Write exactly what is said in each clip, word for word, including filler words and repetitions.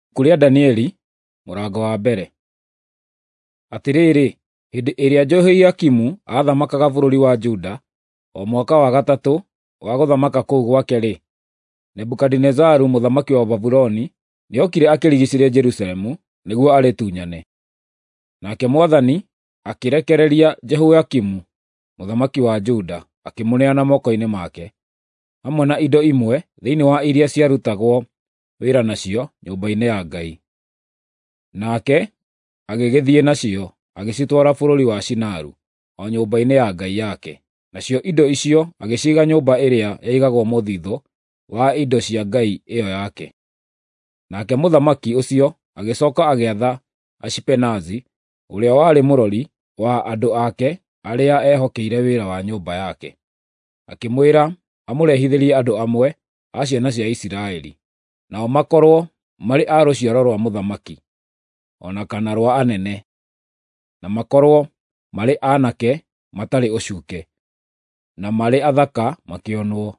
Ibuku rĩa Danieli mũrango wa mbere. Atĩrĩrĩ, hĩndĩ ĩrĩa Jehoiakimu aathamakaga bũrũri wa Juda, o mwaka wa gatatũ wa gũthamaka kũu gwake-rĩ, Nebukadinezaru mũthamaki wa Babuloni nĩokire akĩrigiicĩria Jerusalemu nĩguo arĩtunyane. Nake Mwathani akĩrekereria Jehoiakimu mũthamaki wa Juda, akĩmũneana moko-inĩ make, hamwe na indo imwe thĩinĩ wa iria ciarutagwo wĩra nacio nyũmba-inĩ ya Ngai. Nake agĩgĩthiĩ nacio, agĩcitwara bũrũri wa Shinaru, o nyũmba-inĩ ya ngai yake. Nacio indo icio agĩciiga nyũmba ĩrĩa yaigagwo mũthithũ wa indo cia ngai ĩyo yake. Nake mũthamaki ũcio agĩcooka agĩatha Ashipenazi, ũrĩa warĩ mũrori wa andũ ake arĩa ehokeire wĩra wa nyũmba yake, akĩmwĩra amũrehithĩrie andũ amwe a ciana cia Isiraeli, nao makorwo marĩ a rũciaro rwa mũthamaki, o na kana rwa anene, na makorwo marĩ aanake matarĩ ũcuuke, na marĩ athaka makĩonwo,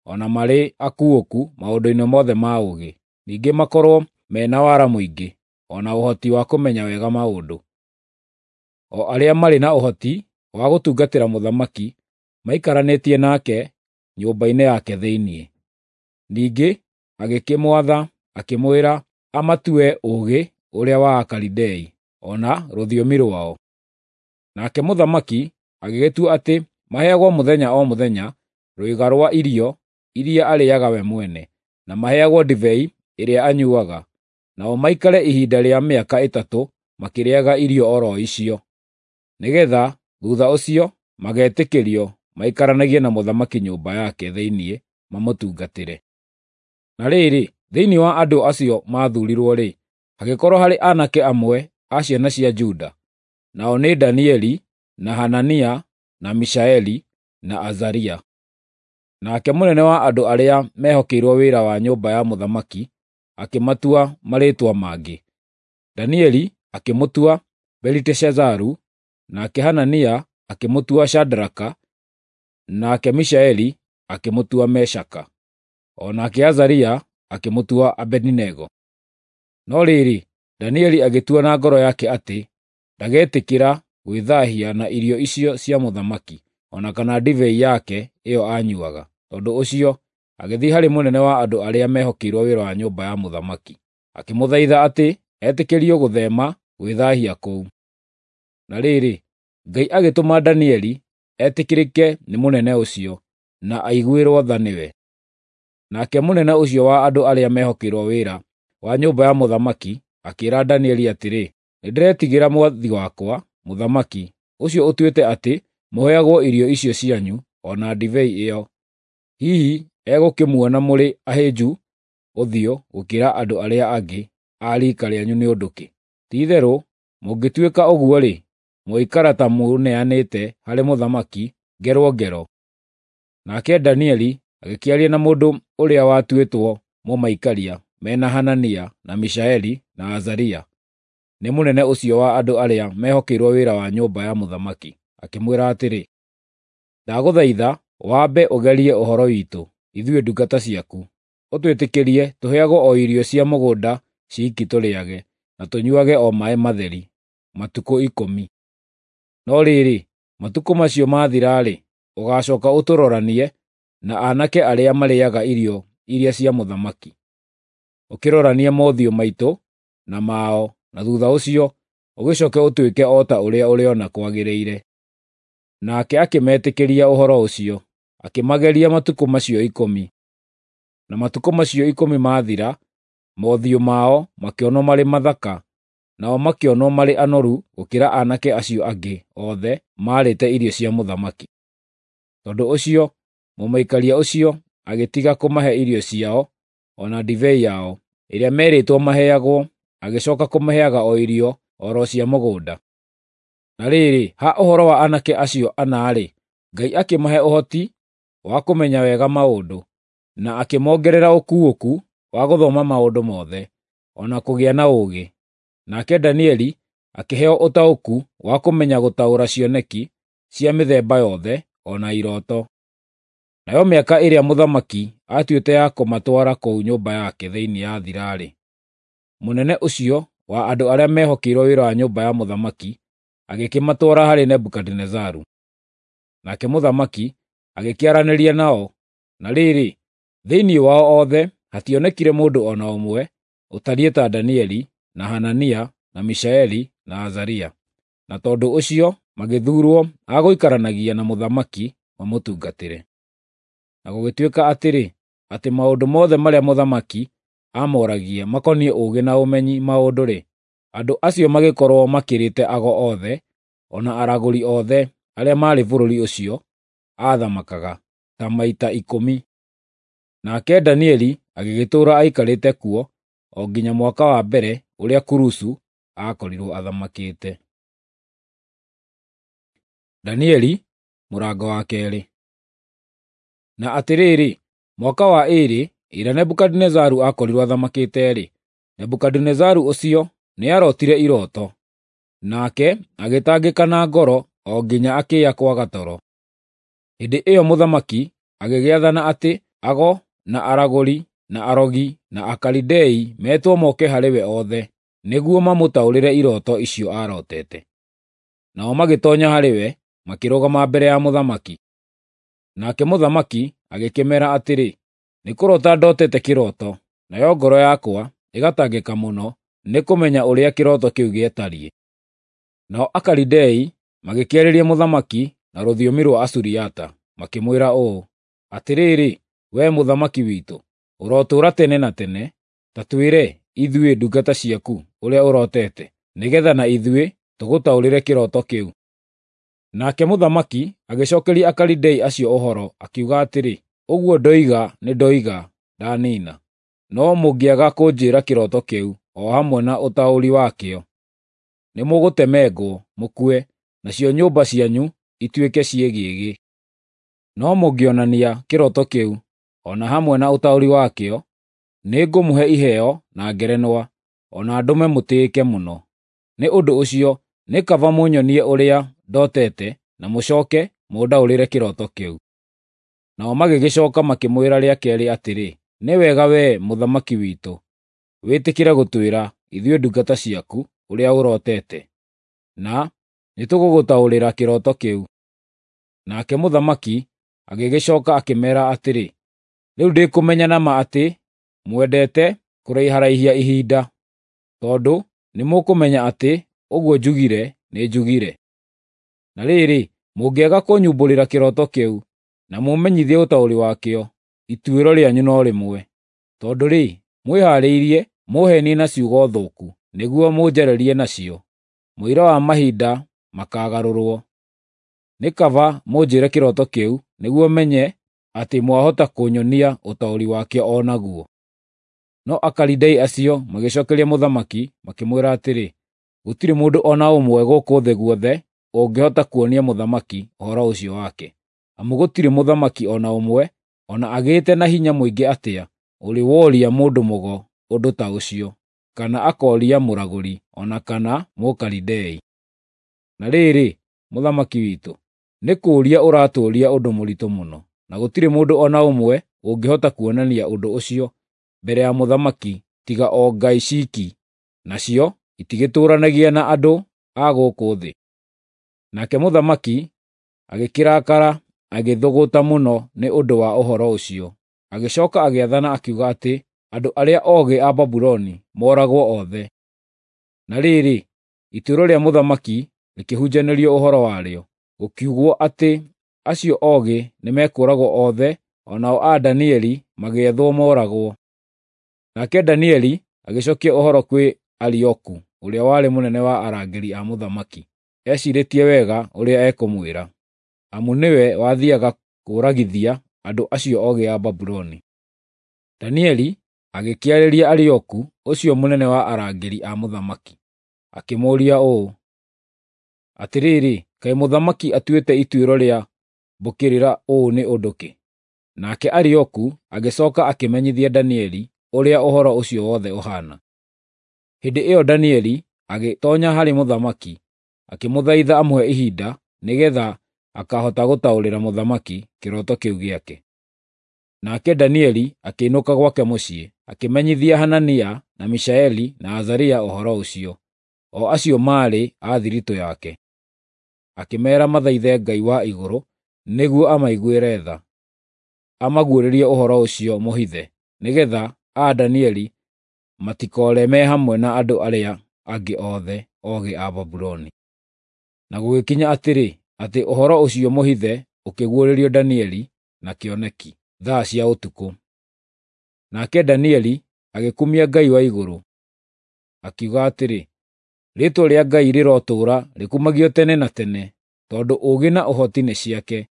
o na marĩ akuũku maũndũ-inĩ mothe ma ũũgĩ, ningĩ makorwo me na wara mũingĩ, o na ũhoti wa kũmenya wega maũndũ, o arĩa marĩ na ũhoti wa gũtungatĩra mũthamaki maikaranĩtie nake nyũmba-inĩ yake thĩinĩ. Ningĩ agĩkĩmwatha akĩmwĩra amatue ũũgĩ ũrĩa wa Akalidei, o na rũthiomi rwao. Nake mũthamaki agĩgĩtua atĩ maheagwo mũthenya o mũthenya rwĩga rwa irio iria arĩĩaga we mwene, na maheagwo ndibei ĩrĩa anyuuaga, nao maikare ihinda rĩa mĩaka ĩtatũ makĩrĩĩaga irio o ro icio, nĩgeetha thuutha ũcio magetĩkĩrio maikaranagie na mũthamaki nyũmba yake thĩinĩ mamũtungatĩre. Na rĩrĩ, thĩinĩ wa andũ acio maathuurirwo-rĩ, hagĩkorwo harĩ aanake amwe a ciana cia Juda, nao nĩ Danieli, na Hanania, na Mishaeli, na Azaria. Nake mũnene wa andũ arĩa mehokeirwo wĩra wa nyũmba ya mũthamaki akĩmatua marĩĩtwa mangĩ. Danieli akĩmũtua Beliteshazaru, nake Hanania akĩmũtua Shadraka, nake Mishaeli akĩmũtua Meshaka, o nake Azaria akĩmũtua Abedinego. No rĩrĩ, Danieli agĩtua na ngoro yake atĩ ndagetĩkĩra gwĩthaahia na irio icio cia mũthamaki, o na kana ndibei yake ĩyo aanyuuaga. Tondũ ũcio agĩthiĩ harĩ mũnene wa andũ arĩa mehokeirwo wĩra wa nyũmba ya mũthamaki, akĩmũthaitha atĩ etĩkĩrio gũtheema gwĩthaahia kũu. Na rĩrĩ, Ngai agĩtũma Danieli etĩkĩrĩke nĩ mũnene ũcio, na aiguĩrwo tha nĩwe. Nake mũnene ũcio wa andũ arĩa mehokeirwo wĩra wa nyũmba ya mũthamaki akĩĩra Danieli atĩrĩ, “Nĩndĩretigĩra mwathi wakwa, mũthamaki, ũcio ũtuĩte atĩ mũheagwo irio icio cianyu o na ndibei ĩyo. Hihi egũkĩmuona mũrĩ ahĩnju ũthiũ gũkĩra andũ arĩa angĩ a riika rĩanyu nĩ ũndũ kĩ? Ti-itherũ mũngĩtuĩka ũguo-rĩ, mũgũikara ta mũneanĩte harĩ mũthamaki ngerwo ngero.” Nake Danieli agĩkĩaria na mũndũ ũrĩa watuĩtwo mũmaikaria me na Hanania, na Mishaeli, na Azaria, nĩ mũnene ũcio wa andũ arĩa mehokeirwo wĩra wa nyũmba ya mũthamaki, akĩmwĩra atĩrĩ, “Ndagũthaitha wambe ũgerie ũhoro witũ, ithuĩ ndungata ciaku, ũtwĩtĩkĩrie tũheagwo o irio cia mũgũnda ciiki tũrĩage, na tũnyuuage o maaĩ matheri, matukũ ikũmi. No rĩrĩ, matukũ macio maathira-rĩ, ũgaacooka ũtũroranie na aanake arĩa marĩĩaga irio iria cia mũthamaki, ũkĩroranie mothiũ maitũ na mao, na thuutha ũcio ũgĩcooke ũtwĩke o ta ũrĩa ũrĩona kwagĩrĩire.” Nake akĩmetĩkĩria ũhoro ũcio, akĩmageria matukũ macio ikũmi. Na matukũ macio ikũmi maathira, mothiũ mao makĩonwo marĩ mathaka, nao makĩonwo marĩ anoru gũkĩra aanake acio angĩ othe maarĩte irio cia mũthamaki. Tondũ ũcio mũmaikaria ũcio agĩtiga kũmahe irio ciao o na ndibei yao ĩrĩa meerĩtwo maheagwo, agĩcooka kũmaheaga o irio o ro cia mũgũnda. Na rĩrĩ, ha ũhoro wa aanake acio ana-rĩ, Ngai akĩmahe ũhoti wa kũmenya wega maũndũ, na akĩmongerera ũkuũku wa gũthoma maũndũ mothe, o na kũgĩa na ũũgĩ. Nake Danieli akĩheo ũtaũku wa kũmenya gũtaũra cioneki cia mĩthemba yothe, o na irooto. Nayo mĩaka ĩrĩa mũthamaki aatuĩte ya kũmatwara kũu nyũmba yake thĩinĩ yathira-rĩ, mũnene ũcio wa andũ arĩa mehokeirwo wĩra wa nyũmba ya mũthamaki agĩkĩmatwara harĩ Nebukadinezaru. Nake mũthamaki agĩkĩaranĩria nao, na rĩrĩ, thĩinĩ wao othe hationekire mũndũ o na ũmwe ũtariĩ ta Danieli, na Hanania, na Mishaeli, na Azaria. Na tondũ ũcio magĩthuurwo a gũikaranagia na mũthamaki mamũtungatĩre. Na gũgĩtuĩka atĩrĩ, atĩ maũndũ mothe marĩa mũthamaki aamoragia makoniĩ ũũgĩ na ũmenyi maũndũ-rĩ, andũ acio magĩkorwo makĩrĩte ago othe, o na aragũri othe arĩa maarĩ bũrũri ũcio aathamakaga, ta maita ikũmi. Nake Danieli agĩgĩtũũra aikarĩte kuo o nginya mwaka wa mbere ũrĩa Kurusu aakorirwo athamakĩte. Danieli mũrango wa keerĩ. Na atĩrĩrĩ, mwaka wa ĩĩrĩ ĩrĩa Nebukadinezaru aakorirwo athamakĩte-rĩ, Nebukadinezaru ũcio nĩarotire iroto, nake agĩtangĩka na ngoro o nginya akĩya kwaga toro. Hĩndĩ ĩyo mũthamaki agĩgĩathana atĩ ago na aragũri na arogi na Akalidei metwo moke harĩ we othe, nĩguo mamũtaũrĩre iroto icio aarotete. Nao magĩtoonya harĩ we, makĩrũgama mbere ya mũthamaki. Nake mũthamaki agĩkĩmeera atĩrĩ, “Nĩ kũrota ndotete kĩroto, nayo ngoro yakwa ĩgatangĩka mũno nĩ kũmenya ũrĩa kĩroto kĩu gĩatariĩ.” Nao Akalidei magĩkĩarĩria mũthamaki na rũthiomi rwa Asuriata, makĩmwĩra ũũ, “Atĩrĩrĩ, wee mũthamaki witũ, ũrotũũra tene na tene! Ta twĩre, ithuĩ ndungata ciaku, ũrĩa ũrotete, nĩgeetha na ithuĩ tũgũtaũrĩre kĩroto kĩu.” Nake mũthamaki agĩcookeria Akalidei acio ũhoro, akiuga atĩrĩ, “Ũguo ndoiga nĩndoiga, ndaniina. No mũngĩaga kũnjĩĩra kĩroto kĩu o hamwe na ũtaũri wakĩo, nĩmũgũtemengwo mũkue, nacio nyũmba cianyu ituĩke ciĩgĩĩgĩ. No mũngĩonania kĩroto kĩu o na hamwe na ũtaũri wakĩo, nĩngũmũhe iheo na ngerenwa, o na ndũme mũtĩĩke mũno. Nĩ ũndũ ũcio nĩ kaba mũnyonie ũrĩa ndotete na mũcooke mũndaũrĩre kĩroto kĩu.” Nao magĩgĩcooka makĩmwĩra rĩa keerĩ atĩrĩ, “Nĩ wega wee mũthamaki witũ, wĩtĩkĩre gũtwĩra, ithuĩ ndungata ciaku, ũrĩa ũrotete, na nĩtũgũgũtaũrĩra kĩroto kĩu.” Nake mũthamaki agĩgĩcooka akĩmeera atĩrĩ, “Rĩu ndĩkũmenya na ma atĩ mwendete kũraiharaihia ihinda, tondũ nĩmũkũmenya atĩ ũguo njugire nĩnjugire. Na rĩrĩ, mũngĩaga kũnyumbũrĩra kĩroto kĩu na mũmenyithie ũtaũri wakĩo, ituĩro rĩanyu no rĩmwe. Tondũ-rĩ, mwĩhaarĩirie mũũheenie na ciugo thũku nĩguo mũnjarĩrie nacio, mũira wa mahinda makaagarũrwo. Nĩ kaba mũnjĩĩre kĩroto kĩu nĩguo menye atĩ mwahota kũnyonia ũtaũri wakĩo o naguo.” No Akalidei acio magĩcookeria mũthamaki makĩmwĩra atĩrĩ, “Gũtirĩ mũndũ o na ũmwe gũkũ thĩ guothe ũngĩhota kuonia mũthamaki ũhoro ũcio wake, amu gũtirĩ mũthamaki o na ũmwe, o na agĩĩte na hinya mũingĩ atĩa, ũrĩ woria mũndũ mũgo ũndũ ta ũcio, kana akooria mũragũri o na kana Mũkalidei. Na rĩrĩ, mũthamaki witũ, nĩ kũũria ũratũũria ũndũ mũritũ mũno, na gũtirĩ mũndũ o na ũmwe ũngĩhota kuonania ũndũ ũcio mbere ya mũthamaki tiga o ngai ciiki, nacio itigĩtũũranagia na andũ a gũkũ thĩ.” Nake mũthamaki agĩkĩrakara agĩthũgũta mũno nĩ ũndũ wa ũhoro ũcio. Agĩcooka agĩathana akiuga atĩ andũ arĩa oogĩ a Babuloni mooragwo othe. Na rĩrĩ, ituĩro rĩa mũthamaki rĩkĩhunjanĩrio ũhoro warĩo, gũkiugwo atĩ acio oogĩ nĩmekũũragwo othe, o nao a Danieli magĩethwo mooragwo. Nake Danieli agĩcookia ũhoro kwĩ Arioku ũrĩa warĩ mũnene wa arangĩri a mũthamaki, eciirĩtie wega ũrĩa ekũmwĩra, amu nĩwe wathiiaga kũũragithia andũ acio oogĩ a Babuloni. Danieli agĩkĩarĩria Arioku ũcio mũnene wa arangĩri a mũthamaki, akĩmũũria ũũ, “Atĩrĩrĩ, kaĩ mũthamaki atuĩte ituĩro rĩa mbũkĩrĩra ũũ nĩ ũndũ kĩ?” Nake Arioku agĩcooka akĩmenyithia Danieli ũrĩa ũhoro ũcio wothe ũhaana. Hĩndĩ ĩyo Danieli agĩtoonya harĩ mũthamaki, akĩmũthaitha amũhe ihinda nĩgeetha akahota gũtaũrĩra mũthamaki kĩroto kĩu gĩake. Nake Danieli akĩinũka gwake mũciĩ, akĩmenyithia Hanania na Mishaeli na Azaria ũhoro ũcio, o acio maarĩ a thiritũ yake. Akĩmeera mathaithe Ngai wa igũrũ nĩguo amaiguĩre tha, amaguũrĩrie ũhoro ũcio mũhithe, nĩgeetha a Danieli matikoore me hamwe na andũ arĩa angĩ othe oogĩ a Babuloni. Na gũgĩkinya atĩrĩ, atĩ ũhoro ũcio mũhithe ũkĩguũrĩrio Danieli na kĩoneki thaa cia ũtukũ. Nake Danieli agĩkumia Ngai wa igũrũ, akiuga atĩrĩ, “Rĩĩtwa rĩa Ngai rĩrotũũra rĩkumagio tene na tene, tondũ ũũgĩ na ũhoti nĩ ciake.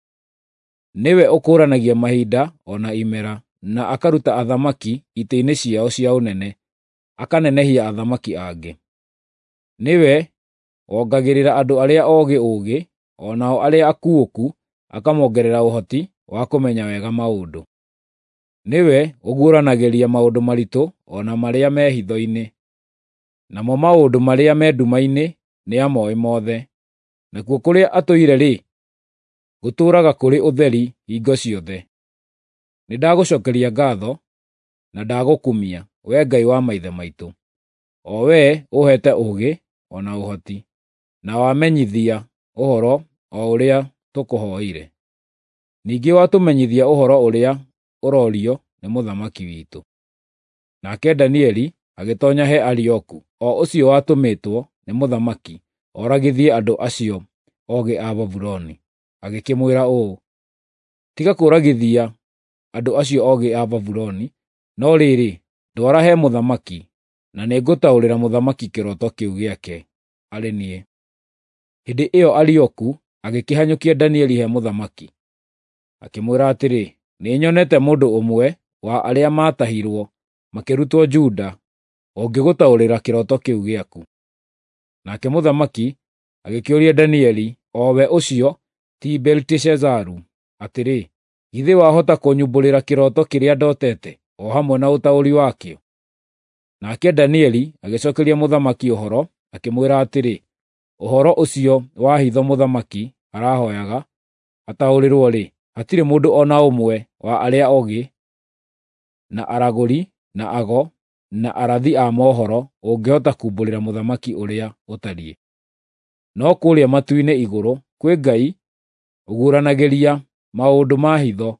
Nĩwe ũkũũranagia mahinda o na imera, na akaruta athamaki itĩ-inĩ ciao cia ũnene, akanenehia athamaki angĩ. Nĩwe wongagĩrĩra andũ arĩa oogĩ ũũgĩ, o nao arĩa akuũku akamongerera ũhoti wa kũmenya wega maũndũ. Nĩwe ũguũranagĩria maũndũ maritũ o na marĩa me hitho-inĩ, namo maũndũ marĩa me nduma-inĩ nĩamooĩ mothe. Nakuo kũrĩa atũire-rĩ, gũtũũraga kũrĩ ũtheri hingo ciothe. Nĩndagũcookeria ngaatho na ndagũkumia, Wee Ngai wa maithe maitũ, o Wee ũũheete ũũgĩ o na ũhoti, na wamenyithia ũhoro o ũrĩa tũkũhooire. Ningĩ watũmenyithia ũhoro ũrĩa ũrorio nĩ mũthamaki witũ.” Nake Danieli agĩtoonya he Arioku, o ũcio watũmĩtwo nĩ mũthamaki oragithie andũ acio oogĩ a Babuloni, agĩkĩmwĩra ũũ, “Tiga kũũragithia andũ acio oogĩ a Babuloni, no rĩrĩ, ndwara he mũthamaki, na nĩngũtaũrĩra mũthamaki kĩroto kĩu gĩake arĩ niĩ.” Hĩndĩ ĩyo Arioku agĩkĩhanyũkia Danieli he mũthamaki, akĩmwĩra atĩrĩ, “Nĩnyonete mũndũ ũmwe wa arĩa maatahirwo makĩrutwo Juda ũngĩgũtaũrĩra kĩroto kĩu gĩaku.” Nake mũthamaki agĩkĩũria Danieli, o we ũcio ti Beliteshazaru, atĩrĩ, “Githĩ wahota kũnyumbũrĩra kĩroto kĩrĩa ndotete, o hamwe na ũtaũri wakĩo?” Nake Danieli agĩcookeria mũthamaki ũhoro, akĩmwĩra atĩrĩ, “Ũhoro ũcio wa hitho mũthamaki arahooyaga ataũrĩrwo-rĩ, hatirĩ mũndũ o na ũmwe wa arĩa oogĩ, na aragũri, na ago, na arathi a mohoro ũngĩhota kumbũrĩra mũthamaki ũrĩa ũtariĩ. No kũrĩa matu-inĩ igũrũ kwĩ Ngai ũguũranagĩria maũndũ ma hitho,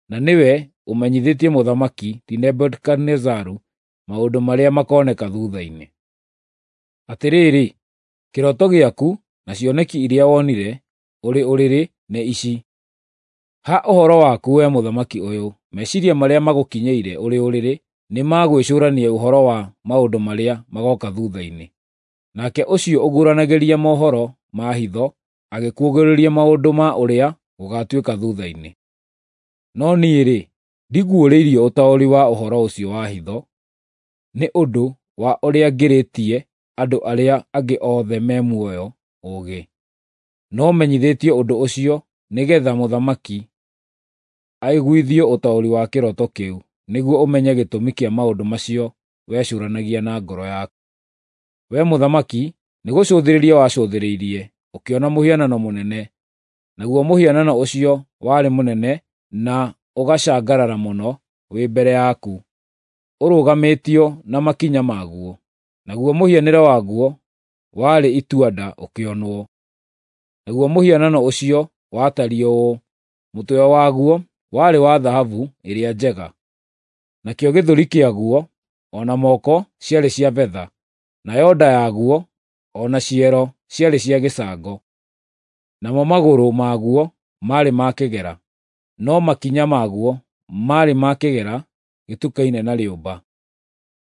na nĩwe ũmenyithĩtie mũthamaki ti Nebukadinezaru maũndũ marĩa makooneka thuutha-inĩ. Atĩrĩrĩ, kĩroto gĩaku na cioneki iria wonire ũrĩ ũrĩrĩ nĩ ici: Ha ũhoro waku wee mũthamaki ũyũ, meciiria marĩa magũkinyĩire ũrĩ ũrĩrĩ nĩ ma gwĩcũrania ũhoro wa maũndũ marĩa magooka thuutha-inĩ. Nake ũcio ũguũranagĩria mohoro ma hitho agĩkuũgĩrĩria maũndũ ma ũrĩa gũgaatuĩka thuutha-inĩ. No niĩ-rĩ, ndiguũrĩirio ũtaũri wa ũhoro ũcio wa hitho, nĩ ũndũ wa ũrĩa ngĩrĩtie andũ arĩa angĩ othe me muoyo ũũgĩ. No menyithĩtio ũndũ ũcio nĩgeetha mũthamaki aiguithio ũtaũri wa kĩroto kĩu, nĩguo ũmenye gĩtũmi kĩa maũndũ macio wecũũranagia na ngoro yaku. Wee mũthamaki, nĩgũcũthĩrĩria wacũthĩrĩirie, ũkĩona mũhianano mũnene. Naguo mũhianano ũcio warĩ mũnene na ũgacangarara mũno wĩ mbere yaku, ũrũgamĩtio na makinya maguo, naguo mũhianĩre waguo warĩ itua-nda ũkĩonwo. Naguo mũhianano ũcio watariĩ ũũ: mũtwe waguo warĩ wa thahabu ĩrĩa njega, nakĩo gĩthũri kĩaguo o na moko ciarĩ cia betha, nayo nda yaguo o na ciero ciarĩ cia gĩcango, namo magũrũ maguo maarĩ ma kĩgera, no makinya maguo maarĩ ma kĩgera gĩtukaine na rĩũmba.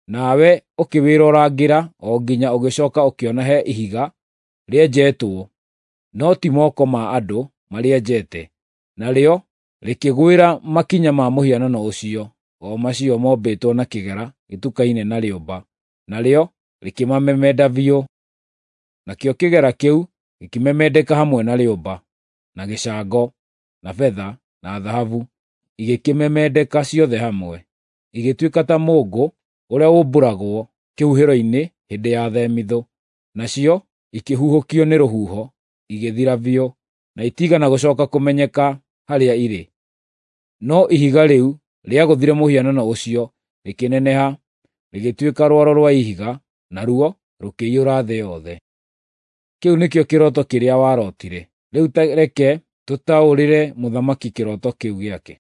Nawe ũkĩwĩrorangĩra o nginya ũgĩcooka ũkĩona he ihiga rĩenjetwo, no ti moko ma andũ marĩenjete, narĩo rĩkĩgwĩra makinya ma mũhianano ũcio, o macio mombĩtwo na kĩgera gĩtukaine na rĩũmba, narĩo rĩkĩmamemenda biũ. Nakĩo kĩgera kĩu gĩkĩmemendeka hamwe na rĩũmba, na gĩcango, na betha, na thahabu, igĩkĩmemendeka ciothe hamwe, igĩtuĩka ta mũũngũ ũrĩa ũmbũragwo kĩhuhĩro-inĩ hĩndĩ ya themithũ, nacio ikĩhuhũkio nĩ rũhuho igĩthira biũ, na itiigana gũcooka kũmenyeka harĩa irĩ. No ihiga rĩu rĩagũthire mũhianano ũcio, rĩkĩneneha, rĩgĩtuĩka rwaro rwa ihiga, naruo rũkĩiyũra thĩ yothe. Kĩu nĩkĩo kĩroto kĩrĩa warotire. Rĩu ta reke tũtaũrĩre mũthamaki kĩroto kĩu gĩake.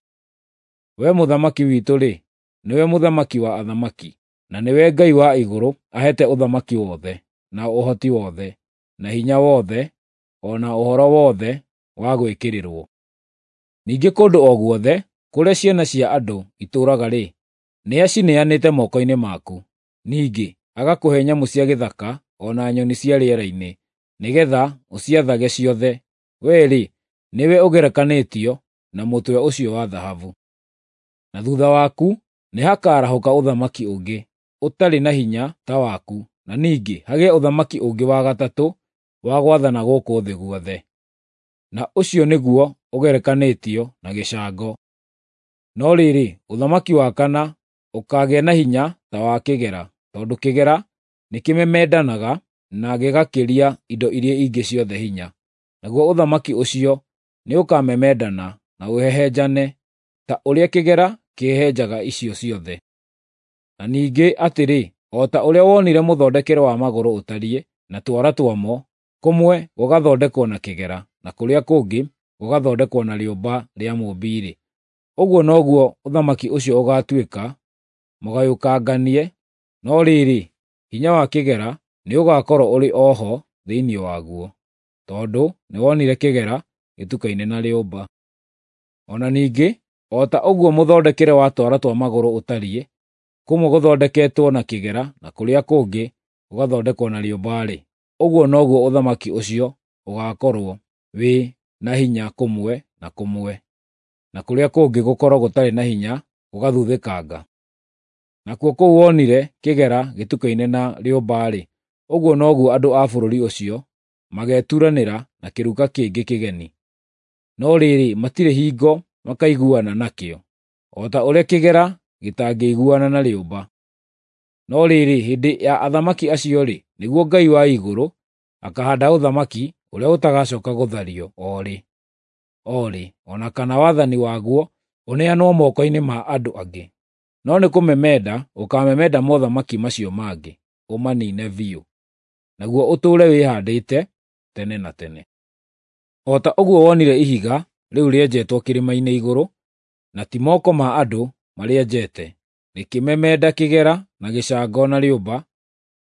We mũthamaki witũ-rĩ, nĩwe mũthamaki wa athamaki, na nĩwe Ngai wa igũrũ aheete ũthamaki wothe, na ũhoti wothe, na hinya wothe, o na ũhoro wothe wa gwĩkĩrĩrwo. Ningĩ kũndũ o guothe kũrĩa ciana cia andũ itũũraga-rĩ, nĩacineanĩte moko-inĩ maku. Ningĩ agakũhe nyamũ cia gĩthaka o na nyoni cia rĩera-inĩ, nĩgeetha ũciathage ciothe. Wee-rĩ, nĩwe ũgerekanĩtio na mũtwe ũcio wa thahabu. Na thuutha waku nĩhakarahũka ũthamaki ũngĩ, ũtarĩ na hinya ta waku, na ningĩ hagĩe ũthamaki ũngĩ wa gatatũ wa gwathana gũkũ thĩ guothe. Na ũcio nĩguo ũgerekanĩtio na gĩcango. No rĩrĩ, ũthamaki wa kana ũkaagĩa na hinya ta wa kĩgera, tondũ kĩgera nĩkĩmemendanaga na gĩgakĩria indo iria ingĩ ciothe hinya. Naguo ũthamaki ũcio nĩũkamemendana na ũhehenjane, ta ũrĩa kĩgera kĩhehenjaga icio ciothe. Na ningĩ atĩrĩ, o ta ũrĩa wonire mũthondekere wa magũrũ ũtariĩ, na twara twamo, kũmwe gũgathondekwo na kĩgera, na kũrĩa kũngĩ gũgathondekwo na rĩũmba rĩa mũũmbi-rĩ, ũguo noguo ũthamaki ũcio ũgaatuĩka mũgayũkanganie, no rĩrĩ, hinya wa kĩgera nĩũgakorwo ũrĩ o ho thĩinĩ waguo, tondũ nĩwonire kĩgera gĩtukaine na rĩũmba. O na ningĩ, o ta ũguo mũthondekere wa twara twa magũrũ ũtariĩ, kũmwe gũthondeketwo na kĩgera na kũrĩa kũngĩ gũgathondekwo na rĩũmba-rĩ, ũguo noguo ũthamaki ũcio ũgaakorwo wĩ na hinya kũmwe na kũmwe, na kũrĩa kũngĩ gũkorwo gũtarĩ na hinya gũgathuthĩkanga. Nakuo kũu wonire kĩgera gĩtukaine na rĩũmba-rĩ, ũguo noguo andũ a bũrũri ũcio mageturanĩra na kĩruka kĩngĩ kĩgeni. No rĩrĩ, matirĩ hingo makaiguana nakĩo, o ta ũrĩa kĩgera gĩtangĩiguana na rĩũmba. No rĩrĩ, hĩndĩ ya athamaki acio-rĩ, nĩguo Ngai wa igũrũ akahaanda ũthamaki ũrĩa ũtagacooka gũthario o rĩ, o rĩ, o na kana wathani waguo ũneanwo moko-inĩ ma andũ angĩ. No nĩ kũmemenda ũkaamemenda mothamaki macio mangĩ, ũmaniine biũ, naguo ũtũũre wĩhaandĩte tene na tene. O ta ũguo wonire ihiga rĩu rĩenjetwo kĩrĩma-inĩ igũrũ, na ti moko ma andũ marĩenjete, rĩkĩmemenda kĩgera na gĩcango na rĩũmba,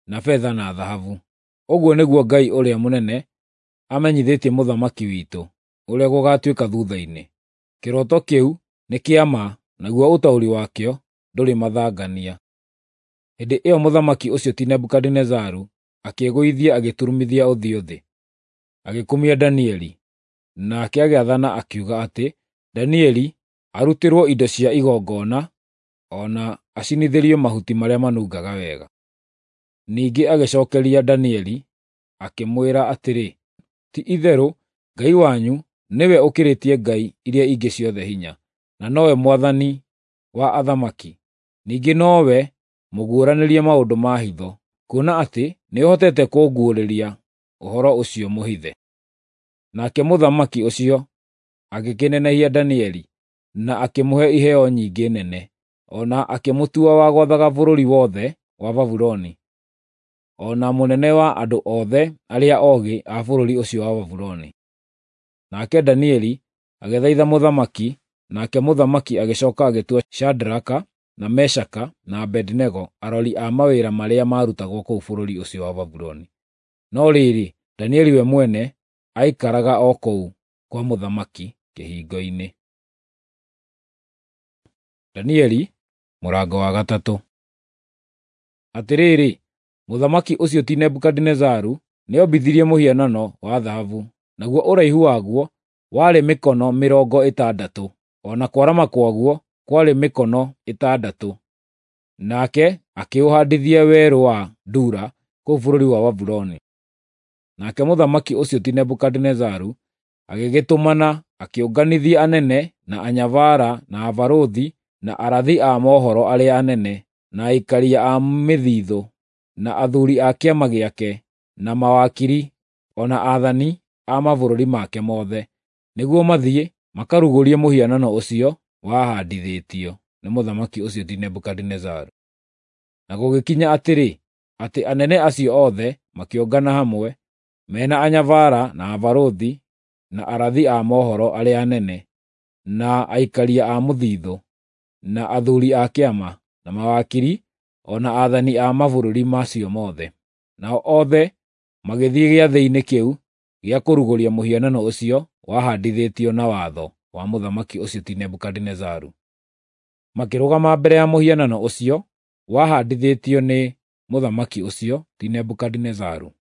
na betha na thahabu. Ũguo nĩguo Ngai ũrĩa mũnene amenyithĩtie mũthamaki witũ ũrĩa gũgaatuĩka thuutha-inĩ. Kĩroto kĩu nĩ kĩa ma, naguo ũtaũri wakĩo ndũrĩ mathangania. Hĩndĩ ĩyo mũthamaki ũcio ti Nebukadinezaru akĩĩgũithia agĩturumithia ũthiũ thĩ, agĩkumia Danieli. Nake agĩathana akiuga atĩ Danieli arutĩrwo indo cia igongona o na acinithĩrio mahuti marĩa manungaga wega. Ningĩ agĩcookeria Danieli akĩmwĩra atĩrĩ, “Ti-itherũ Ngai wanyu nĩwe ũkĩrĩtie ngai iria ingĩ ciothe hinya, na nowe Mwathani wa athamaki, ningĩ nowe mũguũranĩria maũndũ ma hitho, kuona atĩ nĩũhotete kũnguũrĩria ũhoro ũcio mũhithe.” Nake mũthamaki ũcio agĩkĩnenehia Danieli na akĩmũhe iheo nyingĩ nene, o na akĩmũtua wa gwathaga bũrũri wothe wa Babuloni, o na mũnene wa andũ othe arĩa oogĩ a bũrũri ũcio wa Babuloni. Nake Danieli agĩthaitha mũthamaki, nake mũthamaki agĩcooka agĩtua Shadraka, na Meshaka, na Abedinego arori a mawĩra marĩa maarutagwo kũu bũrũri ũcio wa Babuloni. No rĩrĩ, Danieli we mwene aikaraga o kũu kwa mũthamaki kĩhingo-inĩ. Danieli mũrango wa gatatũ. Atĩrĩrĩ, mũthamaki ũcio ti Nebukadinezaru nĩombithirie mũhianano wa thahabu, naguo ũraihu waguo warĩ mĩkono mĩrongo ĩtandatũ, o na kwarama kwaguo kwarĩ mĩkono ĩtandatũ. Nake akĩũhaandithia werũ wa Dura kũu bũrũri wa Babuloni. Nake mũthamaki ũcio ti Nebukadinezaru agĩgĩtũmana akĩũnganithia anene, na anyabara, na abarũthi, na arathi a mohoro arĩa anene, na aikaria a mĩthithũ, na athuuri a kĩama gĩake, na mawakiri, o na aathani a mabũrũri make mothe, nĩguo mathiĩ makarugũrie mũhianano ũcio wahaandithĩtio. nĩ mũthamaki ũcio ti Nebukadinezaru. Na gũgĩkinya atĩrĩ, atĩ anene acio othe makĩũngana hamwe, mena anyabara na abarũthi na arathi a mohoro arĩa anene, na aikaria a mũthithũ, na athuuri a kĩama, na mawakiri, o na aathani a mabũrũri macio mothe. Nao othe magĩthiĩ gĩathĩ-inĩ kĩu gĩa kũrugũria mũhianano ũcio wahandithĩtio na watho wa mũthamaki ũcio ti Nebukadinezaru. Makĩrũgama mbere ya mũhianano ũcio wahandithĩtio nĩ mũthamaki ũcio ti Nebukadinezaru.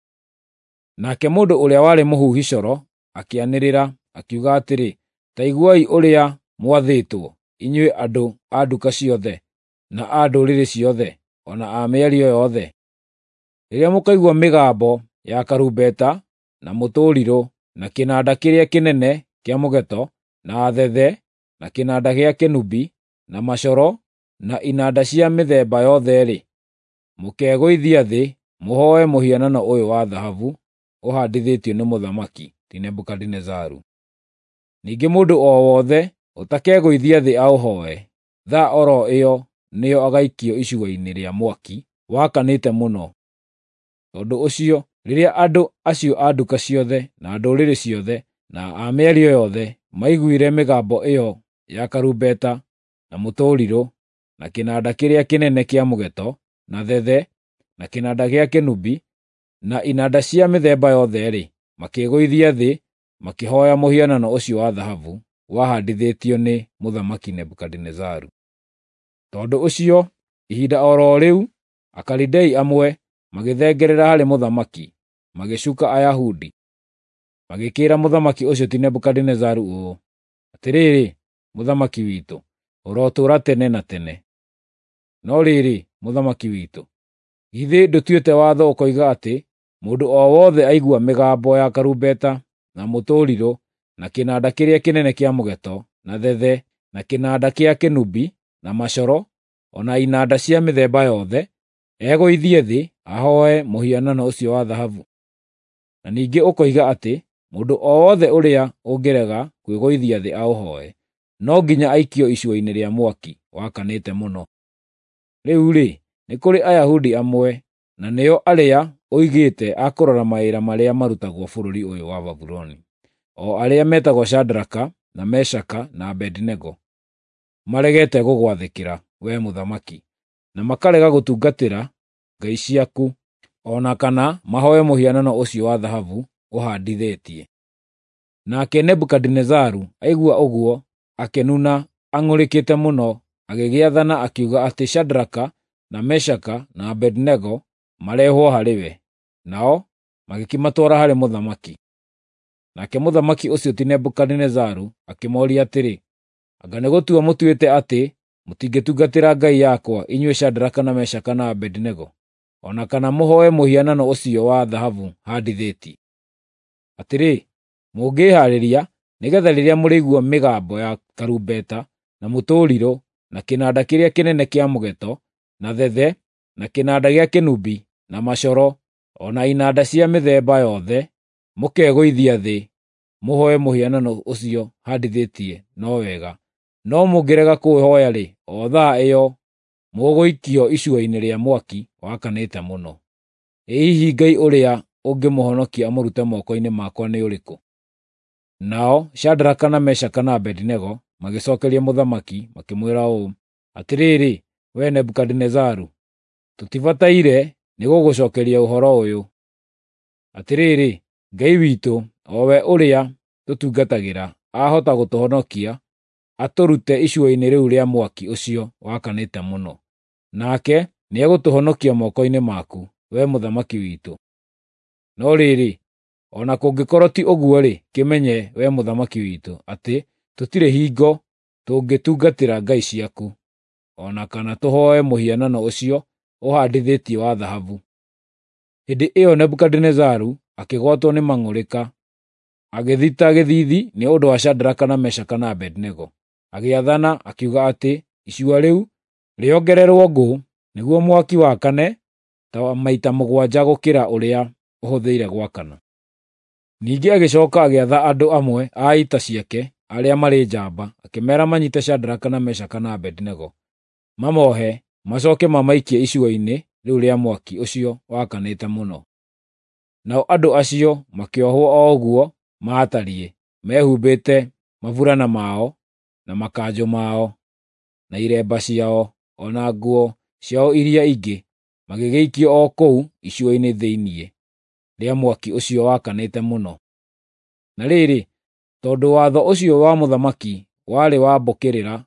Nake mũndũ ũrĩa warĩ mũhuhi coro akĩanĩrĩra akiuga atĩrĩ, “Ta iguai ũrĩa mwathĩtwo, inyuĩ andũ a nduka ciothe, na a ndũrĩrĩ ciothe, o na a mĩario yothe. Rĩrĩa mũkaigua mĩgambo ya karumbeta, na mũtũrirũ, na kĩnanda kĩrĩa kĩnene kĩa mũgeto, na thethe, na kĩnanda gĩa kĩnubi, na macoro, na inanda cia mĩthemba yothe-rĩ, mũkegũithia thĩ mũhooe mũhianano ũyũ wa thahabu ũhandithĩtio nĩ mũthamaki ti Nebukadinezaru. Ningĩ mũndũ o wothe ũtakegũithia thĩ aũhooe, thaa oro ĩyo nĩyo agaikio icua-inĩ rĩa mwaki wakanĩte mũno. Tondũ ũcio, rĩrĩa andũ acio a nduka ciothe, na ndũrĩrĩ ciothe, na a mĩario yothe maiguire mĩgambo ĩyo ya karumbeta, na mũtũrirũ, na kĩnanda kĩrĩa kĩnene kĩa mũgeto, na thethe, na kĩnanda gĩa kĩnubi, na inanda cia mĩthemba yothe-rĩ, makĩĩgũithia thĩ makĩhooya mũhianano ũcio wa thahabu wahandithĩtio nĩ mũthamaki Nebukadinezaru. Tondũ ũcio, ihinda o ro rĩu, Akalidei amwe magĩthengerera harĩ mũthamaki, magĩcuka Ayahudi. Magĩkĩĩra mũthamaki ũcio ti Nebukadinezaru ũũ, “Atĩrĩrĩ, mũthamaki witũ, ũrotũũra tene na tene. No rĩrĩ, mũthamaki witũ, githĩ ndũtuĩte watho ũkoiga atĩ mũndũ o wothe aigua mĩgambo ya karumbeta, na mũtũrirũ, na kĩnanda kĩrĩa kĩnene kĩa mũgeto, na thethe, na kĩnanda kĩa kĩnubi, na macoro, o na inanda cia mĩthemba yothe, egũithie thĩ ahooe mũhianano ũcio wa thahabu? Na ningĩ ũkoiga atĩ mũndũ o wothe ũrĩa ũngĩrega kwĩgũithia thĩ aũhooe, no nginya aikio icua-inĩ rĩa mwaki wakanĩte mũno. Rĩu-rĩ, nĩ kũrĩ Ayahudi amwe, na nĩo arĩa ũigĩte a kũrora mawĩra marĩa marutagwo bũrũri ũyũ wa Babuloni, o arĩa metagwo Shadraka, na Meshaka, na Abedinego, maregete gũgwathĩkĩra, wee mũthamaki, na makarega gũtungatĩra ngai ciaku, o na kana mahooe mũhianano ũcio wa thahabu ũhandithĩtie.” Nake Nebukadinezaru aigua ũguo akĩnuna ang'ũrĩkĩte mũno, agĩgĩathana akiuga atĩ Shadraka, na Meshaka, na Abedinego marehwo harĩ we. Nao magĩkĩmatwara harĩ mũthamaki. Nake mũthamaki ũcio ti Nebukadinezaru akĩmooria atĩrĩ, “Anga nĩ gũtua mũtuĩte atĩ mũtingĩtungatĩra ngai yakwa, inyuĩ Shadraka na Meshaka na Abedinego, o na kana mũhooe mũhianano ũcio wa thahabu handithĩtie? Atĩrĩ, mũngĩĩhaarĩria nĩgeetha rĩrĩa mũrĩigua mĩgambo ya karumbeta, na mũtũrirũ, na kĩnanda kĩrĩa kĩnene kĩa mũgeto, na thethe, na kĩnanda gĩa kĩnubi, na macoro, o na inanda cia mĩthemba yothe, mũkegũithia thĩ mũhooe mũhianano ũcio handithĩtie, no wega. No mũngĩrega kũũhooya-rĩ, o thaa ĩyo mũgũikio icua-inĩ rĩa mwaki wakanĩte mũno. Ĩ hihi Ngai ũrĩa ũngĩmũhonokia amũrute moko-inĩ makwa nĩ ũrĩkũ?” Nao Shadraka, na Meshaka, na Abedinego magĩcookeria mũthamaki makĩmwĩra ũũ, “Atĩrĩrĩ, wee Nebukadinezaru, tũtibataire nĩgũgũcookeria ũhoro ũyũ. Atĩrĩrĩ, Ngai witũ, o we ũrĩa tũtungatagĩra, ahota gũtũhonokia atũrute icua-inĩ rĩu rĩa mwaki ũcio wakanĩte mũno, nake nĩegũtũhonokia moko-inĩ maku, wee mũthamaki witũ. No rĩrĩ, o na kũngĩkorwo ti ũguo-rĩ, kĩmenye, wee mũthamaki witũ, atĩ tũtirĩ hingo tũngĩtungatĩra ngai ciaku, o na kana tũhooe mũhianano ũcio ũhandithĩtie wa thahabu.” Hĩndĩ ĩyo Nebukadinezaru akĩgwatwo nĩ mang'ũrĩka, agĩthita gĩthiithi nĩ ũndũ wa Shadraka, na Meshaka, na Abedinego. Agĩathana akiuga atĩ icua rĩu rĩongererwo ngũ nĩguo mwaki wakane ta maita mũgwanja gũkĩra ũrĩa ũhũthĩire gwakana. Ningĩ agĩcooka agĩatha andũ amwe a ita ciake arĩa marĩ njamba, akĩmeera manyiite Shadraka, na Meshaka, na Abedinego. mamohe, macoke mamaikie icua-inĩ rĩu rĩa mwaki ũcio wakanĩte mũno. Nao andũ acio makĩohwo o ũguo maatariĩ, mehumbĩte maburana mao, na makanjũ mao, na iremba ciao, o na nguo ciao iria ingĩ, magĩgĩikio o kũu icua-inĩ thĩinĩ rĩa mwaki ũcio wakanĩte mũno. Na rĩrĩ, tondũ watho ũcio wa mũthamaki warĩ wa mbũkĩrĩra,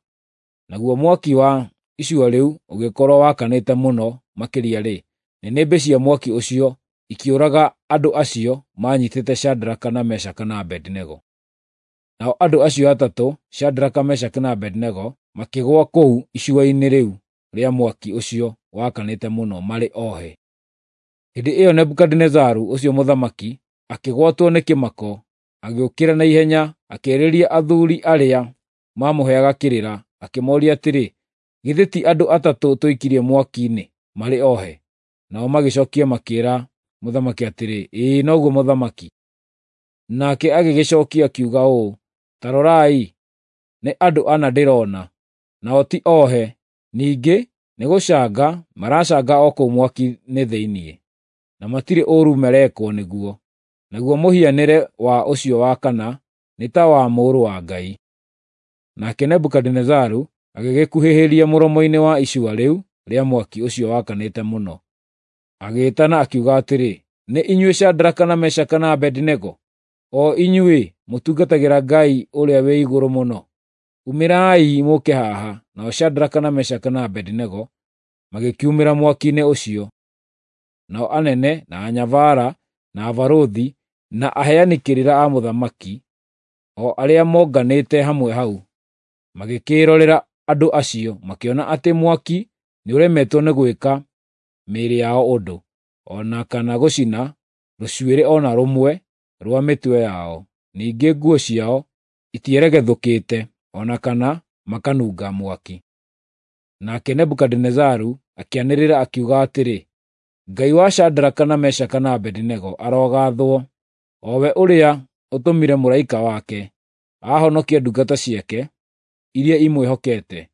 naguo mwaki wa icua rĩu ũgĩkorwo wakanĩte mũno makĩria-rĩ, nĩnĩmbĩ cia mwaki ũcio ikĩũraga andũ acio maanyitĩte Shadraka na Meshaka na Abedinego. Nao andũ acio atatũ, Shadraka, Meshaka na Abedinego, makĩgũa kũu icua-inĩ rĩu rĩa mwaki ũcio wakanĩte mũno marĩ ohe. Hĩndĩ ĩyo Nebukadinezaru ũcio mũthamaki akĩgwatwo nĩ kĩmako, agĩũkĩra na ihenya, akĩarĩria athuuri arĩa maamũheaga kĩrĩra, akĩmooria atĩrĩ, “Githĩ ti andũ atatũ tũikirie mwaki-inĩ marĩ ohe?” Nao magĩcookia makĩĩra mũthamaki atĩrĩ, “Ĩĩ noguo mũthamaki.” Nake agĩgĩcookia akiuga ũũ, “Ta rorai, nĩ andũ ana ndĩrona, nao ti ohe, ningĩ nĩgũcanga maracanga o kũu mwaki-inĩ thĩinĩ, na matirĩ ũũru marekwo nĩguo. Naguo mũhianĩre wa ũcio wa kana nĩ ta wa mũrũ wa Ngai.” Nake Nebukadinezaru agĩgĩkuhĩhĩria mũromo-inĩ wa icua rĩu rĩa mwaki ũcio wakanĩte mũno, agĩĩtana akiuga atĩrĩ, “Nĩ inyuĩ Shadraka na Meshaka na Abedinego, o inyuĩ mũtungatagĩra Ngai ũrĩa wĩ igũrũ mũno, umĩrai mũũke haha.” Nao Shadraka na Meshaka na Abedinego magĩkiumĩra mwaki-inĩ ũcio. Nao anene, na anyabara, na abarũthi, na aheani kĩrĩra a mũthamaki, o arĩa monganĩte hamwe hau, magĩkĩĩrorera andũ acio, makĩona atĩ mwaki nĩũremetwo nĩ gwĩka mĩĩrĩ yao ũndũ, o na kana gũcina rũcuĩrĩ o na rũmwe rwa mĩtwe yao. Ningĩ nguo ciao itieregethũkĩte, o na kana makanunga mwaki. Nake Nebukadinezaru akĩanĩrĩra akiuga atĩrĩ, “Ngai wa Shadraka na Meshaka na Abedinego arogaathwo, o we ũrĩa ũtũmire mũraika wake ahonokie ndungata ciake iria imwĩhokete,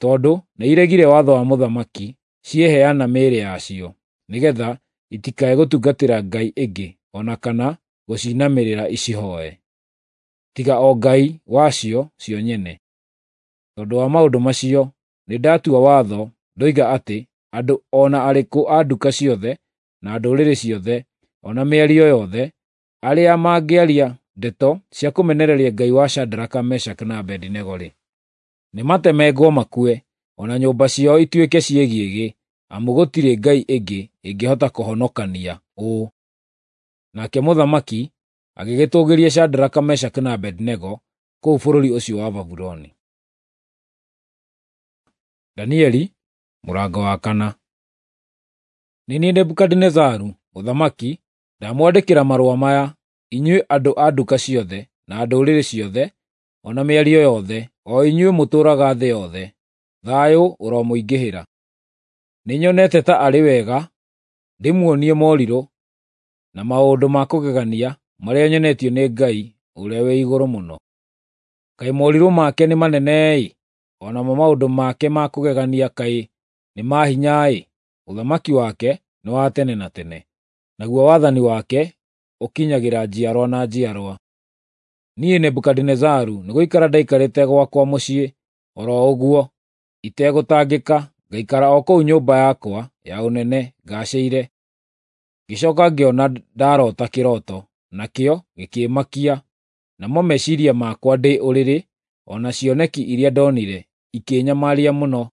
tondũ nĩiregire watho wa mũthamaki cieheana mĩĩrĩ yacio, nĩgeetha itikae gũtungatĩra ngai ĩngĩ o na kana gũcinamĩrĩra icihooe, tiga o Ngai wacio cio nyene. Tondũ wa maũndũ macio, nĩndatua watho ndoiga atĩ andũ o na arĩkũ a nduka ciothe na ndũrĩrĩ ciothe o na mĩario yothe, arĩa mangĩaria ndeto cia kũmenereria Ngai wa Shadraka, Meshaka na Abedinego-rĩ, nĩmatemengwo makue, o na nyũmba ciao ituĩke ciĩgĩĩgĩ, amu gũtirĩ ngai ĩngĩ ĩngĩhota kũhonokania ũũ.” Nake mũthamaki agĩgĩtũũgĩria Shadraka, Meshaka na Abedinego kũu bũrũri ũcio wa Babuloni. Danieli mũrango wa kana. Nĩ niĩ Nebukadinezaru mũthamaki, ndamwandĩkĩra marũa maya, inyuĩ andũ a nduka ciothe, na ndũrĩrĩ ciothe, o na mĩario yothe, o inyuĩ mũtũũraga thĩ yothe. Thayũ ũromũingĩhĩra. Nĩnyonete ta arĩ wega ndĩmuonie morirũ na maũndũ ma kũgegania marĩa nyonetio nĩ Ngai ũrĩa wĩ igũrũ mũno. Kaĩ morirũ make nĩ manene-ĩ, o namo maũndũ make ma kũgegania kaĩ nĩ ma hinya-ĩ! Ũthamaki wake nĩ wa tene na tene, naguo wathani wake ũkinyagĩra njiarwa na njiarwa. Niĩ Nebukadinezaru nĩgũikara ndaikarĩte gwakwa mũciĩ o ro ũguo itegũtangĩka, ngaikara o kũu nyũmba yakwa ya ũnene ngaacĩire. Ngĩcooka ngĩona ndaroota kĩroto, nakĩo gĩkĩĩmakia, namo meciiria makwa ndĩ ũrĩrĩ, o na cioneki iria ndonire ikĩĩnyamaria mũno.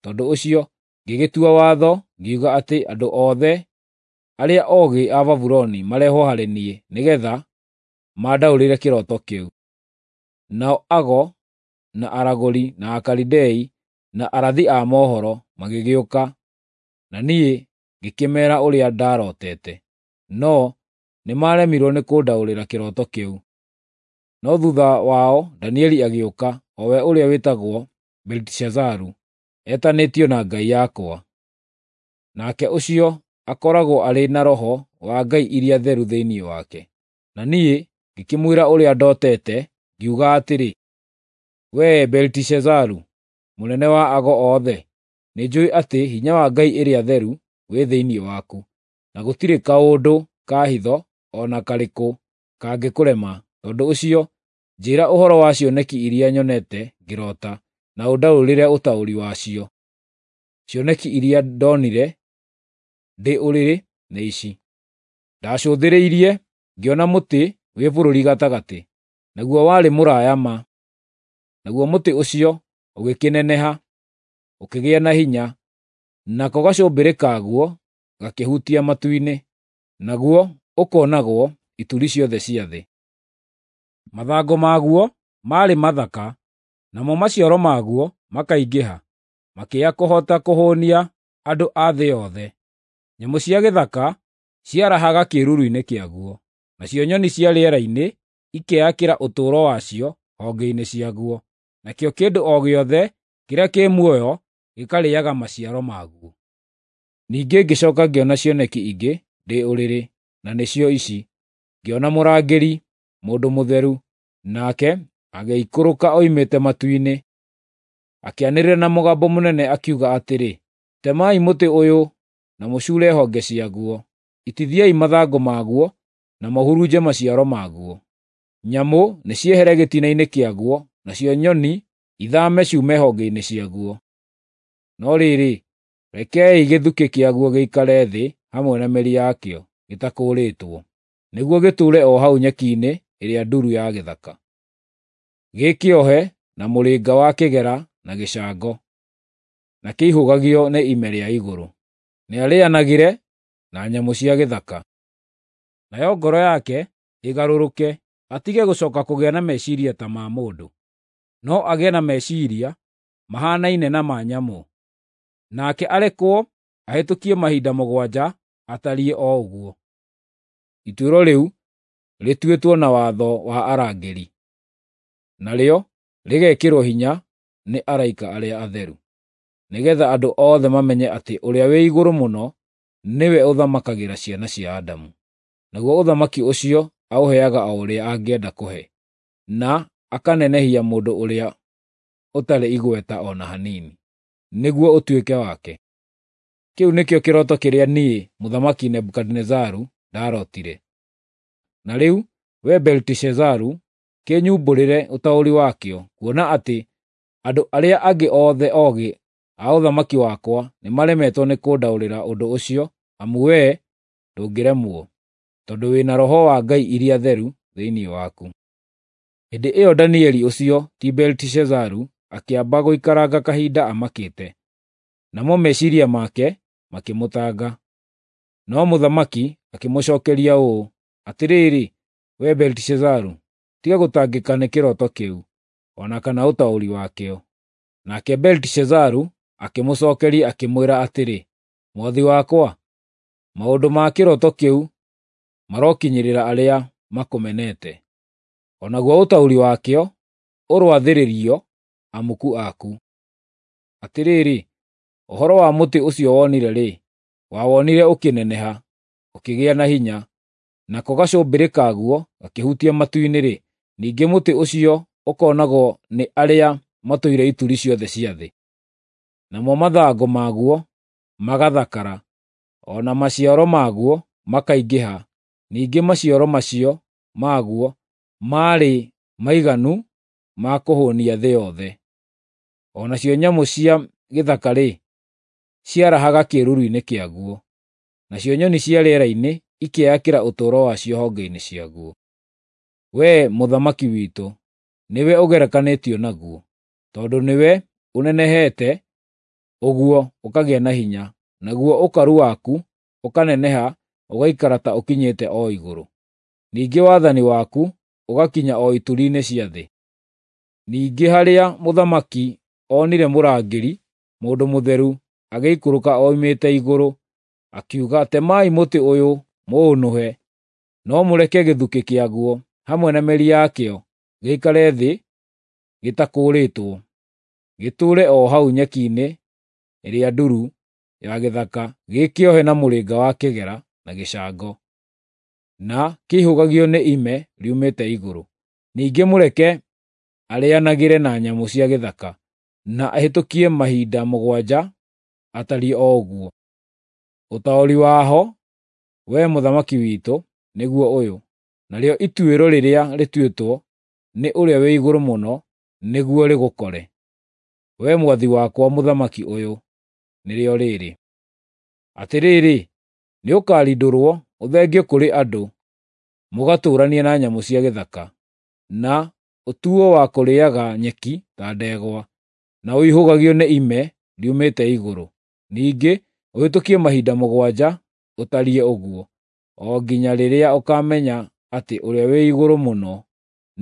Tondũ ũcio ngĩgĩtua watho ngiuga atĩ andũ othe arĩa oogĩ a Babuloni marehwo harĩ niĩ, nĩgeetha mandaũrĩre kĩroto kĩu. Nao ago, na aragũri, na Akalidei, na arathi a mohoro magĩgĩũka, na niĩ ngĩkĩmeera ũrĩa ndarootete, no nĩmaremirwo nĩ kũndaũrĩra kĩroto kĩu. No thuutha wao Danieli agĩũka, o we ũrĩa wĩtagwo Beliteshazaru, etanĩtio na ngai yakwa. Nake ũcio akoragwo arĩ na roho wa ngai iria theru thĩinĩ wake. Na niĩ ngĩkĩmwĩra ũrĩa ndootete, ngiuga atĩrĩ, “Wee Beliteshazaru, mũnene wa ago othe, nĩnjũũĩ atĩ hinya wa ngai ĩrĩa theru wĩ thĩinĩ waku, na gũtirĩ kaũndũ ka hitho o na karĩkũ kangĩkũrema. Tondũ ũcio, njĩĩra ũhoro wa cioneki iria nyonete ngĩrota, na ũndaũrĩre ũtaũri wacio. Cioneki iria ndonire ndĩ ũrĩrĩ nĩ ici: Ndacũthĩrĩirie ngĩona mũtĩ wĩ bũrũri gatagatĩ, naguo warĩ mũraya ma. Naguo mũtĩ ũcio ũgĩkĩneneha, ũkĩgĩa na hinya, nako gacũmbĩrĩ kaguo gakĩhutia matu-inĩ, naguo ũkoonagwo ituri ciothe cia thĩ. Mathangũ maguo maarĩ mathaka, namo maciaro maguo makaingĩha, makĩya kũhota kũhũũnia andũ a thĩ yothe. Nyamũ cia gĩthaka ciarahaga kĩĩruru-inĩ kĩaguo, nacio nyoni cia rĩera-inĩ ikeyakĩra ũtũũro wacio honge-inĩ ciaguo, nakĩo kĩndũ o gĩothe kĩrĩa kĩ muoyo gĩkarĩĩaga maciaro maguo. Ningĩ ngĩcooka ngĩona cioneki ingĩ ndĩ ũrĩrĩ, na nĩcio ici: Ngĩona mũrangĩri, mũndũ mũtheru, nake agĩikũrũka oimĩte matu-inĩ. Akĩanĩrĩra na mũgambo mũnene akiuga atĩrĩ, “Temai mũtĩ ũyũ na mũcuure honge ciaguo, itithiai mathangũ maguo na mũhurunje maciaro maguo. Nyamũ nĩciehere gĩtina-inĩ kĩaguo, nacio nyoni ithaame ciume honge-inĩ ciaguo. No rĩrĩ, rekei gĩthukĩ kĩaguo gĩikare thĩ hamwe na mĩri yakĩo gĩtakũrĩtwo, nĩguo gĩtũũre o hau nyeki-inĩ ĩrĩa nduru ya gĩthaka, gĩkĩohe na mũrĩnga wa kĩgera na gĩcango, na kĩihũgagio nĩ ime rĩa igũrũ. Nĩarĩĩanagĩre na nyamũ cia gĩthaka, nayo ngoro yake ĩgarũrũke, atige gũcooka kũgĩa na meciiria ta ma mũndũ, no agĩe na meciiria mahaanaine na ma nyamũ. Nake arekwo ahĩtũkie mahinda mũgwanja atariĩ o ũguo.” Ituĩro rĩu rĩtuĩtwo na watho wa arangĩri, narĩo rĩgekĩrwo hinya nĩ araika arĩa atheru, nĩgeetha andũ othe mamenye atĩ Ũrĩa-wĩ-Igũrũ-Mũno nĩwe ũthamakagĩra ciana cia Adamu, naguo ũthamaki ũcio aũheaga o ũrĩa angĩenda kũhe, na akanenehia mũndũ ũrĩa ũtarĩ igweta o na hanini, nĩguo ũtuĩke wake. Kĩu nĩkĩo kĩroto kĩrĩa niĩ, Mũthamaki Nebukadinezaru, ndarootire. Na rĩu, wee Beliteshazaru, kĩnyumbũrĩre ũtaũri wakĩo, kuona atĩ andũ arĩa angĩ othe oogĩ a ũthamaki wakwa nĩmaremetwo nĩ kũndaũrĩra ũndũ ũcio, amu wee ndũngĩremwo, tondũ wĩ na roho wa ngai iria theru thĩinĩ waku. Hĩndĩ ĩyo Danieli ũcio ti Beliteshazaru akĩamba gũikaranga kahinda amakĩte, namo meciiria make makĩmũtanga. No mũthamaki akĩmũcookeria ũũ, “Atĩrĩrĩ, wee Beliteshazaru, tiga gũtangĩka nĩ kĩroto kĩu, o na kana ũtaũri wakĩo.” Nake Beliteshazaru akĩmũcookeria akĩmwĩra atĩrĩ, “Mwathi wakwa, maũndũ ma kĩroto kĩu marokinyĩrĩra arĩa makũmenete, o naguo ũtaũri wakĩo ũroathĩrĩrio amuku aku. Atĩrĩrĩ, ũhoro wa mũtĩ ũcio wonire-rĩ, wawonire ũkĩneneha, ũkĩgĩa na hinya, nako gacũmbĩrĩ kaguo gakĩhutia matu-inĩ-rĩ, ningĩ mũtĩ ũcio ũkoonagwo nĩ arĩa matũire ituri ciothe cia thĩ. Namo mathangũ maguo magathakara, o na maciaro maguo makaingĩha, ningĩ maciaro macio maguo maarĩ maiganu ma kũhũũnia thĩ yothe. O nacio nyamũ cia gĩthaka-rĩ, ciarahaga kĩĩruru-inĩ kĩaguo, nacio nyoni cia rĩera-inĩ ikeyakĩra ũtũũro wacio honge-inĩ ciaguo. Wee, mũthamaki witũ, nĩwe ũgerekanĩtio naguo, tondũ nĩwe ũnenehete ũguo ũkagĩa na hinya, naguo ũkaru waku ũkaneneha ũgaikara ta ũkinyĩte o igũrũ. Ningĩ wathani waku ũgakinya o ituri-inĩ cia thĩ. Ningĩ harĩa mũthamaki onire mũrangĩri, mũndũ mũtheru, agĩikũrũka oimĩte igũrũ, akiuga, “Temai mũtĩ ũyũ mũũnũhe, no mũreke gĩthukĩ kĩaguo hamwe na mĩri yakĩo gĩikare thĩ gĩtakũrĩtwo, gĩtũũre o hau nyeki-inĩ ĩrĩa nduru ya gĩthaka, gĩkĩohe na mũrĩnga wa kĩgera na gĩcango, na kĩihũgagio nĩ ime riumĩte igũrũ. Ningĩ mũreke arĩĩanagĩre na nyamũ cia gĩthaka.” na ahĩtũkie mahinda mũgwanja atariĩ o ũguo. Ũtaũri waho, wee mũthamaki witũ, nĩguo ũyũ, narĩo ituĩro rĩrĩa rĩtuĩtwo nĩ Ũrĩa-wĩ-Igũrũ-Mũno nĩguo rĩgũkore, wee mwathi wakwa mũthamaki ũyũ, nĩrĩo rĩrĩ: Atĩrĩrĩ, nĩũkarindũrwo ũthengio kũrĩ andũ mũgatũũranie na nyamũ cia gĩthaka, na ũtuo wa kũrĩĩaga nyeki ta ndegwa, na ũihũgagio nĩ ime riumĩte igũrũ. Ningĩ ũhĩtũkie mahinda mũgwanja ũtariĩ ũguo, o nginya rĩrĩa ũkaamenya atĩ Ũrĩa-wĩ-Igũrũ-Mũno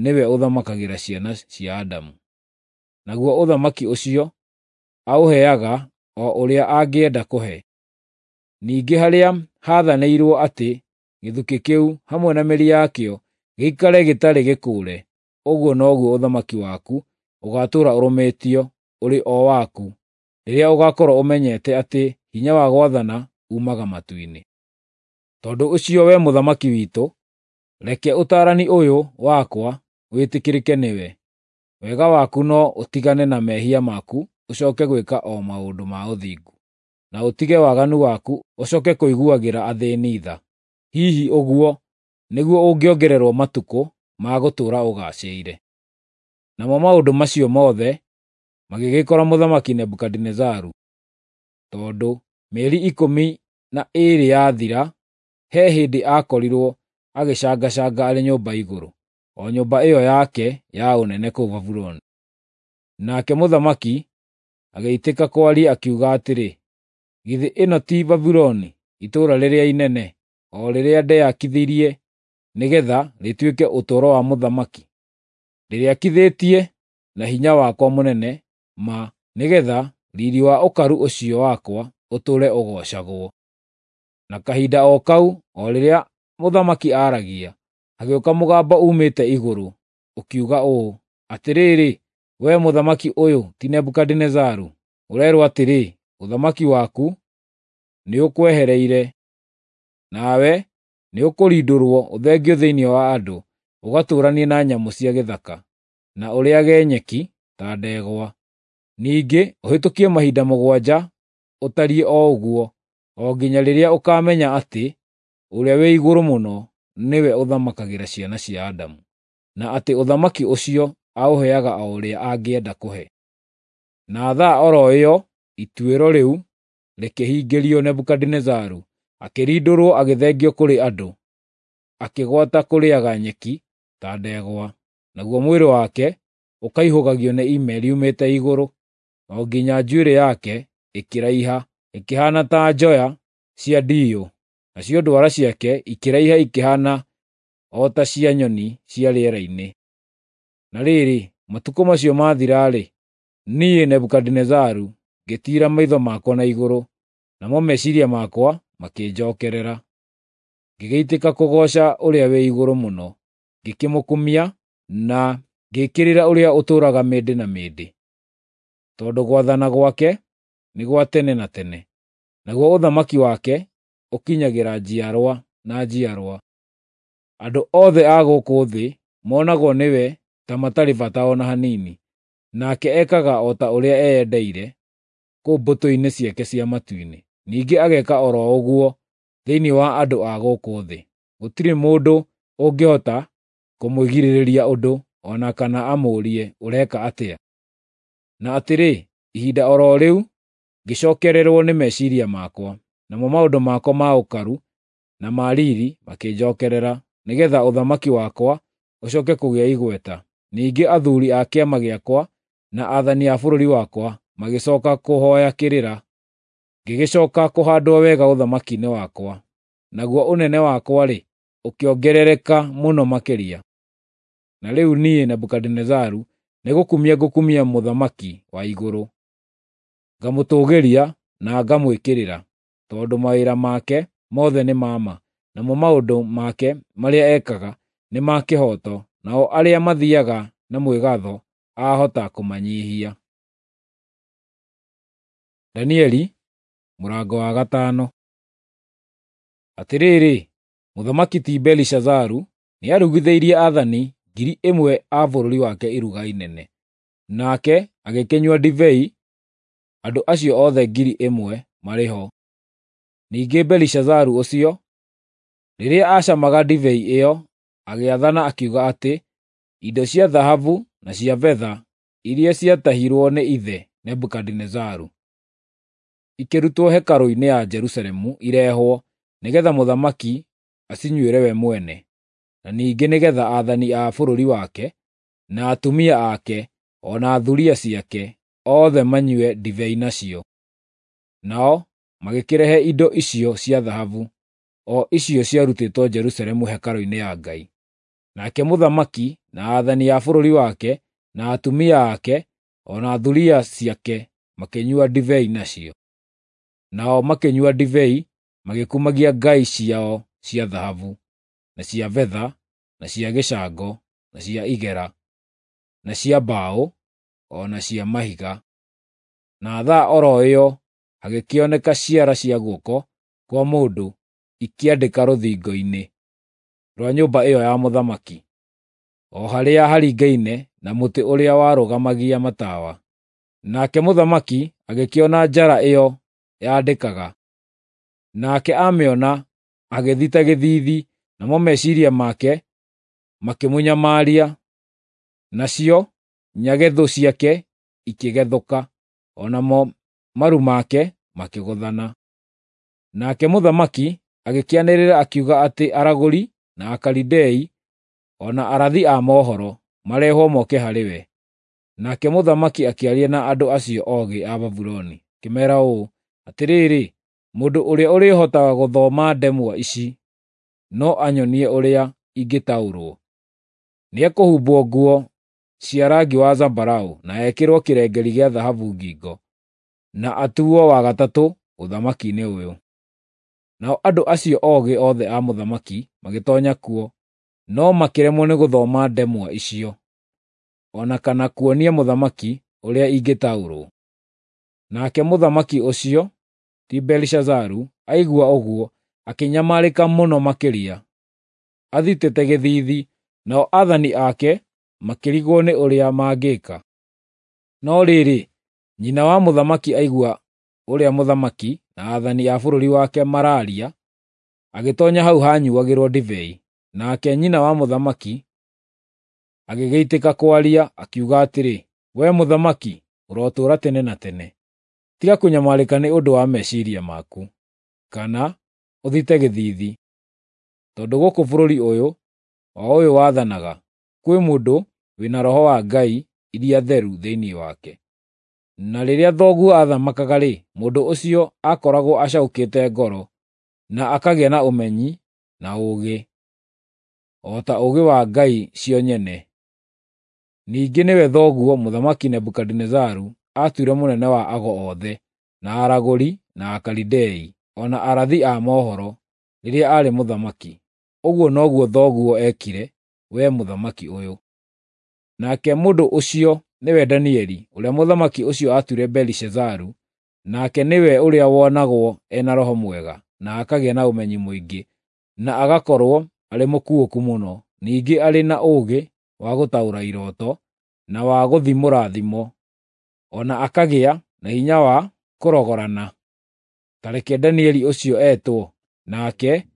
nĩwe ũthamakagĩra ciana cia Adamu, naguo ũthamaki ũcio aũheaga o ũrĩa angĩenda kũhe. Ningĩ harĩa haathanĩirwo atĩ gĩthukĩ kĩu hamwe na mĩri yakĩo gĩikare gĩtarĩ gĩkũũre, ũguo noguo ũthamaki waku ũgaatũũra ũrũmĩtio ũrĩ o waku, rĩrĩa ũgaakorwo ũmenyete atĩ hinya wa gwathana uumaga matu-inĩ. Tondũ ũcio, wee mũthamaki witũ, reke ũtaarani ũyũ wakwa wĩtĩkĩrĩke nĩwe. Wega waku no ũtigane na mehia maku ũcooke gwĩka o maũndũ ma ũthingu, na ũtige waganu waku ũcooke kũiguagĩra athĩĩni tha. Hihi ũguo nĩguo ũngĩongererwo matukũ ma gũtũũra ũgaacĩire. Namo maũndũ macio mothe magĩgĩkora Mũthamaki Nebukadinezaru, tondũ mĩeri ikũmi na ĩĩrĩ yathira, he hĩndĩ aakorirwo agĩcangacanga arĩ nyũmba igũrũ, o nyũmba ĩyo yake ya ũnene kũu Babuloni. Nake mũthamaki agĩitĩka kwaria akiuga atĩrĩ, “Githĩ ĩno ti Babuloni, itũũra rĩrĩa inene, o rĩrĩa ndeyakithirie nĩgeetha rĩtuĩke ũtũũro wa mũthamaki? Ndĩrĩakithĩtie na hinya wakwa mũnene ma, nĩgeetha riiri wa ũkaru ũcio wakwa ũtũũre ũgoocagwo.” Na kahinda o kau, o rĩrĩa mũthamaki aaragia, hagĩũka mũgambo uumĩte igũrũ, ũkiuga ũũ, “Atĩrĩrĩ, wee mũthamaki ũyũ ti Nebukadinezaru, ũreerwo atĩrĩ, ũthamaki waku nĩũkwehereire, nawe nĩũkũrindũrwo ũthengio thĩinĩ wa andũ, ũgatũũranie na nyamũ cia gĩthaka, na ũrĩĩage nyeki ta ndegwa. Ningĩ ũhĩtũkie mahinda mũgwanja ũtariĩ o ũguo, o nginya rĩrĩa ũkaamenya atĩ Ũrĩa-wĩ-Igũrũ-Mũno nĩwe ũthamakagĩra ciana cia Adamu, na atĩ ũthamaki ũcio aũheaga o ũrĩa angĩenda kũhe.” Na thaa o ro ĩyo ituĩro rĩu rĩkĩhingĩrio Nebukadinezaru, akĩrindũrwo agĩthengio kũrĩ andũ, akĩgwata kũrĩĩaga nyeki ta ndegwa, naguo mwĩrĩ wake ũkaihũgagio nĩ ime riumĩte igũrũ, o nginya njuĩrĩ yake ĩkĩraiha ĩkĩhaana ta njoya cia ndiyũ, nacio ndwara ciake ikĩraiha ikĩhaana o ta cia nyoni cia rĩera-inĩ. Na rĩrĩ, matukũ macio maathira-rĩ, niĩ Nebukadinezaru ngĩtiira maitho makwa na igũrũ, namo meciiria makwa makĩnjookerera. Ngĩgĩitĩka kũgooca Ũrĩa-wĩ-Igũrũ-Mũno, ngĩkĩmũkumia na ngĩĩkĩrĩra ũrĩa ũtũũraga mĩndĩ na mĩndĩ, tondũ gwathana gwake nĩ gwa tene na tene, naguo ũthamaki wake ũkinyagĩra njiarwa na njiarwa. Andũ othe a gũkũ thĩ monagwo nĩwe ta matarĩ bata o na hanini, nake ekaga o ta ũrĩa eyendeire kũu mbũtũ-inĩ ciake cia matu-inĩ. Ningĩ ageka o ro ũguo thĩinĩ wa andũ a gũkũ thĩ. Gũtirĩ mũndũ ũngĩhota kũmwĩgirĩrĩria ũndũ, o na kana amũũrie, “Ũreka atĩa?” Na atĩrĩ, ihinda o ro rĩu ngĩcookererwo nĩ meciiria makwa, namo maũndũ makwa ma ũkaru na ma riiri makĩnjookerera, nĩgeetha ũthamaki wakwa ũcooke kũgĩa igweta. Ningĩ athuuri a kĩama gĩakwa na aathani a bũrũri wakwa magĩcooka kũhooya kĩrĩra. Ngĩgĩcooka kũhaandwo wega ũthamaki-inĩ wakwa, naguo ũnene wakwa-rĩ, ũkĩongerereka mũno makĩria. Na rĩu niĩ Nebukadinezaru nĩgũkumia ngũkumia Mũthamaki wa igũrũ, ngamũtũũgĩria na ngamwĩkĩrĩra, tondũ mawĩra make mothe nĩ ma ma, namo maũndũ make marĩa ekaga nĩ ma kĩhooto, nao arĩa mathiiaga na mwĩgaatho aahota kũmanyiihia. Danieli mũrango wa gatano. Atĩrĩrĩ, Mũthamaki ti Belishazaru nĩarugithĩirie aathani ngiri ĩmwe a bũrũri wake iruga inene. Nake agĩkĩnyua ndibei andũ acio othe ngiri ĩmwe marĩ ho. Ningĩ Belishazaru ũcio, rĩrĩa aacamaga ndibei ĩyo, agĩathana akiuga atĩ indo cia thahabu na cia betha iria ciatahirwo nĩ ithe Nebukadinezaru ikĩrutwo hekarũ-inĩ ya Jerusalemu irehwo, nĩgeetha mũthamaki acinyuĩre we mwene, na ningĩ nĩgeetha aathani a bũrũri wake, na atumia ake, o na thuriya ciake othe manyue ndibei nacio. Nao magĩkĩrehe indo icio cia thahabu, o icio ciarutĩtwo Jerusalemu hekarũ-inĩ ya Ngai. Nake mũthamaki na aathani a bũrũri wake, na atumia ake, o na thuriya ciake makĩnyua ndibei nacio. Nao makĩnyua ndibei magĩkumagia ngai ciao cia thahabu, na cia betha, na cia gĩcango, na cia igera, na cia mbaũ, o na cia mahiga. Na thaa o ro ĩyo hagĩkĩoneka ciara cia guoko kwa mũndũ ikĩandĩka rũthingo-inĩ rwa nyũmba ĩyo ya mũthamaki, o harĩa haringaine na mũtĩ ũrĩa warũgamagia matawa. Nake mũthamaki agĩkĩona njara ĩyo yandĩkaga. Nake aamĩona agĩthita gĩthiithi, namo meciiria make makĩmũnyamaria, nacio nyagethũ ciake ikĩgethũka, o namo maru make makĩgũthana. Nake mũthamaki agĩkĩanĩrĩra akiuga atĩ aragũri na Akalidei o na arathi a mohoro marehwo moke harĩ we. Nake mũthamaki akĩaria na andũ acio oogĩ a Babuloni, akĩmeera ũũ, “Atĩrĩrĩ, mũndũ ũrĩa ũrĩhotaga gũthoma ndemwa ici no anyonie ũrĩa ingĩtaũrwo. Nĩekũhumbwo nguo cia rangi wa zambarau na ekĩrwo kĩrengeri gĩa thahabu ngingo, na atuo wa gatatũ ũthamaki-inĩ ũyũ.” Nao andũ acio oogĩ othe a mũthamaki magĩtoonya kuo, no makĩremwo nĩ gũthoma ndemwa icio, o na kana kuonia mũthamaki ũrĩa ingĩtaũrwo. Nake mũthamaki ũcio, ti Belishazaru, aigua ũguo akĩnyamarĩka mũno makĩria, athitĩte gĩthiithi, nao aathani ake makĩrigwo nĩ ũrĩa mangĩka. No rĩrĩ, nyina wa mũthamaki aigua ũrĩa mũthamaki na aathani a bũrũri wake maraaria, agĩtoonya hau haanyuuagĩrwo ndibei. Nake nyina wa mũthamaki agĩgĩitĩka kwaria, akiuga atĩrĩ, “Wee mũthamaki, ũrotũũra tene na tene! Tiga kũnyamarĩka nĩ ũndũ wa meciiria maku, kana ũthite gĩthiithi, tondũ gũkũ bũrũri ũyũ, o ũyũ wathanaga, kwĩ mũndũ wĩ na roho wa ngai iria theru thĩinĩ wake. Na rĩrĩa thoguo aathamakaga-rĩ, mũndũ ũcio aakoragwo acaũkĩte ngoro, na akagĩa na ũmenyi na ũũgĩ, o ta ũũgĩ wa ngai cio nyene. Ningĩ nĩwe thoguo Mũthamaki Nebukadinezaru aatuire mũnene wa ago othe, na aragũri, na Akalidei, o na arathi a mohoro, rĩrĩa aarĩ mũthamaki. Ũguo noguo thoguo eekire, wee mũthamaki ũyũ. Nake mũndũ ũcio nĩwe Danieli, ũrĩa mũthamaki ũcio aatuire Belishazaru, nake nĩwe ũrĩa wonagwo e na roho mwega, na akagĩa na ũmenyi mũingĩ, na agakorwo arĩ mũkuũku mũno, ningĩ arĩ na ũũgĩ wa gũtaũra irooto, na wa gũthimũra thimo, o na akagĩa na hinya wa kũrogorana. Ta reke Danieli ũcio etwo, nake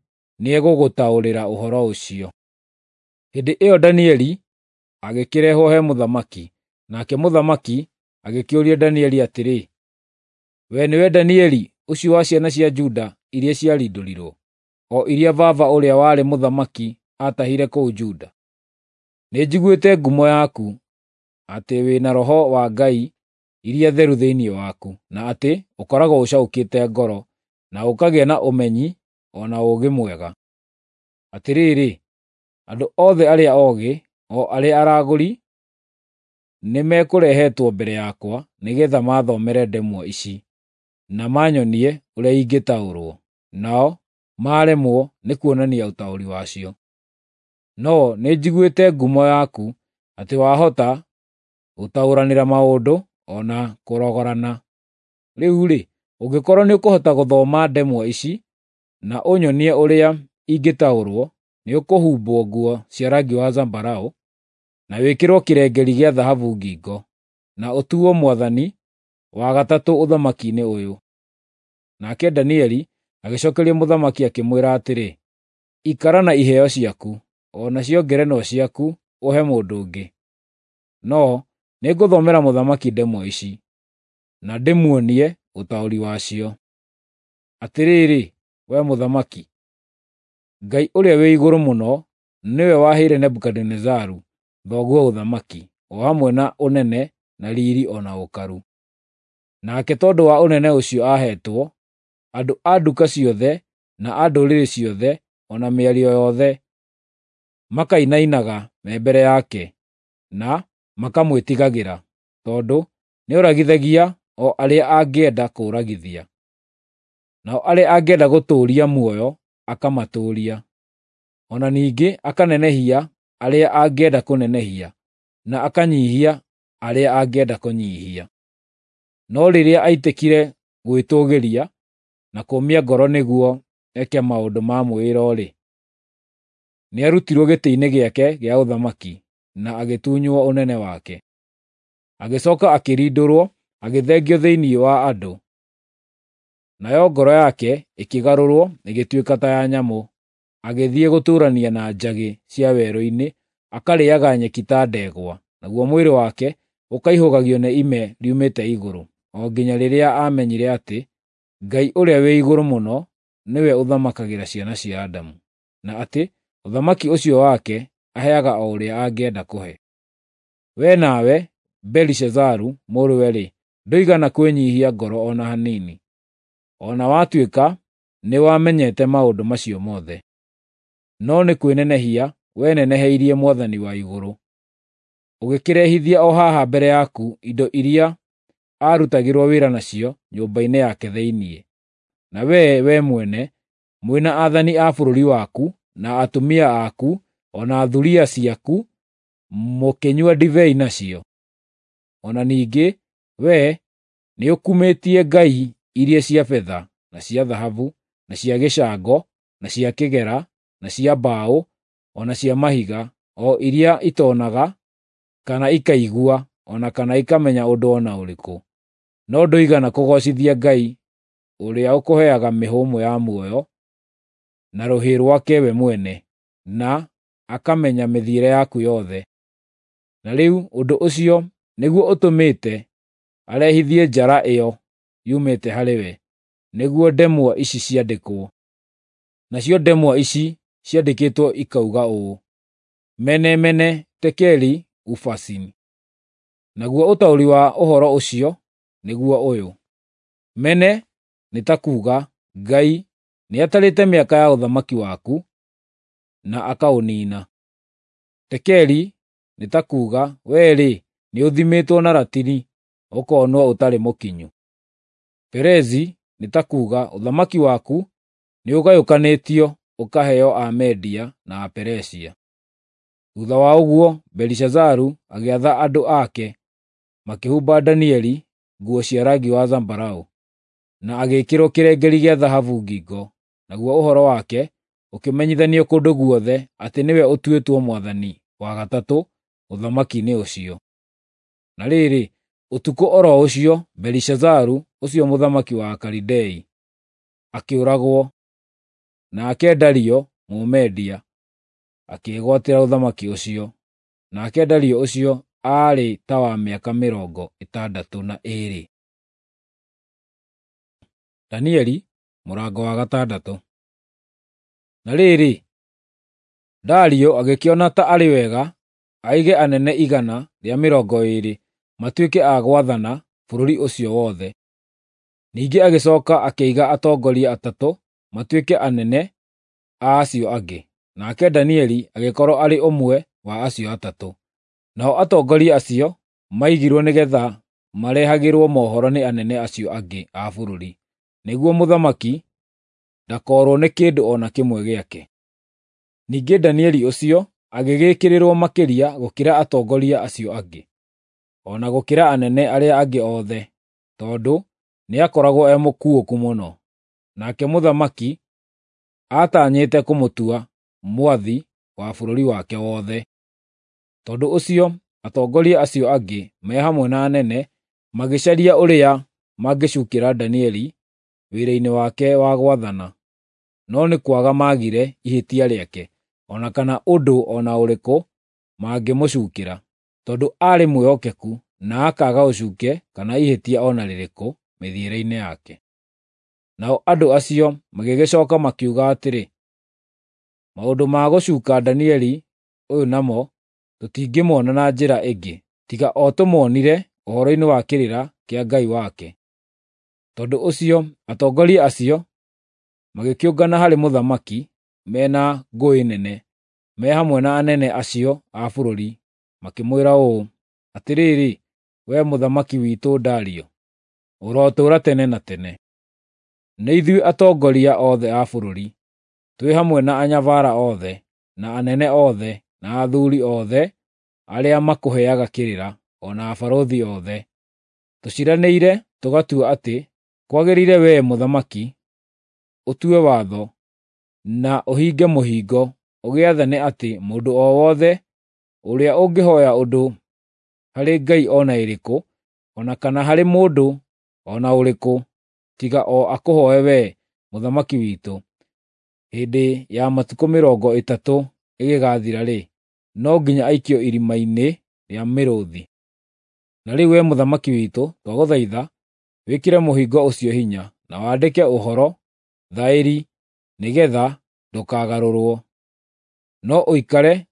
nĩegũgũtaũrĩra ũhoro ũcio.” Hĩndĩ ĩyo Danieli agĩkĩrehwo he mũthamaki, nake mũthamaki agĩkĩũria Danieli atĩrĩ, “Wee nĩwe Danieli ũcio wa ciana cia Juda iria ciarindũrirwo, o iria baba ũrĩa warĩ mũthamaki aatahire kũu Juda? Nĩnjiguĩte ngumo yaku, atĩ wĩ na roho wa ngai iria theru thĩinĩ waku, na atĩ ũkoragwo ũcaũkĩte ngoro, na ũkagĩa na ũmenyi o na ũũgĩ mwega. Atĩrĩrĩ, andũ othe arĩa oogĩ, o arĩa aragũri, nĩmekũrehetwo mbere yakwa nĩgeetha maathomere ndemwa ici, na manyonie ũrĩa ingĩtaũrwo, nao maaremwo nĩ kuonania ũtaũri wacio. No nĩnjiguĩte ngumo yaku atĩ wahota gũtaũranĩra maũndũ o na kũrogorana. Rĩu-rĩ, ũngĩkorwo nĩũkũhota gũthoma ndemwa ici na ũnyonie ũrĩa ingĩtaũrwo, nĩũkũhumbwo nguo cia rangi wa zambarau, na wĩkĩrwo kĩrengeri gĩa thahabu ngingo, na ũtuo mwathani wa gatatũ ũthamaki-inĩ ũyũ. Nake Danieli agĩcokeria mũthamaki akĩmwĩra atĩrĩ, Ikara na iheo ciaku, o nacio ngerenwa ciaku ũhe mũndũ ũngĩ. No nĩngũthomera mũthamaki ndemwa ici, na ndĩmuonie ũtaũri wacio. Atĩrĩrĩ, wee mũthamaki, Ngai ũrĩa wĩ igũrũ mũno nĩwe waheire Nebukadinezaru thoguo ũthamaki, o hamwe na ũnene na riri o na ũkaru. Nake tondũ wa ũnene ũcio aaheetwo, andũ a nduka ciothe na a ndũrĩrĩ ciothe o na mĩario yothe makainainaga me mbere yake, na makamwĩtigagĩra, tondũ nĩoragithagia o arĩa angĩenda kũũragithia, nao arĩa angĩenda gũtũũria muoyo akamatũũria, o na ningĩ akanenehia arĩa angĩenda kũnenehia, na akanyiihia arĩa angĩenda kũnyiihia. No rĩrĩa aitĩkire gwĩtũũgĩria na kũũmia ngoro nĩguo eke maũndũ ma mwĩĩro-rĩ, nĩarutirwo gĩtĩ-inĩ gĩake gĩa ũthamaki na agĩtunywo ũnene wake. Agĩcooka akĩrindũrwo agĩthengio thĩinĩ wa andũ, nayo ngoro yake ĩkĩgarũrwo ĩgĩtuĩka ta ya nyamũ, agĩthiĩ gũtũũrania na njagĩ cia werũ-inĩ, akarĩĩaga nyeki ta ndegwa, naguo mwĩrĩ wake ũkaihũgagio nĩ ime riumĩte igũrũ, o nginya rĩrĩa aamenyire atĩ Ngai ũrĩa wĩ igũrũ mũno nĩwe ũthamakagĩra ciana cia Adamu, na atĩ ũthamaki ũcio wake aheaga o ũrĩa angĩenda kũhe. Wee nawe, Belishazaru mũrũwe-rĩ, ndũigana kwĩnyiihia ngoro o na hanini, o na watuĩka nĩwamenyete maũndũ macio mothe. No nĩ kwĩnenehia weneneheirie Mwathani wa igũrũ, ũgĩkĩrehithia o haha mbere yaku indo iria aarutagĩrwo wĩra nacio nyũmba-inĩ yake thĩinĩ. Na wee, wee mwene, mwĩ na aathani a bũrũri waku, na atumia aku, o na thuriya ciaku, mũkĩnyua ndibei nacio. O na ningĩ wee nĩũkumĩtie ngai iria cia betha, na cia thahabu, na cia gĩcango, na cia kĩgera, na cia mbaũ, o na cia mahiga, o iria itonaga, kana ikaigua, o na kana ikamenya ũndũ o na ũrĩkũ. No ndũigana kũgoocithia Ngai ũrĩa ũkũheaga mĩhũmũ ya muoyo na rũhĩ rwake we mwene, na akamenya mĩthiĩre yaku yothe. Na rĩu ũndũ ũcio nĩguo ũtũmĩte arehithie njara ĩyo yumĩte harĩ we, nĩguo ndemwa ici ciandĩkwo. Nacio ndemwa ici ciandĩkĩtwo ikauga ũũ: Mene mene tekeli ufasin. Naguo ũtaũri wa ũhoro ũcio nĩguo ũyũ: Mene nĩ ta kuuga Ngai nĩatarĩte mĩaka ya ũthamaki waku na akaũniina. Tekeli nĩ ta kuuga wee-rĩ, nĩũthimĩtwo na ratiri ũkonwo ũtarĩ mũkinyu. Perezi nĩ ta kuuga ũthamaki waku nĩũgayũkanĩtio ũkaheo Amedia na Aperesia. Thuutha wa ũguo Belishazaru agĩatha andũ ake makĩhumba Danieli nguo cia rangi wa zambarau, na agĩĩkĩrwo kĩrengeri gĩa thahabu ngingo, naguo ũhoro wake ũkĩmenyithanio kũndũ guothe atĩ nĩwe ũtuĩtwo mwathani wa gatatũ ũthamaki-inĩ ũcio. Na rĩrĩ, ũtukũ o ro ũcio Belishazaru ũcio mũthamaki wa Akalidei akĩũragwo, nake Dario Mũmedia akĩĩgwatĩra ũthamaki ũcio. Nake Dario ũcio aarĩ ta wa mĩaka mĩrongo ĩtandatũ na ĩĩrĩ. Danieli mũrango wa gatandatũ. Na rĩrĩ, Dario agĩkĩona ta arĩ wega aige anene igana rĩa mĩrongo ĩĩrĩ matuĩke a gwathana bũrũri ũcio wothe. Ningĩ agĩcooka akĩiga atongoria atatũ matuĩke anene a acio angĩ, nake Danieli agĩkorwo arĩ ũmwe wa acio atatũ. Nao atongoria acio maigirwo nĩgeetha marehagĩrwo mohoro nĩ anene acio angĩ a bũrũri, nĩguo mũthamaki ndakoorwo nĩ kĩndũ o na kĩmwe gĩake. Ningĩ Danieli ũcio agĩgĩĩkĩrĩrwo makĩria gũkĩra atongoria acio angĩ, o na gũkĩra anene arĩa angĩ othe, tondũ nĩakoragwo e mũkuũku mũno. Nake mũthamaki aatanyĩte kũmũtua mwathi wa bũrũri wake wothe. Tondũ ũcio atongoria acio angĩ me hamwe na anene magĩcaria ũrĩa mangĩcuukĩra Danieli wĩra-inĩ wake wa gwathana, no nĩ kwaga maagire ihĩtia rĩake, o na kana ũndũ o na ũrĩkũ mangĩmũcuukĩra, tondũ aarĩ mwĩhokeku na akaaga ũcuuke kana ihĩtia o na rĩrĩkũ mĩthiĩre-inĩ yake. Nao andũ acio magĩgĩcooka makiuga atĩrĩ, “Maũndũ ma gũcuuka Danieli ũyũ namo tũtingĩmona na njĩra ĩngĩ tiga o tũmuonire ũhoro-inĩ wa kĩrĩra kĩa Ngai wake.” Tondũ ũcio atongoria acio magĩkĩũngana harĩ mũthamaki me na ngũĩ nene, me hamwe na anene acio a bũrũri, makĩmwĩra ũũ, “Atĩrĩrĩ, wee mũthamaki witũ Dario, ũrotũũra tene na tene! Nĩ ithuĩ atongoria othe a bũrũri, twĩ hamwe na anyabara othe, na anene othe, na athuuri othe arĩa makũheaga kĩrĩra, o na abarũthi othe, tũciiranĩire tũgatua atĩ kwagĩrĩire wee mũthamaki ũtue watho na ũhinge mũhingo ũgĩathane atĩ mũndũ o wothe ũrĩa ũngĩhooya ũndũ harĩ ngai o na ĩrĩkũ, o na kana harĩ mũndũ o na ũrĩkũ, tiga o akũhooe wee, mũthamaki witũ, hĩndĩ ya matukũ mĩrongo ĩtatũ ĩgĩgathira-rĩ, no nginya aikio irima-inĩ rĩa mĩrũũthi. Na rĩu wee mũthamaki witũ, twagũthaitha wĩkĩre mũhingo ũcio hinya, na wandĩke ũhoro thaĩri nĩgeetha ndũkagarũrwo, no ũikare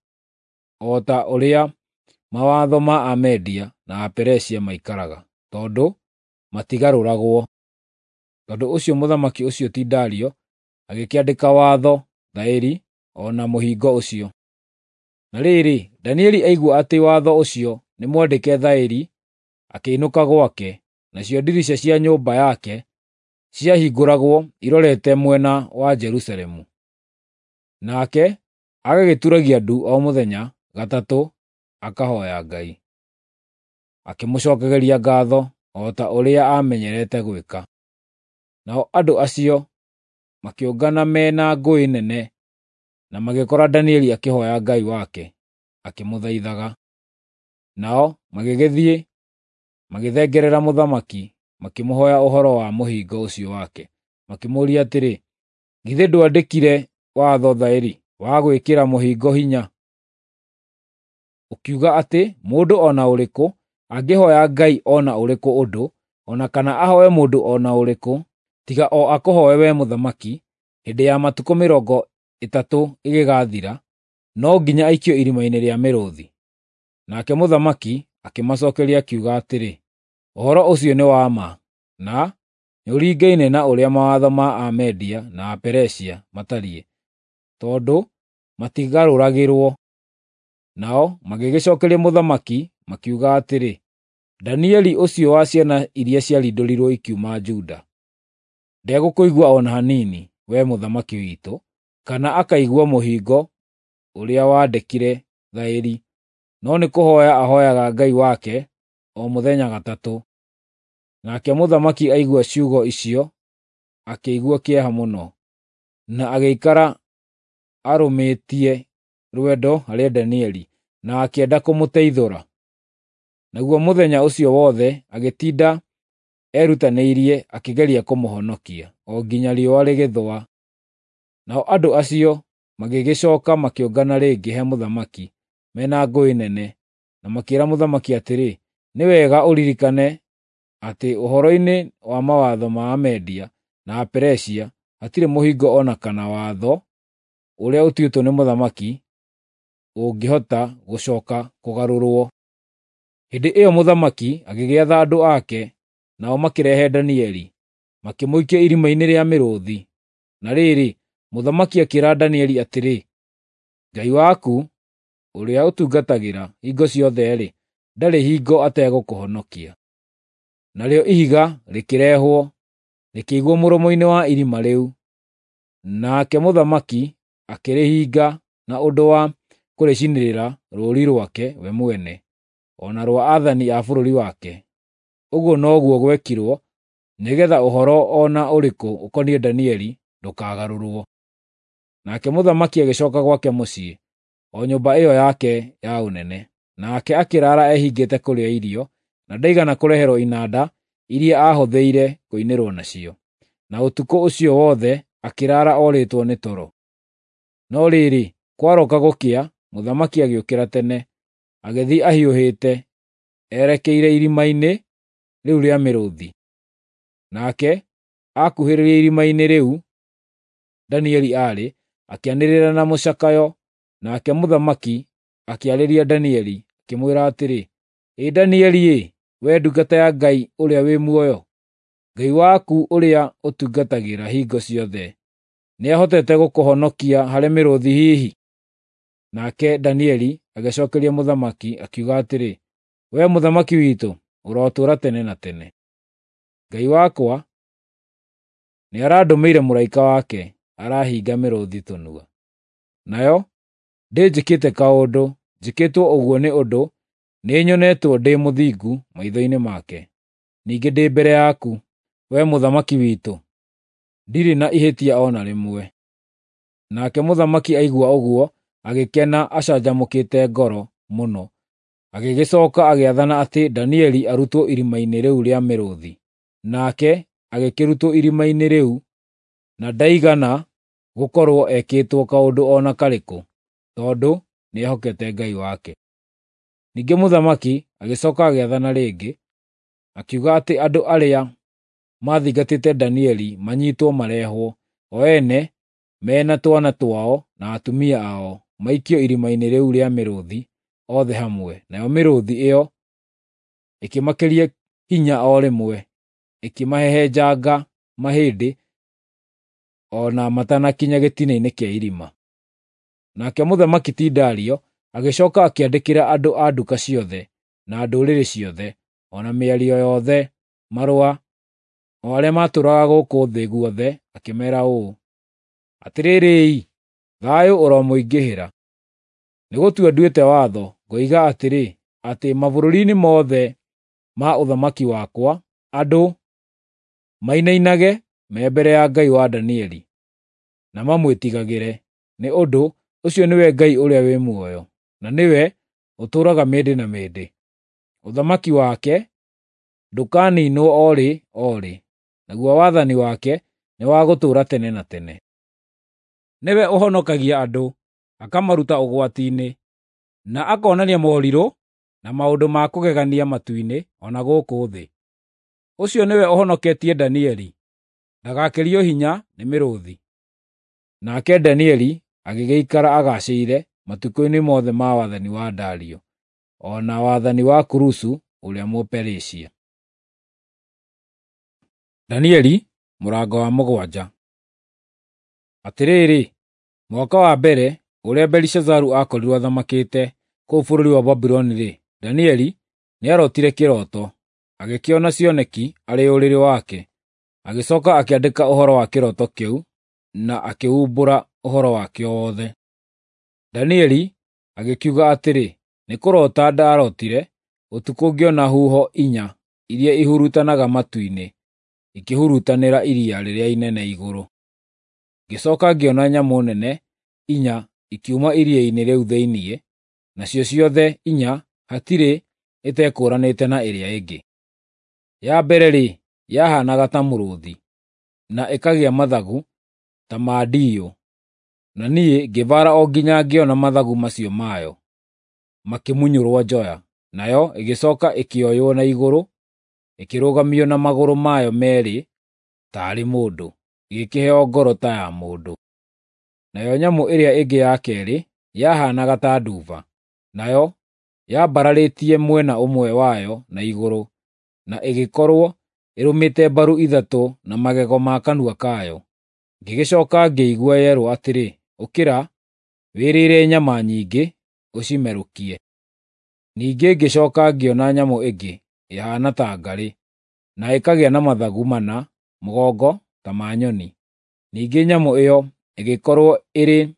o ta ũrĩa mawatho ma Amedia na Aperisia maikaraga, tondũ matigarũragwo.” Tondũ ũcio mũthamaki ũcio ti Dario agĩkĩandĩka watho thaĩri o na mũhingo ũcio. Na rĩrĩ, Danieli aigua atĩ watho ũcio nĩmwandĩke thaĩri, akĩinũka gwake, nacio ndirica cia nyũmba yake ciahingũragwo irorete mwena wa Jerusalemu. Nake agagĩturagia ndu o mũthenya gatatũ akahooya Ngai, akĩmũcookagĩria ngaatho o ta ũrĩa aamenyerete gwĩka. Nao andũ acio makĩũngana me na ngũĩ nene na magĩkora Danieli akĩhooya Ngai wake, akĩmũthaithaga. Nao magĩgĩthiĩ magĩthengerera mũthamaki, makĩmũhooya ũhoro wa mũhingo ũcio wake, makĩmũũria atĩrĩ, “Githĩ ndwandĩkire watho thaĩri wa gwĩkĩra mũhingo hinya, ũkiuga atĩ mũndũ o na ũrĩkũ angĩhooya ngai o na ũrĩkũ ũndũ, o na kana ahooe mũndũ o na ũrĩkũ, tiga o akũhooe wee mũthamaki, hĩndĩ ya matukũ mĩrongo ĩtatũ ĩgĩgathira, no nginya aikio irima-inĩ rĩa mĩrũũthi?” Nake mũthamaki akĩmacookeria akiuga atĩrĩ, “Ũhoro ũcio nĩ wa ma, na nĩũringaine na ũrĩa mawatho ma Amedia na Aperisia matariĩ, tondũ matigarũragĩrwo.” Nao magĩgĩcookeria mũthamaki makiuga atĩrĩ, “Danieli ũcio wa ciana iria ciarindũrirwo ikiuma Juda, ndegũkũigua o na hanini, wee mũthamaki witũ, kana akaigua mũhingo ũrĩa wandĩkire thaĩri, no nĩ kũhooya ahooyaga Ngai wake o mũthenya gatatũ.” Nake mũthamaki aigua ciugo icio akĩigua kĩeha mũno, na agĩikara arũmĩtie rwendo harĩ Danieli na akĩenda kũmũteithũra. Naguo mũthenya ũcio wothe agĩtinda erutanĩirie akĩgeria kũmũhonokia, o nginya riũa rĩgĩthũa. Nao andũ acio magĩgĩcooka makĩũngana rĩngĩ he mũthamaki me na ngũĩ nene, na makĩĩra mũthamaki atĩrĩ, “Nĩ wega ũririkane atĩ ũhoro-inĩ wa mawatho ma Amedia na Aperisia hatirĩ mũhingo o na kana watho ũrĩa ũtuĩtwo nĩ mũthamaki ũngĩhota gũcooka kũgarũrwo.” Hĩndĩ ĩyo mũthamaki agĩgĩatha andũ ake, nao makĩrehe Danieli, makĩmũikia irima-inĩ rĩa mĩrũũthi. Na rĩrĩ, mũthamaki akĩĩra Danieli atĩrĩ, “Ngai waku, ũrĩa ũtungatagĩra hingo ciothe-rĩ, ndarĩ hingo ategũkũhonokia.” Narĩo ihiga rĩkĩrehwo, rĩkĩigwo mũromo-inĩ wa irima rĩu, nake mũthamaki akĩrĩhinga na ũndũ wa kũrĩcinĩrĩra rũũri rwake we mwene, o na rwa aathani a bũrũri wake. Ũguo noguo gwekirwo nĩgeetha ũhoro o na ũrĩkũ ũkoniĩ Danieli ndũkagarũrwo. Nake mũthamaki agĩcooka gwake mũciĩ, o nyũmba ĩyo yake ya ũnene. Nake akĩraara ehingĩte kũrĩa irio, na ndaigana kũreherwo inanda iria aahũthĩire kũinĩrwo nacio. Na ũtukũ ũcio wothe akĩraara orĩtwo nĩ toro. No rĩrĩ, kwarooka gũkĩa, mũthamaki agĩũkĩra tene, agĩthiĩ ahiũhĩte, erekeire irima-inĩ rĩu rĩa mĩrũũthi. Nake akuhĩrĩria irima-inĩ rĩu Danieli aarĩ, akĩanĩrĩra na mũcakayo, nake mũthamaki akĩarĩria Danieli, akĩmwĩra atĩrĩ, “Ĩ Danieli-ĩ, wee ndungata ya Ngai ũrĩa wĩ muoyo, Ngai waku ũrĩa ũtungatagĩra hingo ciothe nĩahotete gũkũhonokia harĩ mĩrũũthi hihi?” Nake Danieli agĩcookeria mũthamaki, akiuga atĩrĩ, “Wee mũthamaki witũ, ũrotũũra tene na tene. Ngai wakwa nĩarandũmĩire mũraika wake, arahinga mĩrũũthi tũnua. Nayo ndĩnjĩkĩte kaũndũ, njĩkĩtwo ũguo nĩ ũndũ nĩnyonetwo ndĩ mũthingu maitho-inĩ make. Ningĩ ndĩ mbere yaku, wee mũthamaki witũ, ndirĩ na ihĩtia o na rĩmwe.” Nake mũthamaki aigua ũguo agĩkena acanjamũkĩte ngoro mũno, agĩgĩcooka agĩathana atĩ Danieli arutwo irima-inĩ rĩu rĩa mĩrũũthi. Nake agĩkĩrutwo irima-inĩ rĩu, na ndaigana gũkorwo ekĩtwo kaũndũ o na karĩkũ, tondũ nĩehokete Ngai wake. Ningĩ mũthamaki agĩcooka agĩathana rĩngĩ, akiuga atĩ andũ arĩa maathingatĩte Danieli manyiitwo marehwo, o ene me na twana twao na atumia ao, maikio irima-inĩ rĩu rĩa mĩrũũthi othe hamwe. Nayo mĩrũũthi ĩyo ĩkĩmakĩria hinya o rĩmwe, ĩkĩmahehenjanga mahĩndĩ o na matanakinya gĩtina-inĩ kĩa irima. Nake mũthamaki ti Dario agĩcooka akĩandĩkĩra andũ a nduka ciothe, na ndũrĩrĩ ciothe, o na mĩario yothe marũa, o arĩa maatũũraga gũkũ thĩ guothe, akĩmeera ũũ: “Atĩrĩrĩ-i, thayũ ũromũingĩhĩra! Nĩgũtua nduĩte watho, ngoiga atĩrĩ, atĩ mabũrũri-inĩ mothe ma ũthamaki wakwa andũ mainainage me mbere ya Ngai wa Danieli, na mamwĩtigagĩre, nĩ ũndũ ũcio nĩwe Ngai ũrĩa wĩ muoyo, na nĩwe ũtũũraga mĩndĩ na mĩndĩ. Ũthamaki wake ndũkaniinwo o rĩ o rĩ, naguo wathani wake nĩ wa gũtũũra tene na tene. Nĩwe ũhonokagia andũ, akamaruta ũgwati-inĩ, na akonania morirũ na maũndũ ma kũgegania matu-inĩ o na gũkũ thĩ. Ũcio nĩwe ũhonoketie Danieli, ndagakĩrio hinya nĩ mĩrũũthi.” Nake Danieli agĩgĩikara agaacĩire matukũ-inĩ mothe ma wathani wa Dario, o na wathani wa Kurusu ũrĩa Mũperisia. Danieli mũrango wa mũgwanja. Atĩrĩrĩ, mwaka wa mbere ũrĩa Belishazaru aakorirwo athamakĩte kũu bũrũri wa Babuloni-rĩ, Danieli nĩarotire kĩroto, agĩkĩona cioneki arĩ ũrĩrĩ wake. Agĩcooka akĩandĩka ũhoro wa kĩroto kĩu na akĩumbũra ũhoro wakĩo wothe. Danieli agĩkiuga atĩrĩ, “Nĩ kũroota ndarootire ũtukũ ngĩona huho inya iria ihurutanaga matu-inĩ ikĩhurutanĩra iria rĩrĩa inene igũrũ. Ngĩcooka ngĩona nyamũ nene inya ikiuma iria-inĩ rĩu thĩinĩ, nacio ciothe inya hatirĩ ĩtekũũranĩte na ĩrĩa ĩngĩ. Ya mbere-rĩ, yahaanaga ta mũrũũthi, na ĩkagĩa mathagu ta ma ndiyũ, na niĩ ngĩbaara o nginya ngĩona mathagu macio mayo makĩmunyũrwo njoya. Nayo ĩgĩcooka ĩkĩoywo na igũrũ, ĩkĩrũgamio na magũrũ mayo meerĩ taarĩ mũndũ, ĩgĩkĩheo ngoro ta ya mũndũ. Nayo nyamũ ĩrĩa ĩngĩ ya keerĩ yahaanaga ta nduba, nayo yambararĩtie mwena ũmwe wayo na igũrũ, na ĩgĩkorwo ĩrũmĩte mbaru ithatũ na magego ma kanua kayo. Ngĩgĩcooka ngĩigua yerwo atĩrĩ, ‘Ũkĩra, wĩrĩĩre nyama nyingĩ, ũcimerũkie.’ Ningĩ ngĩcooka ngĩona nyamũ ĩngĩ ĩhaana ta ngarĩ, na ĩkagĩa na mathagu mana mũgongo ta ma nyoni. Ningĩ nyamũ ĩyo ĩgĩkorwo ĩrĩ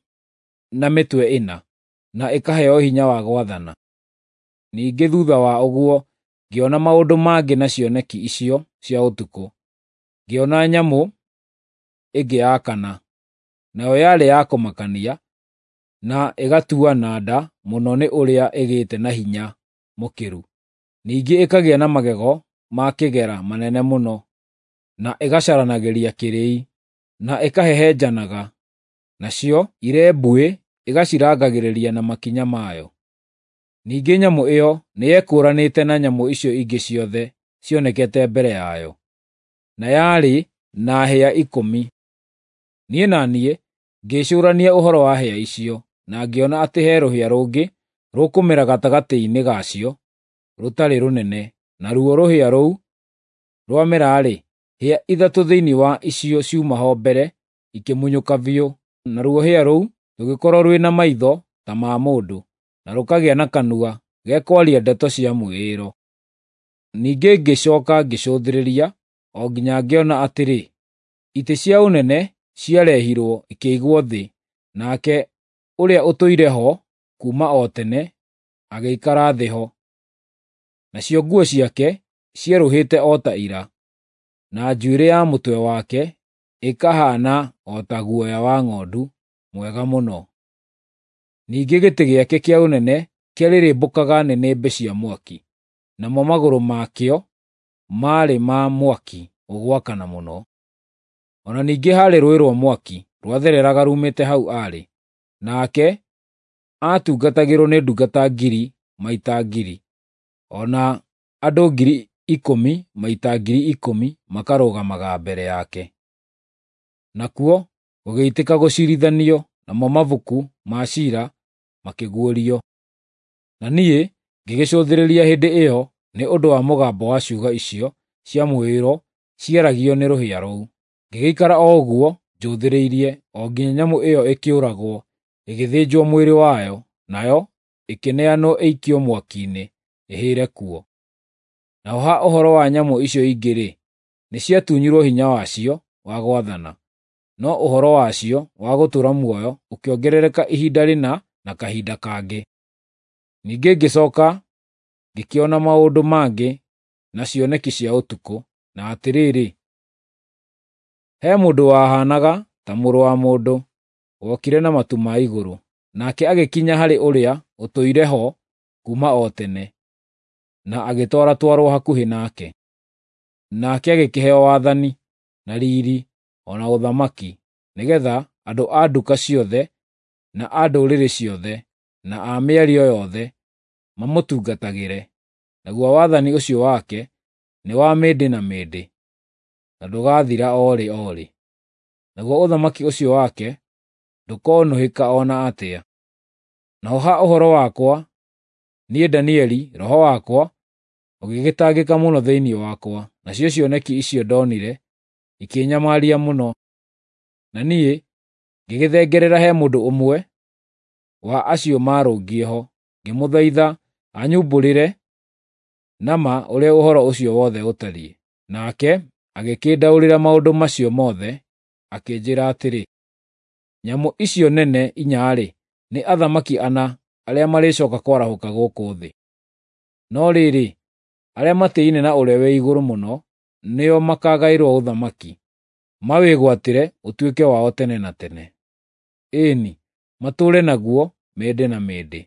na mĩtwe ĩna, na ĩkaheo hinya wa gwathana. Ningĩ thuutha wa ũguo ngĩona maũndũ mangĩ na cioneki icio cia ũtukũ. Ngĩona nyamũ ĩngĩ ya kana, nayo yarĩ ya kũmakania, na ĩgatuana nda mũno nĩ ũrĩa ĩgĩte na hinya mũkĩru. Ningĩ ĩkagĩa na magego ma kĩgera manene mũno, na ĩgacaranagĩria kĩrĩi, na ĩkahehenjanaga, nacio irembuĩ ĩgacirangagĩrĩria na makinya mayo. Ningĩ nyamũ ĩyo nĩyekũũranĩte na nyamũ icio ingĩ ciothe cionekete mbere yayo, na yarĩ na hĩa ikũmi. Niĩ na niĩ ngĩĩcũũrania ũhoro wa hĩa icio, na ngĩona atĩ he rũhĩa rũngĩ rũkũmera gatagatĩ-inĩ gacio rũtarĩ rũnene, naruo rũhĩa rũu rwamera-rĩ, hĩa ithatũ thĩinĩ wa icio ciuma ho mbere ikĩmunyũka biũ, naruo rũhĩa rũu rũgĩkorwo rwĩ na maitho ta ma mũndũ, na rũkagĩa na kanua gekwaria ndeto cia mwĩĩro. Ningĩ ngĩcooka ngĩcũthĩrĩria o nginya ngĩona atĩrĩ, itĩ cia ũnene ciarehirwo ikĩigwo thĩ, nake ũrĩa ũtũire ho kuuma o tene agĩikara thĩ ho. Nacio nguo ciake cierũhĩte o ta ira, na njuĩrĩ ya mũtwe wake ĩkahaana o ta guoya wa ng'ondu mwega mũno. Ningĩ gĩtĩ gĩake kĩa ũnene kĩarĩrĩmbũkaga nĩnĩmbĩ cia mwaki, namo magũrũ makĩo maarĩ ma mwaki ũgwakana mũno. O na ningĩ haarĩ rũũĩ rwa mwaki rwathereraga ruumĩte hau aarĩ, nake aatungatagĩrwo nĩ ndungata ngiri maita ngiri, o na andũ ngiri ikũmi maita ngiri ikũmi makarũgamaga mbere yake. Nakuo gũgĩitĩka gũciirithanio, namo mabuku ma ciira makĩguũrio. Na niĩ ngĩgĩcũthĩrĩria hĩndĩ ĩyo nĩ ũndũ wa mũgambo wa ciugo icio cia mwĩĩro ciaragio nĩ rũhĩa rũu. Ngĩgĩikara o ũguo njũthĩrĩirie o nginya nyamũ ĩyo ĩkĩũragwo, ĩgĩthĩnjwo mwĩrĩ wayo, nayo ĩkĩneanwo ĩikio mwaki-inĩ ĩhĩre kuo. Naho ha ũhoro wa nyamũ icio ingĩ-rĩ, nĩciatunyirwo hinya wacio wa gwathana, no ũhoro wacio wa gũtũũra muoyo ũkĩongerereka ihinda rĩna na kahinda kangĩ. Ningĩ ngĩcooka ngĩkĩona maũndũ mangĩ na cioneki cia ũtukũ, na atĩrĩrĩ, he mũndũ wahaanaga ta mũrũ wa mũndũ wokire na matu ma igũrũ, nake agĩkinya harĩ ũrĩa ũtũire ho kuuma o tene, na agĩtwaratwarwo hakuhĩ nake. Nake agĩkĩheo wathani, na riiri, o na ũthamaki, nĩgeetha andũ a nduka ciothe, na a ndũrĩrĩ ciothe, na a mĩario yothe mamũtungatagĩre. Naguo wathani ũcio wake nĩ wa mĩndĩ na mĩndĩ, na ndũgaathira o rĩ o rĩ. Naguo ũthamaki ũcio wake ndũkonũhĩka o na atĩa. Naho ha ũhoro wakwa, niĩ Danieli, roho wakwa ũgĩgĩtangĩka mũno thĩinĩ wakwa, nacio cioneki icio ndonire ikĩnyamaria mũno. Na niĩ ngĩgĩthengerera he mũndũ ũmwe wa acio maarũngiĩ ho, ngĩmũthaitha anyumbũrĩre na ma ũrĩa ũhoro ũcio wothe ũtariĩ. Nake agĩkĩndaũrĩra maũndũ macio mothe, akĩnjĩĩra atĩrĩ, “Nyamũ icio nene inya-rĩ, nĩ athamaki ana arĩa marĩcooka kwarahũka gũkũ thĩ. No rĩrĩ, arĩa matĩĩne na Ũrĩa-wĩ-Igũrũ-Mũno nĩo makaagaĩrwo ũthamaki, mawĩgwatĩre ũtuĩke wao tene na tene. Ĩĩ-ni, matũũre naguo mĩndĩ na mĩndĩ.”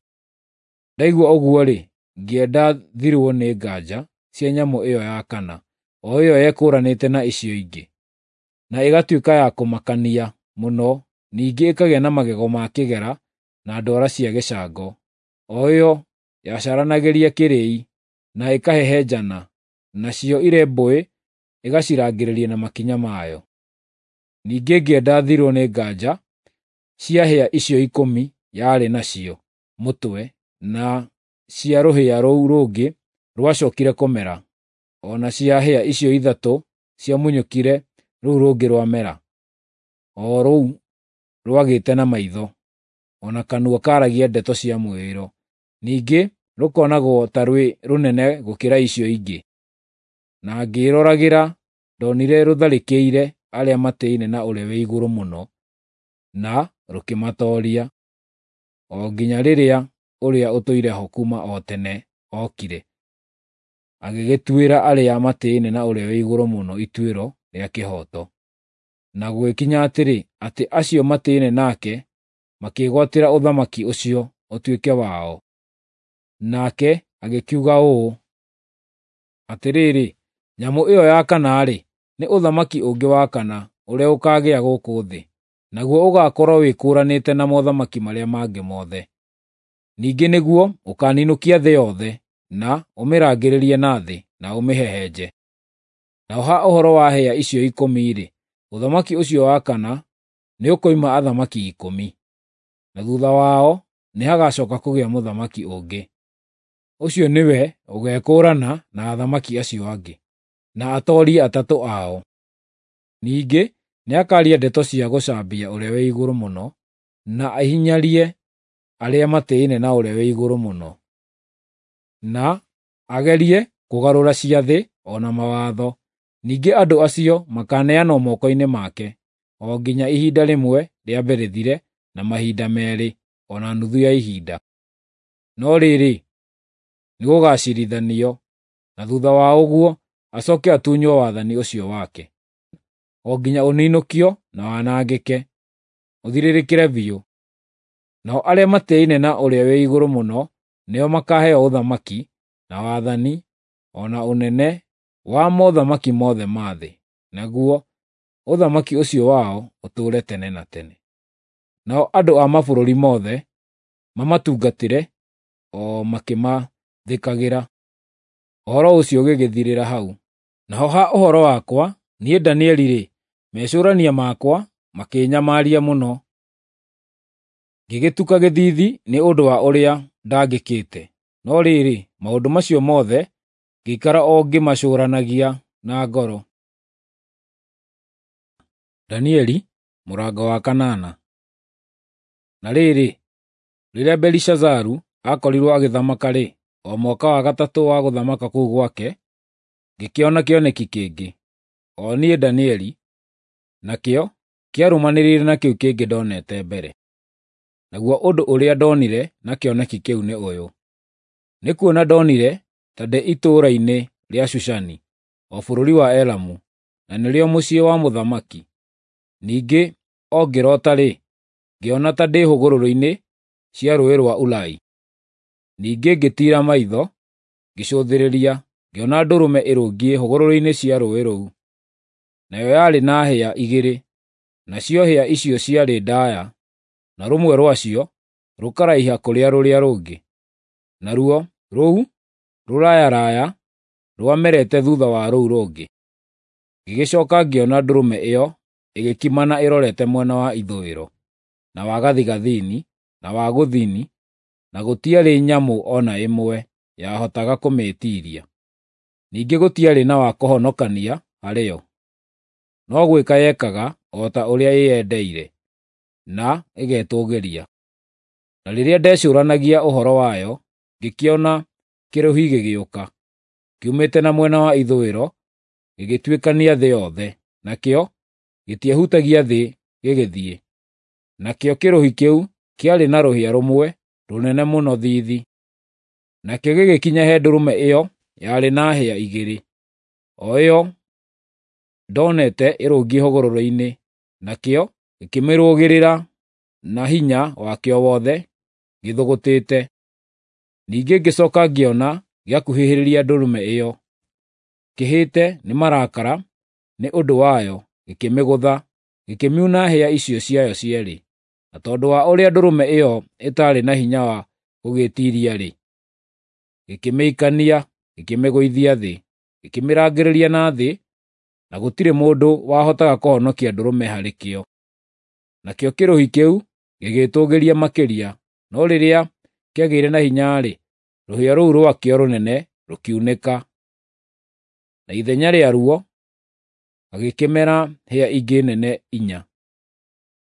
Ndaigua ũguo-rĩ, ngĩenda thirwo nĩ nganja cia nyamũ ĩyo ya kana, o ĩyo yekũũranĩte na icio ingĩ, na ĩgatuĩka ya kũmakania mũno, ningĩ ĩkagĩa na magego ma kĩgera na ndwara cia gĩcango, o ĩyo yacaranagĩria kĩrĩi na ĩkahehenjana, nacio irembũĩ ĩgacirangĩrĩria na makinya mayo. Ningĩ ngĩenda thirwo nĩ nganja cia hĩa icio ikũmi yarĩ nacio mũtwe na cia rũhĩa rũu rũngĩ rwacookire kũmera, o na cia hĩa icio ithatũ ciamunyũkire rũu rũngĩ rwamera, o rũu rwagĩte na maitho, o na kanua kaaragia ndeto cia mwĩĩro, ningĩ rũkonagwo ta rwĩ rũnene gũkĩra icio ingĩ. Na ngĩĩroragĩra ndonire rũtharĩkĩire arĩa matĩĩne na Ũrĩa-wĩ-Igũrũ-Mũno, na rũkĩmatooria, o nginya rĩrĩa ũrĩa ũtũire ho kuuma o tene ookire, agĩgĩtuĩra arĩa matĩĩne na Ũrĩa-wĩ-Igũrũ-Mũno ituĩro rĩa kĩhooto. Na gũgĩkinya atĩrĩ, atĩ acio matĩĩne nake makĩĩgwatĩra ũthamaki ũcio ũtuĩke wao. Nake agĩkiuga ũũ, "Atĩrĩrĩ, nyamũ ĩyo ya kana-rĩ, nĩ ũthamaki ũngĩ wa kana ũrĩa ũkaagĩa gũkũ thĩ, naguo ũgaakorwo wĩkũũranĩte na mothamaki marĩa mangĩ mothe. Ningĩ nĩguo ũkaaninũkia thĩ yothe, na ũmĩrangĩrĩrie na thĩ, na ũmĩhehenje. Naho ha ũhoro wa hĩa icio ikũmi-rĩ, ũthamaki ũcio wa kana nĩũkoima athamaki ikũmi, na thuutha wao nĩhagacooka kũgĩa mũthamaki ũngĩ. Ũcio nĩwe ũgeekũũrana na athamaki acio angĩ, na atoorie atatũ ao. Ningĩ nĩakaaria ndeto cia gũcambia Ũrĩa-wĩ-Igũrũ-Mũno, na ahinyarie arĩa matĩĩne na Ũrĩa-wĩ-Igũrũ-Mũno, na agerie kũgarũra ciathĩ o na mawatho. Ningĩ andũ acio makaaneanwo moko-inĩ make, o nginya ihinda rĩmwe rĩambe rĩthire na mahinda meerĩ o na nuthu ya ihinda. No rĩrĩ, nĩgũgaciirithanio, na thuutha wa ũguo acooke atunywo wathani ũcio wake, o nginya ũninũkio na wanangĩke, ũthirĩrĩkĩre biũ. Nao arĩa matĩĩne na Ũrĩa-wĩ-Igũrũ-Mũno nĩo makaaheo ũthamaki, na wathani, o na ũnene wa mothamaki mothe ma thĩ, naguo ũthamaki ũcio wao ũtũũre tene na tene. Nao andũ a mabũrũri mothe mamatungatĩre o makĩmathĩkagĩra." Ũhoro ũcio ũgĩgĩthirĩra hau. Naho ha ũhoro wakwa, niĩ Danieli-rĩ, mecũũrania makwa makĩĩnyamaria mũno, ngĩgĩtuka gĩthiithi nĩ ũndũ wa ũrĩa ndangĩkĩte. No rĩrĩ, maũndũ macio mothe ngĩikara o ngĩmacũũranagia na ngoro. Danieli mũrango wa kanana. Na rĩrĩ, rĩrĩa Belishazaru aakorirwo agĩthamaka-rĩ, o mwaka wa gatatũ wa gũthamaka kũu gwake, ngĩkĩona kĩoneki kĩngĩ, o niĩ Danieli, nakĩo kĩarũmanĩrĩire na kĩu kĩngĩ ndonete mbere. Naguo ũndũ ũrĩa ndonire na kĩoneki kĩu nĩ ũyũ: nĩ kuona ndonire ta ndĩ itũũra-inĩ rĩa Shushani, o bũrũri wa Elamu, na nĩrĩo mũciĩ wa mũthamaki. Ningĩ o ngĩroota-rĩ, ngĩona ta ndĩ hũgũrũrũ-inĩ cia rũũĩ rwa Ulai. Ningĩ ngĩtiira maitho, ngĩcũthĩrĩria, ngĩona ndũrũme ĩrũngiĩ hũgũrũrũ-inĩ cia rũũĩ rũu. Nayo yarĩ na hĩa igĩrĩ, nacio hĩa icio ciarĩ ndaaya, na rũmwe rwacio rũkaraiha kũrĩ rũrĩa rũngĩ. Naruo rũu rũrayaraya rwamerete thuutha wa rũu rũngĩ. Ngĩgĩcooka ngĩona ndũrũme ĩyo ĩgĩkimana ĩrorete mwena wa ithũĩro, na wa gathigathini, na wa gũthini, na gũtiarĩ nyamũ o na ĩmwe yahotaga kũmĩĩtiiria. Ningĩ gũtiarĩ na wa kũhonokania harĩ yo, no gwĩka yekaga o ta ũrĩa ĩyendeire, na ĩgetũũgĩria. Na rĩrĩa ndecũũranagia ũhoro wayo, ngĩkĩona kĩrũhi gĩgĩũka, kiumĩte na mwena wa ithũĩro, gĩgĩtuĩkania thĩ yothe, nakĩo gĩtiehutagia thĩ gĩgĩthiĩ. Nakĩo kĩrũhi kĩu kĩarĩ na rũhĩa rũmwe rũnene mũno thiithi. Nakĩo gĩgĩkinya he ndũrũme ĩyo yarĩ na hĩa igĩrĩ, o ĩyo ndonete ĩrũngiĩ hũgũrũrũ-inĩ, nakĩo gĩkĩmĩrũgĩrĩra na hinya wakĩo wothe, gĩthũgũtĩte. Ningĩ ngĩcooka ngĩona gĩakuhĩhĩrĩria ndũrũme ĩyo, kĩhĩte nĩ marakara nĩ ũndũ wayo, gĩkĩmĩgũtha, gĩkĩmiuna hĩa icio ciayo cierĩ. Na tondũ wa ũrĩa ndũrũme ĩyo ĩtaarĩ na hinya wa gũgĩĩtiiria-rĩ, gĩkĩmĩikania, gĩkĩmĩgũithia thĩ, gĩkĩmĩrangĩrĩria na thĩ, na gũtirĩ mũndũ wahotaga kũhonokia ndũrũme harĩ kĩo. Nakĩo kĩrũhi kĩu gĩgĩĩtũũgĩria makĩria, no rĩrĩa kĩagĩire na hinya-rĩ, rũhĩa rũu rwakĩo rũnene rũkiunĩka, na ithenya rĩaruo hagĩkĩmera hĩa ingĩ nene inya,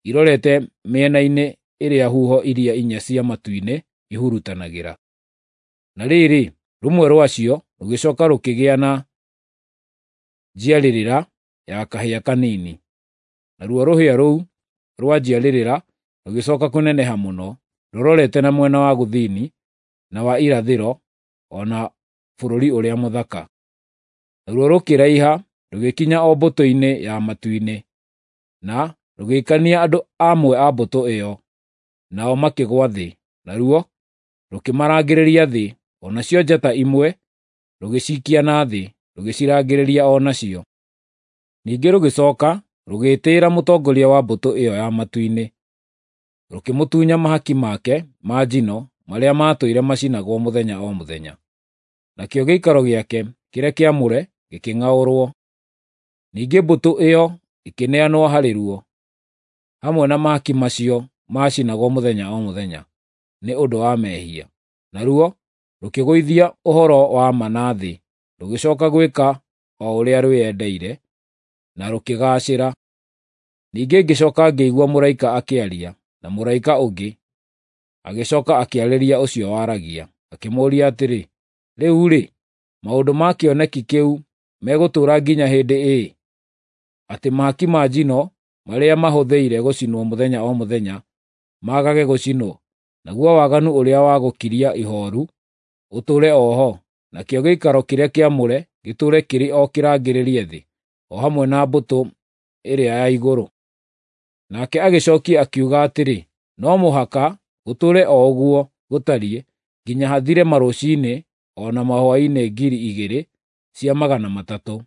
irorete mĩena-inĩ ĩrĩa huho iria inya cia matu-inĩ ihurutanagĩra. Na rĩrĩ, rũmwe rwacio rũgĩcooka rũkĩgĩa na njiarĩrĩra ya kahĩa kanini, naruo rũhĩa rũu rwa njiarĩrĩra rũgĩcooka kũneneha mũno, rũrorete na mwena wa gũthini na wa irathĩro o na bũrũri ũrĩa mũthaka. Naruo rũkĩraiha rũgĩkinya o mbũtũ-inĩ ya matu-inĩ, na rũgĩikania andũ amwe a mbũtũ ĩyo. nao makĩgũa thĩ, naruo rũkĩmarangĩrĩria thĩ, o nacio njata imwe rũgĩcikia na thĩ, rũgĩcirangĩrĩria o nacio. Ningĩ rũgĩcoka rũgĩĩtĩĩra mũtongoria wa mbũtũ ĩyo ya matu-inĩ, rũkĩmũtunya mahaki make ma njino marĩa maatũire macinagwo mũthenya o mũthenya. Nakĩo gĩikaro gĩake kĩrĩa kĩamũre gĩkĩng'aũrwo. Ningĩ mbũtũ ĩyo ĩkĩneanwo harĩ ruo, hamwe na mahaki macio maacinagwo mũthenya o mũthenya nĩ ũndũ wa mehia. Naruo rũkĩgũithia ũhoro wa ma na thĩ, rũgĩcoka gwĩka o ũrĩa rwĩendeire, na rũkĩgaacĩra. Ningĩ ngĩcoka ngĩigua mũraika akĩaria, na mũraika ũngĩ agĩcoka akĩarĩria ũcio waragia, akĩmũũria atĩrĩ, “Rĩu-rĩ, maũndũ ma kĩoneki kĩu megũtũũra nginya hĩndĩ ĩ, atĩ mahaki ma njino marĩa mahũthĩire gũcinwo mũthenya o mũthenya maagage gũcinwo, naguo waganu ũrĩa wa gũkiria ihooru ũtũũre o ho, nakĩo gĩikaro kĩrĩa kĩamũre gĩtũũre kĩrĩ o kĩrangĩrĩrie thĩ, o hamwe na mbũtũ ĩrĩa ya igũrũ?” Nake agĩcokia akiuga atĩrĩ, “No mũhaka gũtũũre o ũguo gũtariĩ nginya hathire marũciinĩ o na mahwaĩ-inĩ ngiri igĩrĩ cia magana matatũ.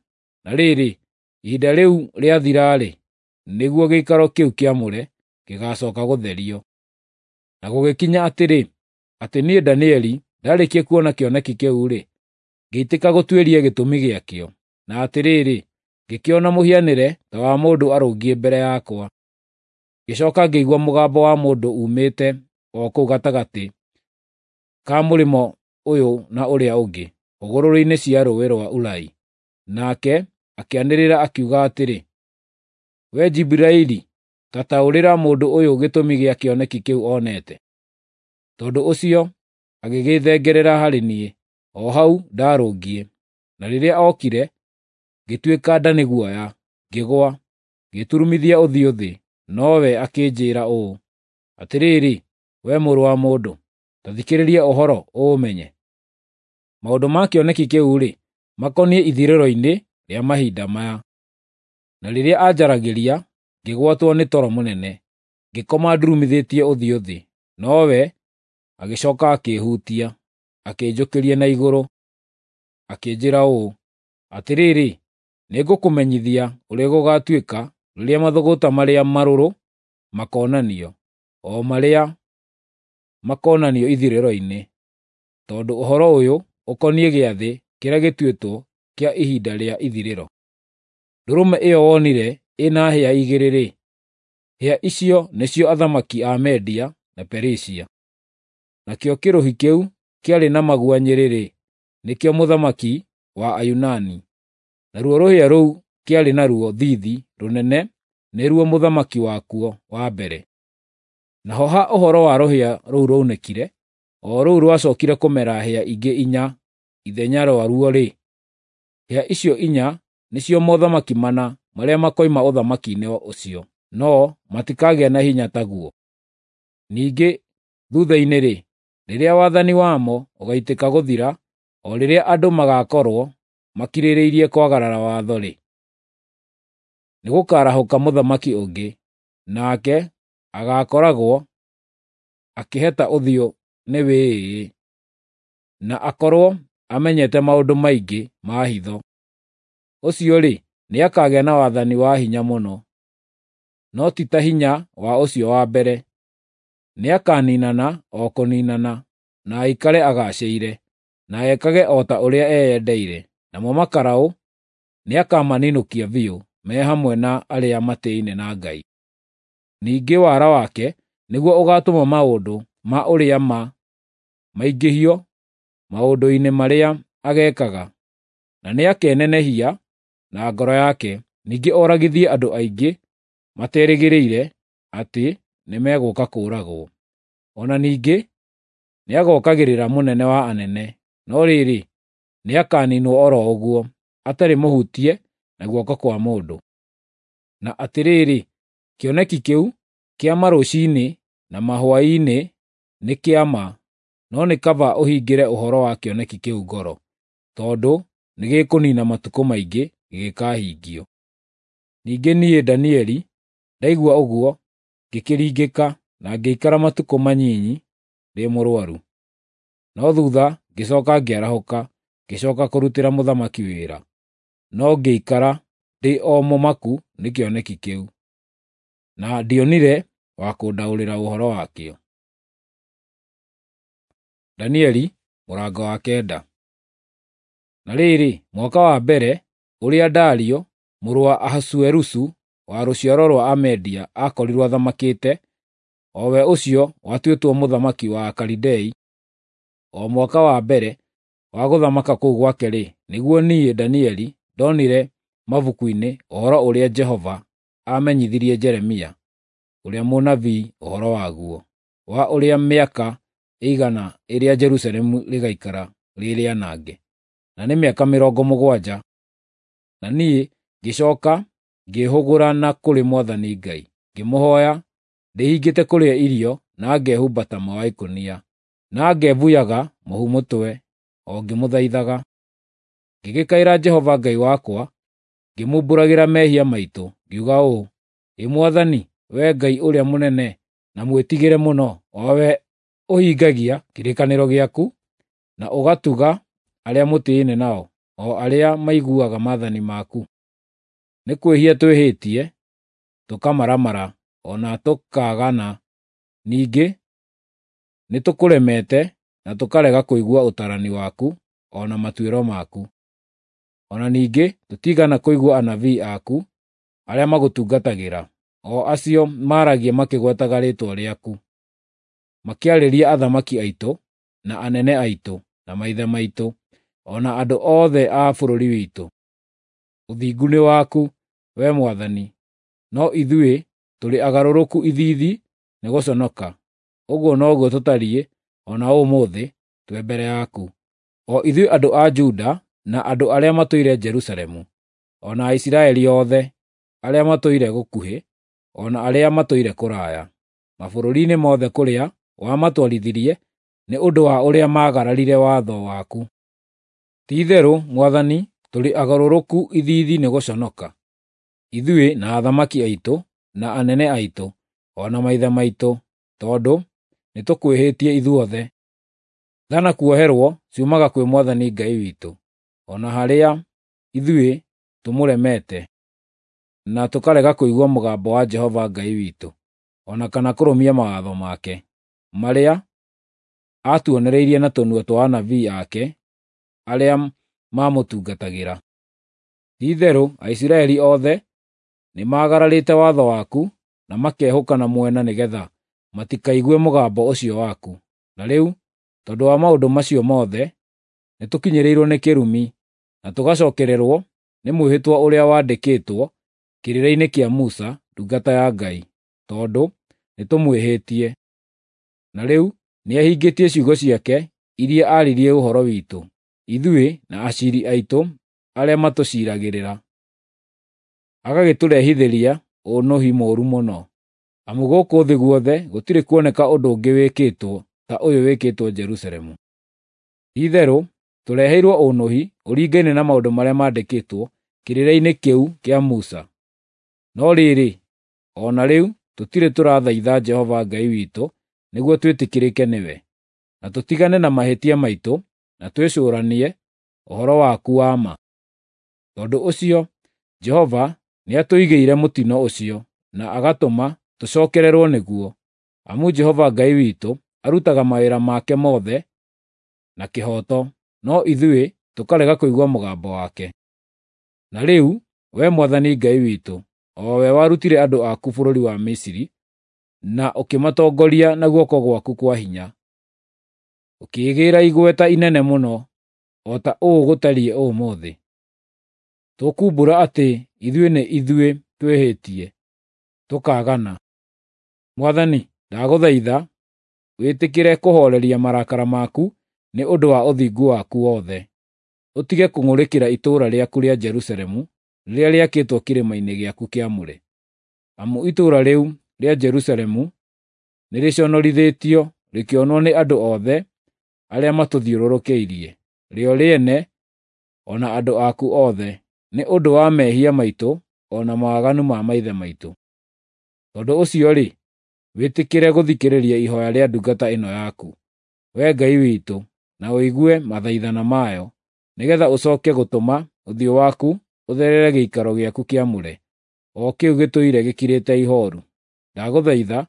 Na rĩrĩ, ihinda rĩu rĩathira-rĩ, nĩguo gĩikaro kĩu kĩamũre gĩgaacoka gũtherio.” Na gũgĩkinya atĩrĩ, atĩ niĩ Danieli ndaarĩkia kuona kĩoneki kĩu-rĩ, ngĩitĩka gũtuĩria gĩtũmi gĩakĩo. Na atĩrĩrĩ, ngĩkĩona mũhianĩre ta wa mũndũ arũngiĩ mbere yakwa. Ngĩcoka ngĩigua mũgambo wa mũndũ uumĩte o kũu gatagatĩ ka mũrĩmo ũyũ na ũrĩa ũngĩ, hũgũrũrũ-inĩ cia rũũĩ rwa Ulai. Nake akĩanĩrĩra akiuga atĩrĩ, “Wee Jiburaili, ta taũrĩra mũndũ ũyũ gĩtũmi gĩa kĩoneki kĩu onete.” Tondũ ũcio agĩgĩthengerera harĩ niĩ, o hau ndaarũngiĩ. Na rĩrĩa okire, ngĩtuĩka nda nĩ guoya, ngĩgũa, ngĩturumithia ũthiũ thĩ. Nowe akĩnjĩĩra ũũ, “Atĩrĩrĩ, wee mũrũ wa mũndũ, ta thikĩrĩria ũhoro ũũmenye. Maũndũ ma kĩoneki kĩu-rĩ, makoniĩ ithirĩro-inĩ rĩa mahinda maya.” Na rĩrĩa aanjaragĩria, ngĩgwatwo nĩ toro mũnene, ngĩkoma ndurumithĩtie ũthiũ thĩ. Nowe agĩcoka akĩĩhutia, akĩnjũkĩria na igũrũ, akĩnjĩĩra ũũ, “Atĩrĩrĩ, nĩngũkũmenyithia ũrĩa gũgaatuĩka rĩrĩa mathũgũta marĩa marũrũ makoonanio, o marĩa makoonanio ithirĩro-inĩ, tondũ ũhoro ũyũ ũkoniĩ gĩathĩ kĩrĩa gĩtuĩtwo kĩa ihinda rĩa ithirĩro. Ndũrũme ĩyo wonire ĩna hĩa igĩrĩ-rĩ, hĩa icio nĩcio athamaki a Media na Perisia. Nakĩo kĩrũhi kĩu kĩarĩ na maguanyĩ-rĩ, nĩkĩo mũthamaki wa Ayunani. Naruo rũhĩa rũu kĩarĩ naruo thiithi rũnene nĩruo mũthamaki wakuo wa mbere. Naho ha ũhoro wa rũhĩa rũu rwaunĩkire, o rũu rwacookire kũmera hĩa ingĩ inya ithenya rĩaruo-rĩ, hĩa icio inya nĩcio mothamaki mana marĩa makoima ũthamaki-inĩ ũcio, no matikagĩa na hinya taguo. Ningĩ thuutha-inĩ-rĩ, rĩrĩa wathani wamo ũgaitĩka gũthira, o rĩrĩa andũ magaakorwo makirĩrĩirie kwagarara watho-rĩ, nĩgũkarahũka mũthamaki ũngĩ, nake agaakoragwo akĩheta ũthiũ nĩ wĩĩĩ, na akorwo amenyete maũndũ maingĩ ma hitho. Ũcio-rĩ, nĩakagĩa na wathani wa hinya mũno, no ti ta hinya wa ũcio wa mbere. Nĩakaniinana o kũniinana, na aikare agaacĩire, na ekage o ta ũrĩa eyendeire. Namo makaraũ nĩakamaninũkia biũ me hamwe na arĩa matĩĩaine na Ngai. Ningĩ wara wake nĩguo ũgaatũma maũndũ ma ũrĩa ma maingĩhio maũndũ-inĩ marĩa ageekaga, na nĩakenenehia na ngoro yake, ningĩ oragithie andũ aingĩ materĩgĩrĩire atĩ nĩmegũũka kũũragwo. O na ningĩ nĩagookagĩrĩra mũnene wa anene, no rĩrĩ, nĩakaniinwo o ro ũguo, atarĩ mũhutie na guoko kwa mũndũ. Na atĩrĩrĩ, kĩoneki kĩu kĩa marũciinĩ na mahwaĩ-inĩ nĩ kĩa ma, no nĩ kaba ũhingĩre ũhoro wa kĩoneki kĩu ngoro, tondũ nĩgĩkũniina matukũ maingĩ gĩgĩkahingio. Ningĩ niĩ Danieli ndaigua ũguo ngĩkĩringĩka, na ngĩikara matukũ manyinyi ndĩ mũrũaru. No thuutha ngĩcooka ngĩarahũka, ngĩcooka kũrutĩra mũthamaki wĩra, no ngĩikara ndĩ o mũmaku nĩ kĩoneki kĩu, na ndionire wa kũndaũrĩra ũhoro wakĩo. Danieli mũrango wa kenda. Na rĩrĩ, mwaka wa mbere ũrĩa Dario mũrũ wa Ahasuerusu wa rũciaro rwa Amedia aakorirwo athamakĩte, o we ũcio watuĩtwo mũthamaki wa Akalidei, o mwaka wa mbere wa gũthamaka kũu gwake-rĩ, nĩguo niĩ Danieli ndonire mabuku-inĩ ũhoro ũrĩa Jehova aamenyithirie Jeremia ũrĩa mũnabii ũhoro waguo, wa ũrĩa mĩaka ĩigana ĩrĩa Jerusalemu rĩgaikara rĩ rĩanange, na nĩ mĩaka mĩrongo mũgwanja. Na niĩ ngĩcooka ngĩĩhũgũra na kũrĩ Mwathani Ngai, ngĩmũhooya ndĩhingĩte kũrĩa irio na ngehumba taama wa ikũnia, na ngebuyaga mũhu mũtwe o ngĩmũthaithaga. Ngĩgĩkaĩra Jehova Ngai wakwa, ngĩmumbũragĩra mehia maitũ, ngiuga ũũ: “Ĩ Mwathani, Wee Ngai ũrĩa mũnene na mwĩtigĩre mũno, o Wee ũhingagia kĩrĩkanĩro gĩaku na ũgatuga arĩa mũtĩĩne nao, o arĩa maiguaga maathani maku. Nĩ kwĩhia twĩhĩtie, tũkamaramara, o na tũkaagana; ningĩ nĩtũkũremete na tũkarega kũigua ũtaarani waku o na matuĩro maku. O na ningĩ tũtiigana kũigua anabii aku arĩa magũtungatagĩra, o acio maaragia makĩgwetaga rĩĩtwa rĩaku, makĩarĩria athamaki aitũ, na anene aitũ, na maithe maitũ, o na andũ othe a bũrũri witũ. Ũthingu nĩ waku, Wee Mwathani, no ithuĩ tũrĩ agarũrũku ithiithi nĩ gũconoka. Ũguo noguo tũtariĩ o na ũmũthĩ twĩ mbere yaku, o ithuĩ andũ a Juda na andũ arĩa matũire Jerusalemu, o na Aisiraeli othe arĩa matũire gũkuhĩ, o na arĩa matũire kũraya, mabũrũri-inĩ mothe kũrĩa wamatwarithirie nĩ ũndũ wa ũrĩa maagararire watho waku. Ti-itherũ, Mwathani, tũrĩ agarũrũku ithiithi nĩ gũconoka, ithuĩ na athamaki aitũ, na anene aitũ, o na maithe maitũ, tondũ nĩtũkwĩhĩtie ithuothe. Tha na kuoherwo ciumaga kwĩ Mwathani Ngai witũ, o na harĩa ithuĩ tũmũremete, na tũkarega kũigua mũgambo wa Jehova Ngai witũ, o na kana kũrũmia mawatho make, marĩa aatuonereirie na tũnua twa anabii ake arĩa maamũtungatagĩra. Ti-itherũ Aisiraeli othe nĩmagararĩte watho waku na makehũka na mwena nĩgeetha matikaigue mũgambo ũcio waku. Na rĩu, tondũ wa maũndũ macio mothe, nĩtũkinyĩrĩirwo nĩ kĩrumi, na tũgacookererwo nĩ mwĩhĩtwa ũrĩa wandĩkĩtwo kĩrĩra-inĩ kĩa Musa ndungata ya Ngai, tondũ nĩtũmwĩhĩtie. Na rĩu nĩahingĩtie ciugo ciake iria aaririe ũhoro witũ, ithuĩ na aciiri aitũ arĩa matũciiragĩrĩra, agagĩtũrehithĩria ũũnũhi mũũru mũno. Amu gũkũ thĩ guothe gũtirĩ kuoneka ũndũ ũngĩ wĩkĩtwo ta ũyũ wĩkĩtwo Jerusalemu. Ti-itherũ tũreheirwo ũũnũhi ũringaine na maũndũ marĩa maandĩkĩtwo kĩrĩra-inĩ kĩu kĩa Musa. No rĩrĩ, o na rĩu tũtirĩ tũrathaitha Jehova Ngai witũ nĩguo twĩtĩkĩrĩke nĩwe, na tũtigane na mahĩtia maitũ na twĩcũũranie ũhoro waku wa ma. Tondũ ũcio Jehova nĩatũigĩire mũtino ũcio na agatũma tũcookererwo nĩguo, amu Jehova Ngai witũ arutaga mawĩra make mothe na kĩhooto, no ithuĩ tũkarega kũigua mũgambo wake. Na rĩu, Wee Mwathani Ngai witũ, o we warutire andũ aku bũrũri wa Misiri na ũkĩmatongoria na guoko gwaku kwa hinya, ũkĩĩgĩĩra igweta inene mũno, o ta ũũ gũtariĩ ũmũthĩ. Tũkumbũra atĩ ithuĩ nĩ ithuĩ twĩhĩtie, tũkaagana. Mwathani, ndagũthaitha wĩtĩkĩre kũhooreria marakara maku nĩ ũndũ wa ũthingu waku wothe, ũtige kũng'ũrĩkĩra itũũra rĩaku rĩa Jerusalemu rĩrĩa rĩakĩtwo kĩrĩma-inĩ gĩaku kĩamũre. Amu itũũra rĩu rĩa Jerusalemu nĩrĩconorithĩtio rĩkĩonwo nĩ andũ othe arĩa matũthiũrũrũkĩirie, rĩo rĩene o na andũ aku othe, nĩ ũndũ wa mehia maitũ o na mawaganu ma maithe maitũ. Tondũ ũcio-rĩ, wĩtĩkĩre gũthikĩrĩria ihoya rĩa ndungata ĩno yaku, Wee Ngai witũ, na ũigue mathaithana mayo, nĩgeetha ũcooke gũtũma ũthiũ waku ũtherere gĩikaro gĩaku kĩamũre, o kĩu gĩtũire gĩkirĩte ihooru. Ndagũthaitha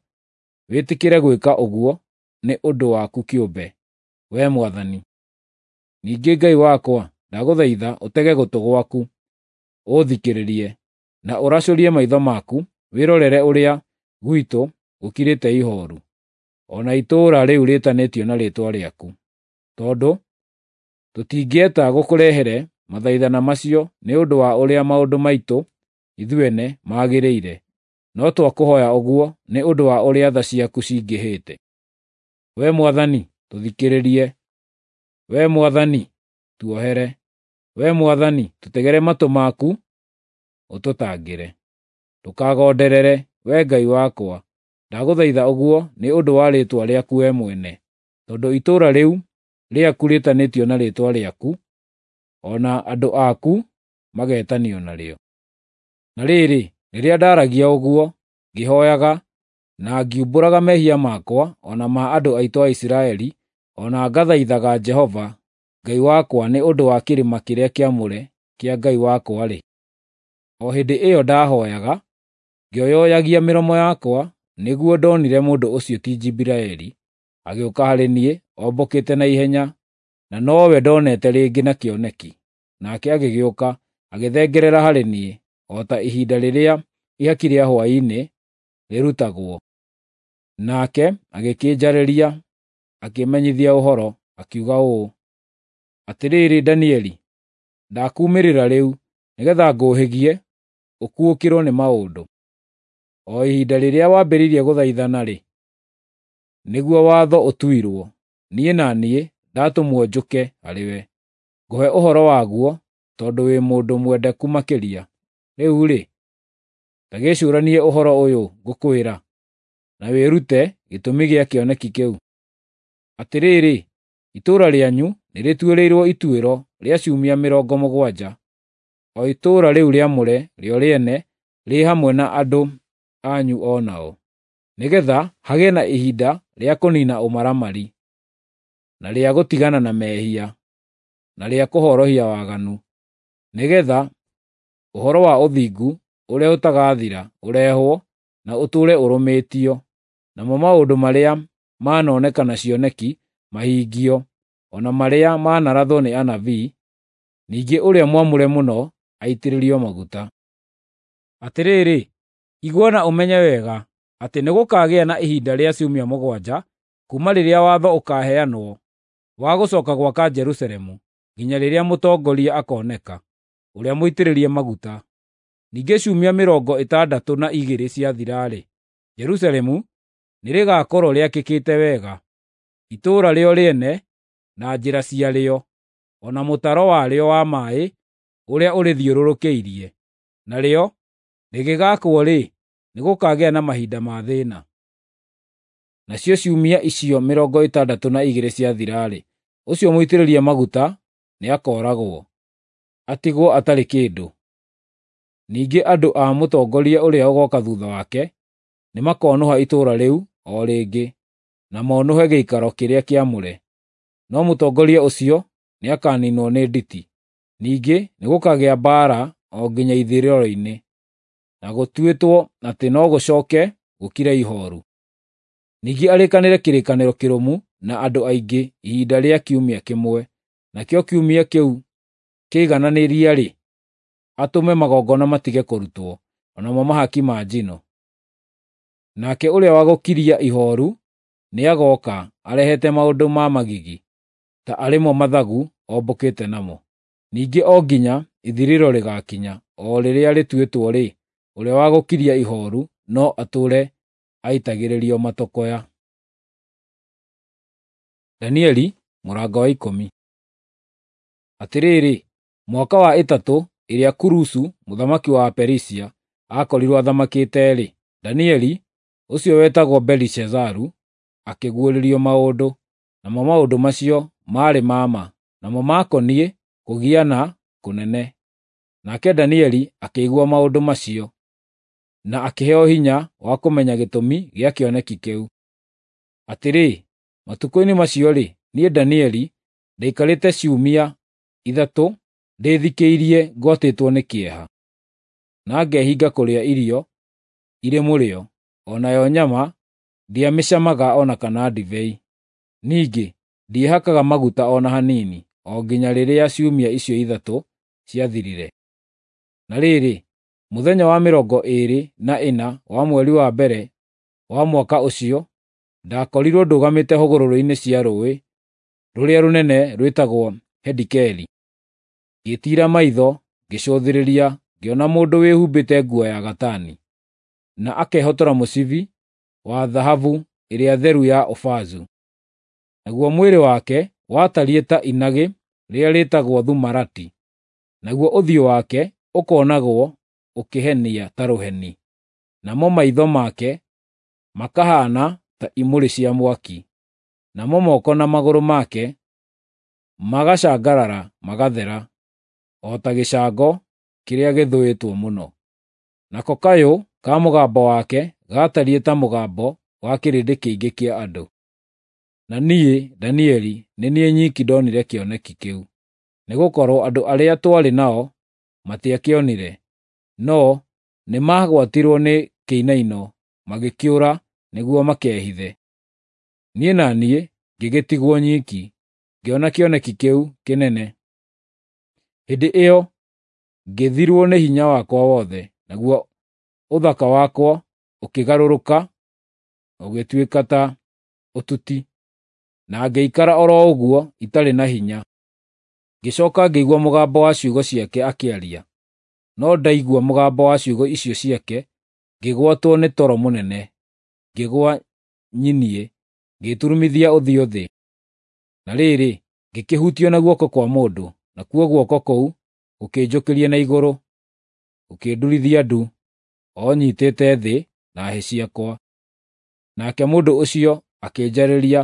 wĩtĩkĩre gwĩka ũguo nĩ ũndũ waku kĩũmbe, Wee Mwathani. Ningĩ Ngai wakwa, ndagũthaitha ũtege gũtũ gwaku ũũthikĩrĩrie, na ũracũrie maitho maku wĩrorere ũrĩa gwitũ gũkirĩte ihooru, o na itũũra rĩu rĩĩtanĩtio na Rĩĩtwa rĩaku. Tondũ tũtingĩeta gũkũrehere mathaithana macio nĩ ũndũ wa ũrĩa maũndũ maitũ ithuene magĩrĩire, no twakũhooya ũguo nĩ ũndũ wa ũrĩa tha ciaku cingĩhĩte. Wee Mwathani, tũthikĩrĩrie. Wee Mwathani, tuohere. Wee Mwathani, tũtegere matũ maku ũtũtangĩre. Ndũkagonderere, Wee Ngai wakwa, ndagũthaitha ũguo nĩ ũndũ wa rĩĩtwa rĩaku wee mwene, tondũ itũũra rĩu rĩaku rĩĩtanĩtio na Rĩĩtwa rĩaku, o na andũ aku mageetanio narĩo. Na rĩrĩ, rĩrĩa ndaaragia ũguo, ngĩhooyaga, na ngiumbũraga mehia makwa o na ma andũ aitũ a Isiraeli, o na ngathaithaga Jehova Ngai wakwa nĩ ũndũ wa kĩrĩma kĩrĩa kĩamũre kĩa Ngai wakwa-rĩ, o hĩndĩ ĩyo ndahooyaga, ngĩoyoyagia mĩromo yakwa, nĩguo ndonire mũndũ ũcio ti Jibiraeli agĩũka harĩ niĩ ombũkĩte na ihenya, na nowe ndonete rĩngĩ na kĩoneki. Nake agĩgĩũka, agĩthengerera harĩ niĩ, o ta ihinda rĩrĩa ihaki rĩa hwaĩ-inĩ rĩrutagwo. Nake agĩkĩnjarĩria, akĩmenyithia ũhoro, akiuga ũũ, “Atĩrĩrĩ Danieli, ndakuumĩrĩra rĩu, nĩgeetha ngũũhĩgie ũkuũkĩrwo nĩ maũndũ. O ihinda rĩrĩa wambĩrĩirie gũthaithana-rĩ, nĩguo watho ũtuirwo, niĩ na niĩ ndatũmwo njũke harĩwe, ngũhe ũhoro waguo tondũ wĩ mũndũ mwendeku makĩria. Rĩu-rĩ, ta gĩcũũranie ũhoro ũyũ ngũkwĩra, na wĩrute gĩtũmi gĩa kĩoneki kĩu. Atĩrĩrĩ, itũũra rĩanyu nĩrĩtuĩrĩirwo ituĩro rĩa ciumia mĩrongo mũgwanja, o itũũra rĩu rĩamũre rĩo rĩene rĩ hamwe na andũ anyu o nao, nĩgeetha hagĩe na ihinda rĩa kũniina ũmaramari, na rĩa gũtigana na mehia, na rĩa kũhorohia waganu, nĩgeetha ũhoro wa ũthingu ũrĩa ũtagathira ũrehwo na ũtũũre ũrũmĩtio, namo maũndũ marĩa manoneka na cioneki mahingio, o na marĩa manarathwo nĩ anabii, ningĩ ũrĩa mwamũre mũno aitĩrĩrio maguta. Atĩrĩrĩ, igua na ũmenye wega atĩ nĩgũkagĩa na ihinda rĩa ciumia mũgwanja kuuma rĩrĩa watho ũkaaheanwo wa gũcooka gwaka Jerusalemu nginya rĩrĩa mũtongoria akooneka, ũrĩa mũitĩrĩrie maguta. Ningĩ ciumia mĩrongo ĩtandatũ na igĩrĩ ciathira-rĩ, Jerusalemu nĩrĩgakorwo rĩakĩkĩte wega, itũũra rĩo rĩene na njĩra ciarĩo, o na mũtaro warĩo wa maaĩ ũrĩa ũrĩthiũrũrũkĩirie. Narĩo rĩgĩgaakwo-rĩ, nĩgũkagĩa na mahinda ma thĩĩna. Nacio ciumia icio mĩrongo ĩtandatũ na igĩrĩ ciathira-rĩ, ũcio mũitĩrĩrie maguta nĩakooragwo, atigwo atarĩ kĩndũ. Ningĩ andũ a mũtongoria ũrĩa ũgooka thuutha wake nĩmakonũha itũũra rĩu o rĩngĩ, na monũhe gĩikaro kĩrĩa kĩamũre. No mũtongoria ũcio nĩakaniinwo nĩ nditi. Ningĩ nĩgũkagĩa mbaara o nginya ithirĩro-inĩ, na gũtuĩtwo atĩ no gũcooke gũkire ihooru. Ningĩ arĩkanĩre kĩrĩkanĩro kĩrũmu na andũ aingĩ ihinda rĩa kiumia kĩmwe, nakĩo kiumia kĩu kĩigananĩria-rĩ, atũme magongona matige kũrutwo, o namo mahaki ma njino. Nake ũrĩa wa gũkiria ihooru nĩagooka arehete maũndũ ma magigi, ta arĩ mo mathagu ombũkĩte namo. Ningĩ o nginya ithirĩro rĩgaakinya, o rĩrĩa rĩtuĩtwo-rĩ, ũrĩa wa gũkiria ihooru no atũũre aitagĩrĩrio matũkũya. Danieli mũrango wa ikũmi. Atĩrĩrĩ, mwaka wa ĩtatũ ĩrĩa Kurusu mũthamaki wa Perisia aakorirwo athamakĩte-rĩ, Danieli, ũcio wetagwo Belishazaru, akĩguũrĩrio maũndũ, namo maũndũ macio maarĩ ma ma, namo maakoniĩ kũgiana kũnene. Nake Danieli akĩigua maũndũ macio. na akĩheo hinya wa kũmenya gĩtũmi gĩa kĩoneki kĩu. Atĩrĩ, matukũ-inĩ macio-rĩ, niĩ Danieli ndaikarĩte ciumia ithatũ ndĩthikĩirie ngwatĩtwo nĩ kĩeha, na ngehinga kũrĩa irio irĩ mũrĩo, o nayo nyama ndiamĩcamaga o na kana ndibei. Ningĩ ndiehakaga maguta o na hanini, o nginya rĩrĩa ciumia icio ithatũ ciathirire. Na rĩrĩ, mũthenya wa mĩrongo ĩĩrĩ na ĩna wa mweri wa mbere wa mwaka ũcio, ndakorirwo ndũgamĩte hũgũrũrũ-inĩ cia rũũĩ rũrĩa rũnene rwĩtagwo Hidikeli. Ngĩtiira maitho ngĩcũthĩrĩria, ngĩona mũndũ wĩhumbĩte nguo ya gatani, na akehotora mũcibi wa thahabu ĩrĩa theru ya Ufazu. Naguo mwĩrĩ wake watariĩ ta inagĩ rĩrĩa rĩĩtagwo thumarati, naguo ũthiũ wake ũkonagwo ũkĩhenia ta rũheni, namo maitho make makahaana ta imũrĩ cia mwaki, namo moko na magũrũ make magacangarara magathera, o ta gĩcango kĩrĩa gĩthũĩtwo mũno. Nako kayũ ka mũgambo wake gaatariĩ ta mũgambo wa kĩrĩndĩ kĩingĩ kĩa andũ. Na niĩ, Danieli, nĩ niĩ nyiki ndonire kĩoneki kĩu, nĩgũkorwo andũ arĩa twarĩ nao matiakĩonire, no nĩmagwatirwo nĩ kĩinaino magĩkĩũra nĩguo makehithe. Niĩ na niĩ ngĩgĩtigwo nyiki, ngĩona kĩoneki kĩu kĩnene. Hĩndĩ ĩyo ngĩthirwo nĩ hinya wakwa wothe, naguo ũthaka wakwa ũkĩgarũrũka ũgĩtuĩka ta ũtuti, na ngĩikara o ro ũguo itarĩ na hinya. Ngĩcooka ngĩigua mũgambo wa ciugo ciake akĩaria, no ndaigua mũgambo wa ciugo icio ciake, ngĩgwatwo nĩ toro mũnene, ngĩgũa nyinie, ngĩturumithia ũthiũ thĩ. Na rĩrĩ, ngĩkĩhutio na guoko kwa mũndũ, nakuo guoko kũu gũkĩnjũkĩria na igũrũ, gũkĩndurithia ndu, o nyiitĩte thĩ na hĩ ciakwa. Nake mũndũ ũcio akĩnjarĩria,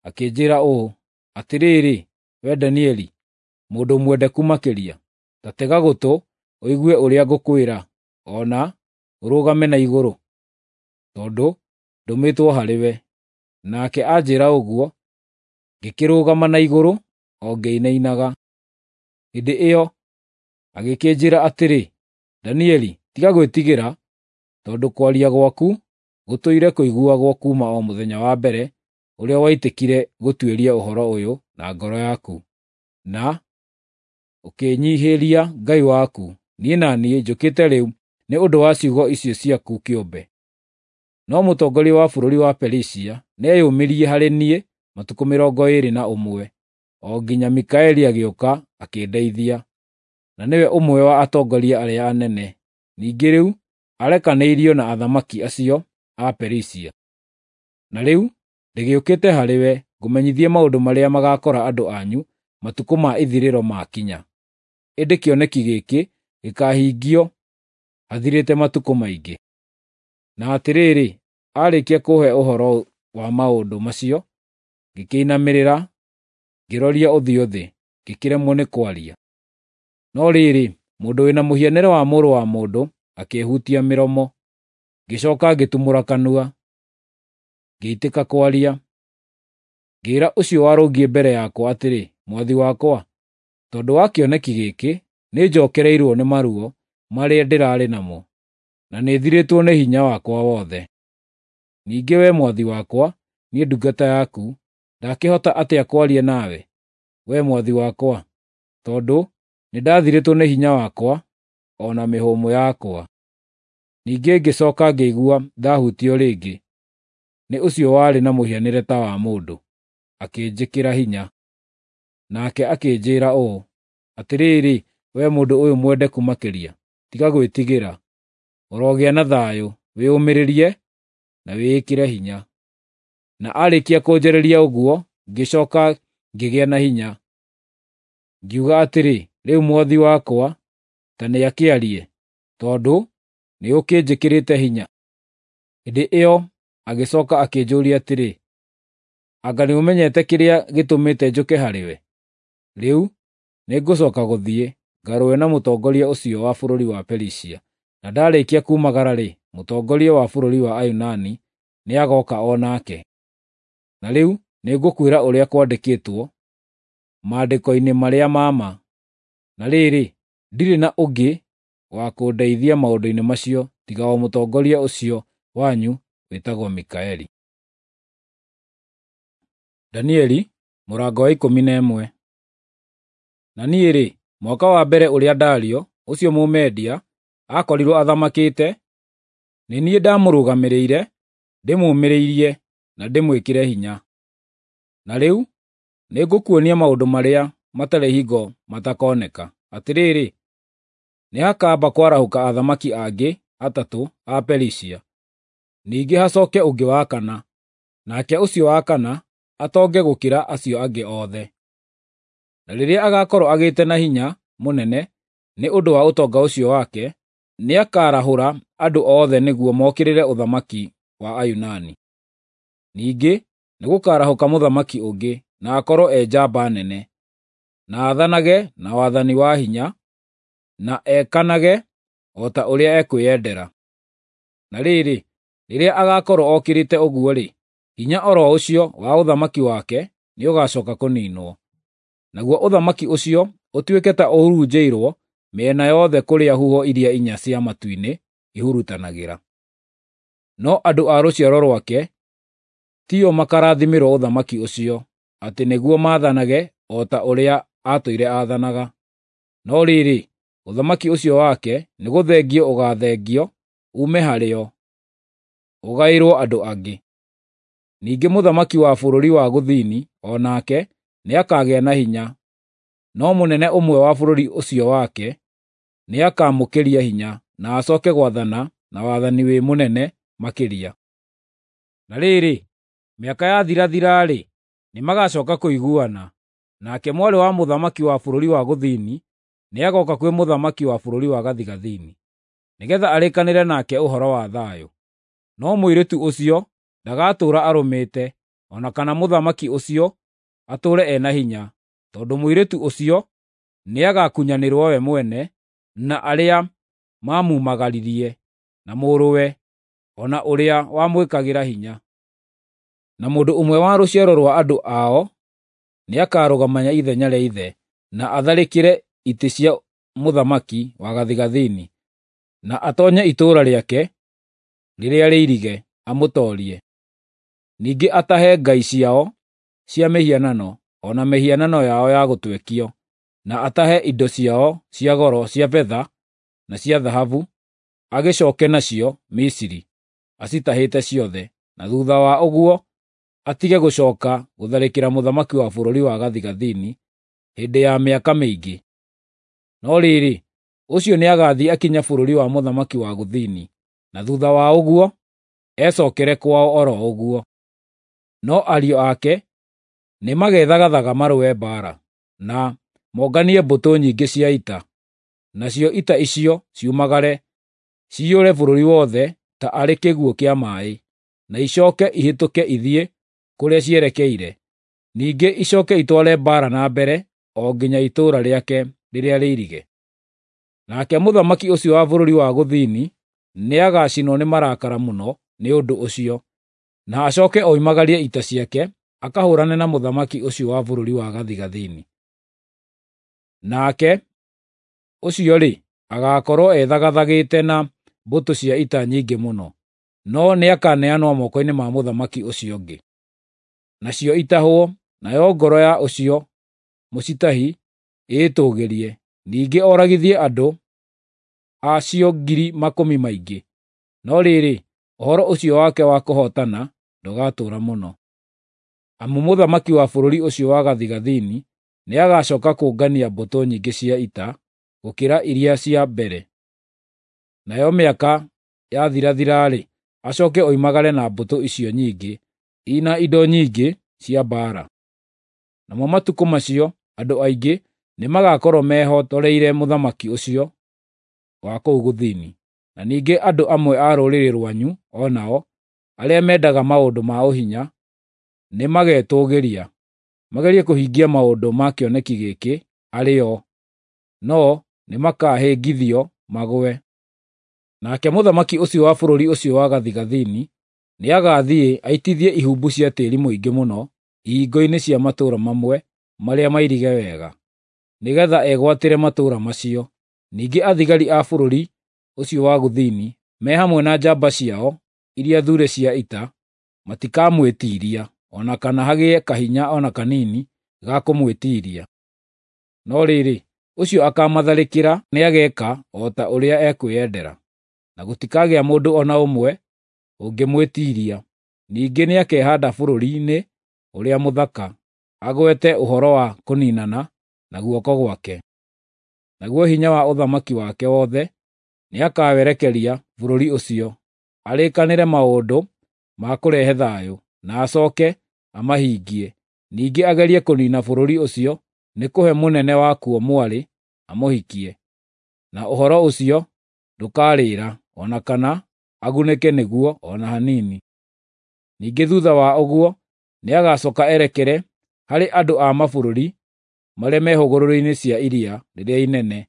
akĩnjĩĩra ũũ, “Atĩrĩrĩ, wee Danieli, mũndũ mwendeku makĩria, ta tega gũtũ ũigue ũrĩa ngũkwĩra, o na ũrũgame na igũrũ, tondũ ndũmĩtwo harĩwe.” Nake anjĩĩra ũguo, ngĩkĩrũgama na igũrũ o ngĩinainaga. Hĩndĩ ĩyo agĩkĩnjĩĩra atĩrĩ, “Danieli, tiga gwĩtigĩra, tondũ kwaria gwaku gũtũire kũiguagwo kuuma o mũthenya wa mbere ũrĩa waitĩkire gũtuĩria ũhoro ũyũ na ngoro yaku, na ũkĩĩnyiihĩria Ngai waku. Niĩ na niĩ njũkĩte rĩu nĩ ũndũ wa ciugo icio ciaku kĩũmbe.” No mũtongoria wa bũrũri wa Perisia nĩeyũmĩrie harĩ niĩ matukũ mĩrongo ĩĩrĩ na ũmwe, o nginya Mikaeli agĩũka akĩndeithia, na nĩwe ũmwe wa atongoria arĩa anene. Ningĩ rĩu arekanĩirio na athamaki acio a Perisia. Na rĩu ndĩgĩũkĩte harĩwe ngũmenyithie maũndũ marĩa magaakora andũ anyu matukũ ma ithirĩro maakinya. Ĩndĩ kĩoneki gĩkĩ gĩkaahingio hathirĩte matukũ maingĩ. Na atĩrĩrĩ, aarĩkia kũũhe ũhoro wa maũndũ macio, ngĩkĩinamĩrĩra, ngĩroria ũthiũ thĩ, ngĩkĩremwo nĩ kwaria. No rĩrĩ, mũndũ wĩ na mũhianĩre wa mũrũ wa mũndũ akĩĩhutia mĩromo, ngĩcooka ngĩtumũra kanua, ngĩitĩka kwaria. Ngĩĩra ũcio warũngiĩ mbere yakwa atĩrĩ, “Mwathi wakwa, tondũ wa kĩoneki gĩkĩ, nĩnjookereirwo nĩ maruo marĩa ndĩrarĩ namo, na nĩthirĩtwo nĩ hinya wakwa wothe. Ningĩ wee mwathi wakwa, niĩ ndungata yaku, ndakĩhota atĩa kwaria nawe, wee mwathi wakwa, tondũ nĩndathirĩtwo nĩ hinya wakwa o na mĩhũmũ yakwa.” Ningĩ ngĩcooka ngĩigua ndahutio rĩngĩ nĩ ũcio warĩ na mũhianĩre ta wa mũndũ, akĩnjĩkĩra hinya. Nake akĩnjĩĩra ũũ, “Atĩrĩrĩ, wee mũndũ ũyũ mwendeku makĩria, tiga gwĩtigĩra. Ũrogĩa na thayũ, wĩyũmĩrĩrie na wĩĩkĩre hinya.” Na aarĩkia kũnjarĩria ũguo, ngĩcooka ngĩgĩa na hinya. Ngiuga atĩrĩ, “Rĩu mwathi wakwa ta nĩakĩarie, tondũ nĩũkĩnjĩkĩrĩte hinya.” Hĩndĩ ĩyo agĩcooka akĩnjũũria atĩrĩ, “Anga nĩũmenyete kĩrĩa gĩtũmĩte njũke harĩwe? Rĩu nĩngũcooka gũthiĩ, ngarũe na mũtongoria ũcio wa bũrũri wa Perisia, na ndaarĩkia kuumagara-rĩ, mũtongoria wa bũrũri wa Ayunani, nĩagooka o nake. Na rĩu nĩngũkwĩra ũrĩa kwandĩkĩtwo maandĩko-inĩ marĩa ma ma. Na rĩrĩ, ndirĩ na ũngĩ wa kũndeithia maũndũ-inĩ macio tiga o mũtongoria ũcio wanyu wĩtagwo Mikaeli. Danieli mũrango wa ikũmi na ĩmwe. Na niĩ-rĩ, mwaka wa mbere ũrĩa Dario, ũcio Mũmedia, aakorirwo athamakĩte, nĩ niĩ ndamũrũgamĩrĩire, ndĩmũũmĩrĩrie na ndĩmwĩkĩre hinya. Na rĩu nĩngũkuonia maũndũ marĩa matarĩ hingo matakoneka. Atĩrĩrĩ, nĩhakamba kwarahũka athamaki angĩ atatũ a Perisia, ningĩ hacooke ũngĩ wa kana, nake ũcio wa kana atonge gũkĩra acio angĩ othe. Na rĩrĩa agaakorwo agĩĩte na hinya mũnene nĩ ũndũ wa ũtonga ũcio wake, nĩakarahũra andũ othe nĩguo mokĩrĩre ũthamaki wa Ayunani. Ningĩ nĩgũkarahũka mũthamaki ũngĩ, na akorwo e njamba nene, na aathanage na wathani wa hinya, na ekanage o ta ũrĩa ekwĩyendera. Na rĩrĩ, rĩrĩa agaakorwo okĩrĩte ũguo-rĩ, hinya o ro ũcio wa ũthamaki wake nĩũgacooka kũniinwo. Naguo ũthamaki ũcio ũtuĩke ta ũhurunjĩirwo mĩena yothe kũrĩa huho iria inya cia matu-inĩ ihurutanagĩra. No andũ a rũciaro rwake tio makarathimĩrwo ũthamaki ũcio, atĩ nĩguo maathanage o ta ũrĩa aatũire aathanaga. No rĩrĩ, ũthamaki ũcio wake nĩgũthengio ũgaathengio uume harĩo, ũgaĩrwo andũ angĩ. Ningĩ mũthamaki wa bũrũri wa gũthini o nake nĩakagĩa na hinya, no mũnene ũmwe wa bũrũri ũcio wake nĩakamũkĩria hinya, na acooke gwathana na wathani wĩ mũnene makĩria. Na rĩrĩ, mĩaka yathirathira-rĩ, nĩmagacooka kũiguana, nake mwarĩ wa mũthamaki wa bũrũri wa gũthini nĩagooka kwĩ mũthamaki wa bũrũri wa gathigathini, nĩgeetha arĩkanĩre nake ũhoro wa thayũ. No mũirĩtu ũcio ndagatũũra arũmĩte, o na kana mũthamaki ũcio atũũre e na hinya, tondũ mũirĩtu ũcio nĩagakunyanĩrwo we mwene na arĩa maamumagaririe, na mũrũwe, o na ũrĩa wamwĩkagĩra hinya. Na mũndũ ũmwe wa rũciaro rwa andũ ao nĩakarũgama ithenya rĩa ithe, na atharĩkĩre itĩ cia mũthamaki wa gathigathini, na atoonye itũũra rĩake rĩrĩa rĩirige, amũtoorie. Ningĩ atahe ngai ciao cia mĩhianano, o na mĩhianano yao ya gũtwekio, na atahe indo ciao cia goro cia betha na cia thahabu, agĩcooke nacio Misiri, acitahĩte ciothe, na thuutha wa ũguo atige gũcooka gũtharĩkĩra mũthamaki wa bũrũri wa gathigathini hĩndĩ ya mĩaka mĩingĩ. No rĩrĩ, ũcio nĩagathiĩ akinye bũrũri wa mũthamaki wa gũthini, na thuutha wa ũguo ecookere kwao o ro ũguo. No ariũ ake nĩmagethagathaga marũe mbaara, na monganie mbũtũ nyingĩ cia ita, nacio ita icio ciumagare ciyũre bũrũri wothe ta arĩ kĩguũ kĩa maaĩ, na icooke ihĩtũke ithiĩ kũrĩa cierekeire. Ningĩ icooke itware mbaara na mbere o nginya itũũra rĩake rĩrĩa rĩirige. Nake mũthamaki ũcio wa bũrũri wa gũthini nĩagacinwo nĩ marakara mũno nĩ ũndũ ũcio, na acooke oimagarie ita ciake akahũũrane na mũthamaki ũcio wa bũrũri wa gathigathini. Nake ũcio-rĩ, agaakorwo ethagathagĩte na mbũtũ cia ita nyingĩ mũno, no nĩakaneanwo moko-inĩ ma mũthamaki ũcio ũngĩ. Nacio itahwo, nayo ngoro ya ũcio mũcitahi ĩĩtũũgĩrie, ningĩ oragithie andũ acio ngiri makũmi maingĩ. No rĩrĩ, ũhoro ũcio wake wa kũhootana ndũgatũũra mũno. Amu mũthamaki wa bũrũri ũcio wa gathigathini nĩagacooka kũngania mbũtũ nyingĩ cia ita gũkĩra iria cia mbere. Nayo mĩaka yathirathira-rĩ, acooke oimagare na mbũtũ icio nyingĩ, ina indo nyingĩ cia mbaara. Namo matukũ macio andũ aingĩ nĩmagakorwo mehotoreire mũthamaki ũcio wa kũu gũthini. Na ningĩ andũ amwe a rũrĩrĩ rwanyu o nao, arĩa mendaga maũndũ ma ũhinya, nĩmagetũũgĩria, magerie kũhingia maũndũ ma kĩoneki gĩkĩ arĩ o, no nĩmakahĩngithio magũe. Nake mũthamaki ũcio wa bũrũri ũcio wa gathigathini nĩagathiĩ aitithie ihumbu cia tĩri mũingĩ mũno ihingo-inĩ cia matũũra mamwe marĩa mairige wega, nĩ getha egwatĩre matũũra macio. Ningĩ athigari a bũrũri ũcio wa gũthini, me hamwe na njamba ciao iria thure cia ita, matikamwĩtiiria, o na kana hagĩe kahinya o na kanini ga kũmwĩtiiria. No rĩrĩ, ũcio akamatharĩkĩra nĩageka o ta ũrĩa ekwĩendera, na gũtikagĩa mũndũ o na ũmwe ũngĩmwĩtiiria. Ningĩ nĩakehaanda bũrũri-inĩ ũrĩa mũthaka, agwete ũhoro wa kũniinana na guoko gwake. Naguo hinya wa ũthamaki wake wothe nĩakawerekeria bũrũri ũcio, arĩkanĩre maũndũ ma kũrehe thayũ, na acooke amahingie. Ningĩ agerie kũniina bũrũri ũcio nĩ kũhe mũnene wakuo mwarĩ amũhikie, na ũhoro ũcio ndũkarĩra, o na kana agunĩke nĩguo o na hanini. Ningĩ thuutha wa ũguo nĩagacooka erekere harĩ andũ a mabũrũri marĩa me hũgũrũrũ-inĩ cia iria rĩrĩa inene,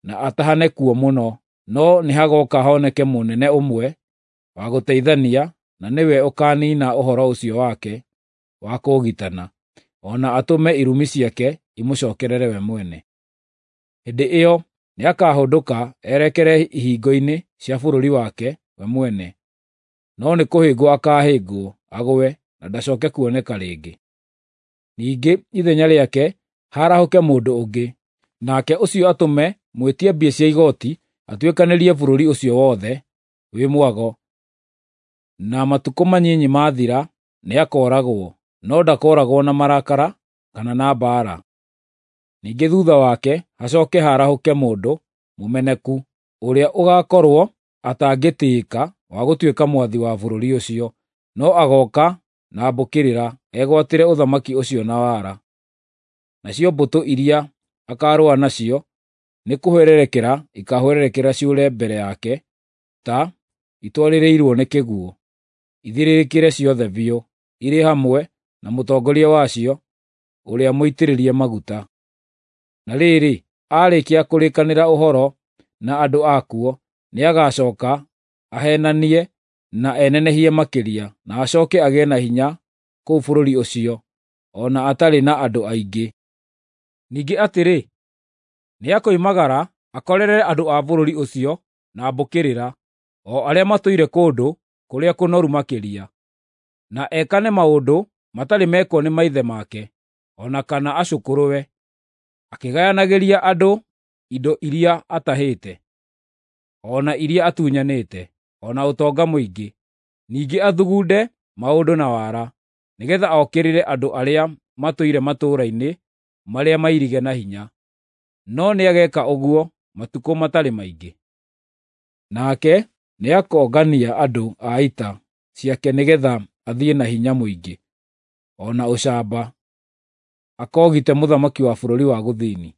na atahane kuo mũno. No nĩhagooka honeke mũnene ũmwe wa gũteithania, na nĩwe ũkaaniina ũhoro ũcio wake wa kũũgitana, o na atũme irumi ciake imũcookerere we mwene. Hĩndĩ ĩyo nĩakahũndũka erekere ihingo-inĩ cia bũrũri wake we mwene, no nĩkũhĩngwo akaahĩngwo agũe na ndacooke kuoneka rĩngĩ. Ningĩ ithenya rĩake harahũke mũndũ ũngĩ, nake ũcio atũme mwĩtia mbia cia igooti atuĩkanĩrie bũrũri ũcio wothe wĩ mwago, na matukũ manyinyi maathira nĩakooragwo, no ndakooragwo na marakara kana na mbaara. Ningĩ thuutha wake hacooke harahũke mũndũ mũmeneku, ũrĩa ũgaakorwo atangĩtĩĩka wa gũtuĩka mwathi wa bũrũri ũcio, no agooka na mbũkĩrĩra egwatĩre ũthamaki ũcio na wara. Nacio mbũtũ iria akaarũa nacio nĩkũhwererekera ikaahwererekera ciũre mbere yake ta itwarĩrĩirwo nĩ kĩguũ, ithirĩrĩkĩre ciothe biũ, irĩ hamwe na mũtongoria wacio ũrĩa mũitĩrĩrie maguta. Na rĩrĩ, aarĩkia kũrĩkanĩra ũhoro na andũ akuo, nĩagacooka aheenanie na enenehie makĩria, na acooke agĩe na hinya kũu bũrũri ũcio, o na atarĩ na andũ aingĩ. Ningĩ atĩrĩ, nĩakoimagara akorerere andũ a bũrũri ũcio na mbũkĩrĩra, o arĩa matũire kũndũ kũrĩa kũnoru makĩria, na ekane maũndũ matarĩ mekwo nĩ maithe make, o na kana acũkũrũwe, akĩgayanagĩria andũ indo iria atahĩte, o na iria atunyanĩte, o na ũtonga mũingĩ. Ningĩ athugunde maũndũ na wara, nĩgeetha okĩrĩre andũ arĩa matũire matũũra-inĩ marĩa mairige na hinya. No nĩageeka ũguo matukũ matarĩ maingĩ. Nake nĩakongania andũ a ita ciake nĩgeetha athiĩ na hinya mũingĩ o na ũcamba, akoogite mũthamaki wa bũrũri wa gũthini.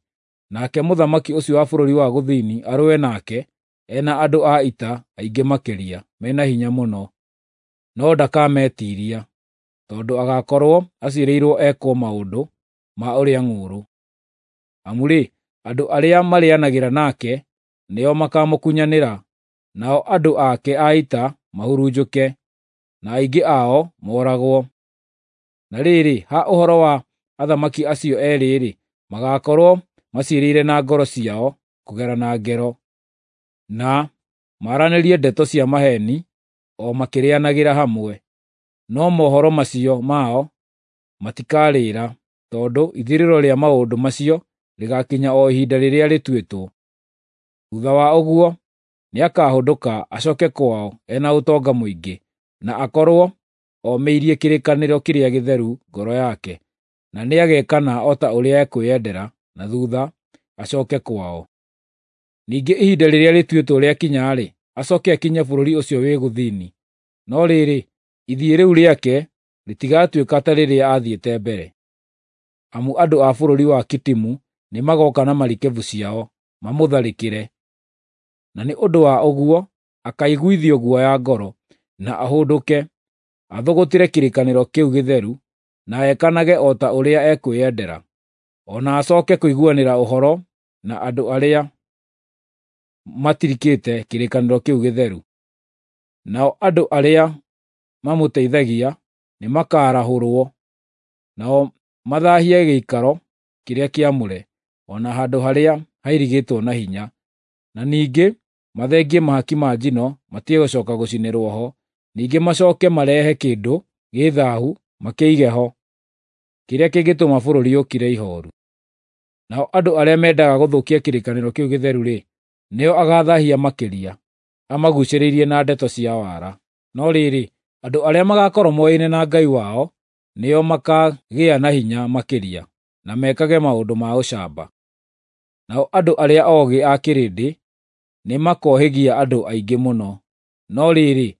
Nake mũthamaki ũcio wa bũrũri wa gũthini arũe nake e na andũ a ita aingĩ makĩria mena hinya mũno, no ndakametiiria, tondũ agaakorwo aciirĩirwo ekwo maũndũ ma ũrĩa ng'ũũrũ. Amu-rĩ, andũ arĩa marĩĩanagĩra nake nĩo makaamũkunyanĩra, nao andũ ake a ita mahurunjũke, na aingĩ ao mooragwo. Na rĩrĩ, ha ũhoro wa athamaki acio eerĩ-rĩ, magaakorwo maciirĩire na ngoro ciao kũgerana ngero, na maaranĩrie ndeto cia maheeni o makĩrĩĩanagĩra hamwe. No mohoro macio mao matikarĩĩra, tondũ ithirĩro rĩa maũndũ macio rĩgaakinya o ihinda rĩrĩa rĩtuĩtwo. Thuutha wa ũguo nĩakahũndũka acooke kwao e na ũtonga mũingĩ, na akorwo omĩirie kĩrĩkanĩro kĩrĩa gĩtheru ngoro yake, na nĩagekana o ta ũrĩa ekwĩendera, na thuutha acooke kwao. Ningĩ ihinda rĩrĩa rĩtuĩtwo rĩakinya-rĩ, acooke akinye bũrũri ũcio wĩ gũthini. No rĩrĩ, ithiĩ rĩu rĩake rĩtigatuĩka ta rĩrĩa aathiĩte mbere. Amu andũ a bũrũri wa Kitimu nĩmagooka na marikabu ciao mamũtharĩkĩre, na nĩ ũndũ wa ũguo akaiguithio guoya ngoro, na ahũndũke, athũgũtĩre kĩrĩkanĩro kĩu gĩtheru, na ekanage o ta ũrĩa ekwĩendera, o na acooke kũiguanĩra ũhoro na andũ arĩa matirikĩte kĩrĩkanĩro kĩu gĩtheru. Nao andũ arĩa mamũteithagia nĩmakarahũrwo, nao mathaahie gĩikaro kĩrĩa kĩamũre, o na handũ harĩa hairigĩtwo na hinya, na ningĩ mathengie mahaki ma njino matige gũcooka gũcinĩrwo ho, ningĩ macooke marehe kĩndũ gĩ thaahu makĩige ho, kĩrĩa kĩngĩtũma bũrũri ũkire ihooru. Nao andũ arĩa mendaga gũthũkia kĩrĩkanĩro kĩu gĩtheru-rĩ, nĩo agaathaahia makĩria, amaguucĩrĩirie na ndeto cia wara. No rĩrĩ, andũ arĩa magaakorwo moyaine na Ngai wao nĩo makaagĩa na hinya makĩria, na mekage maũndũ ma ũcamba. Nao andũ arĩa oogĩ a kĩrĩndĩ nĩmakohĩgia andũ aingĩ mũno, no rĩrĩ,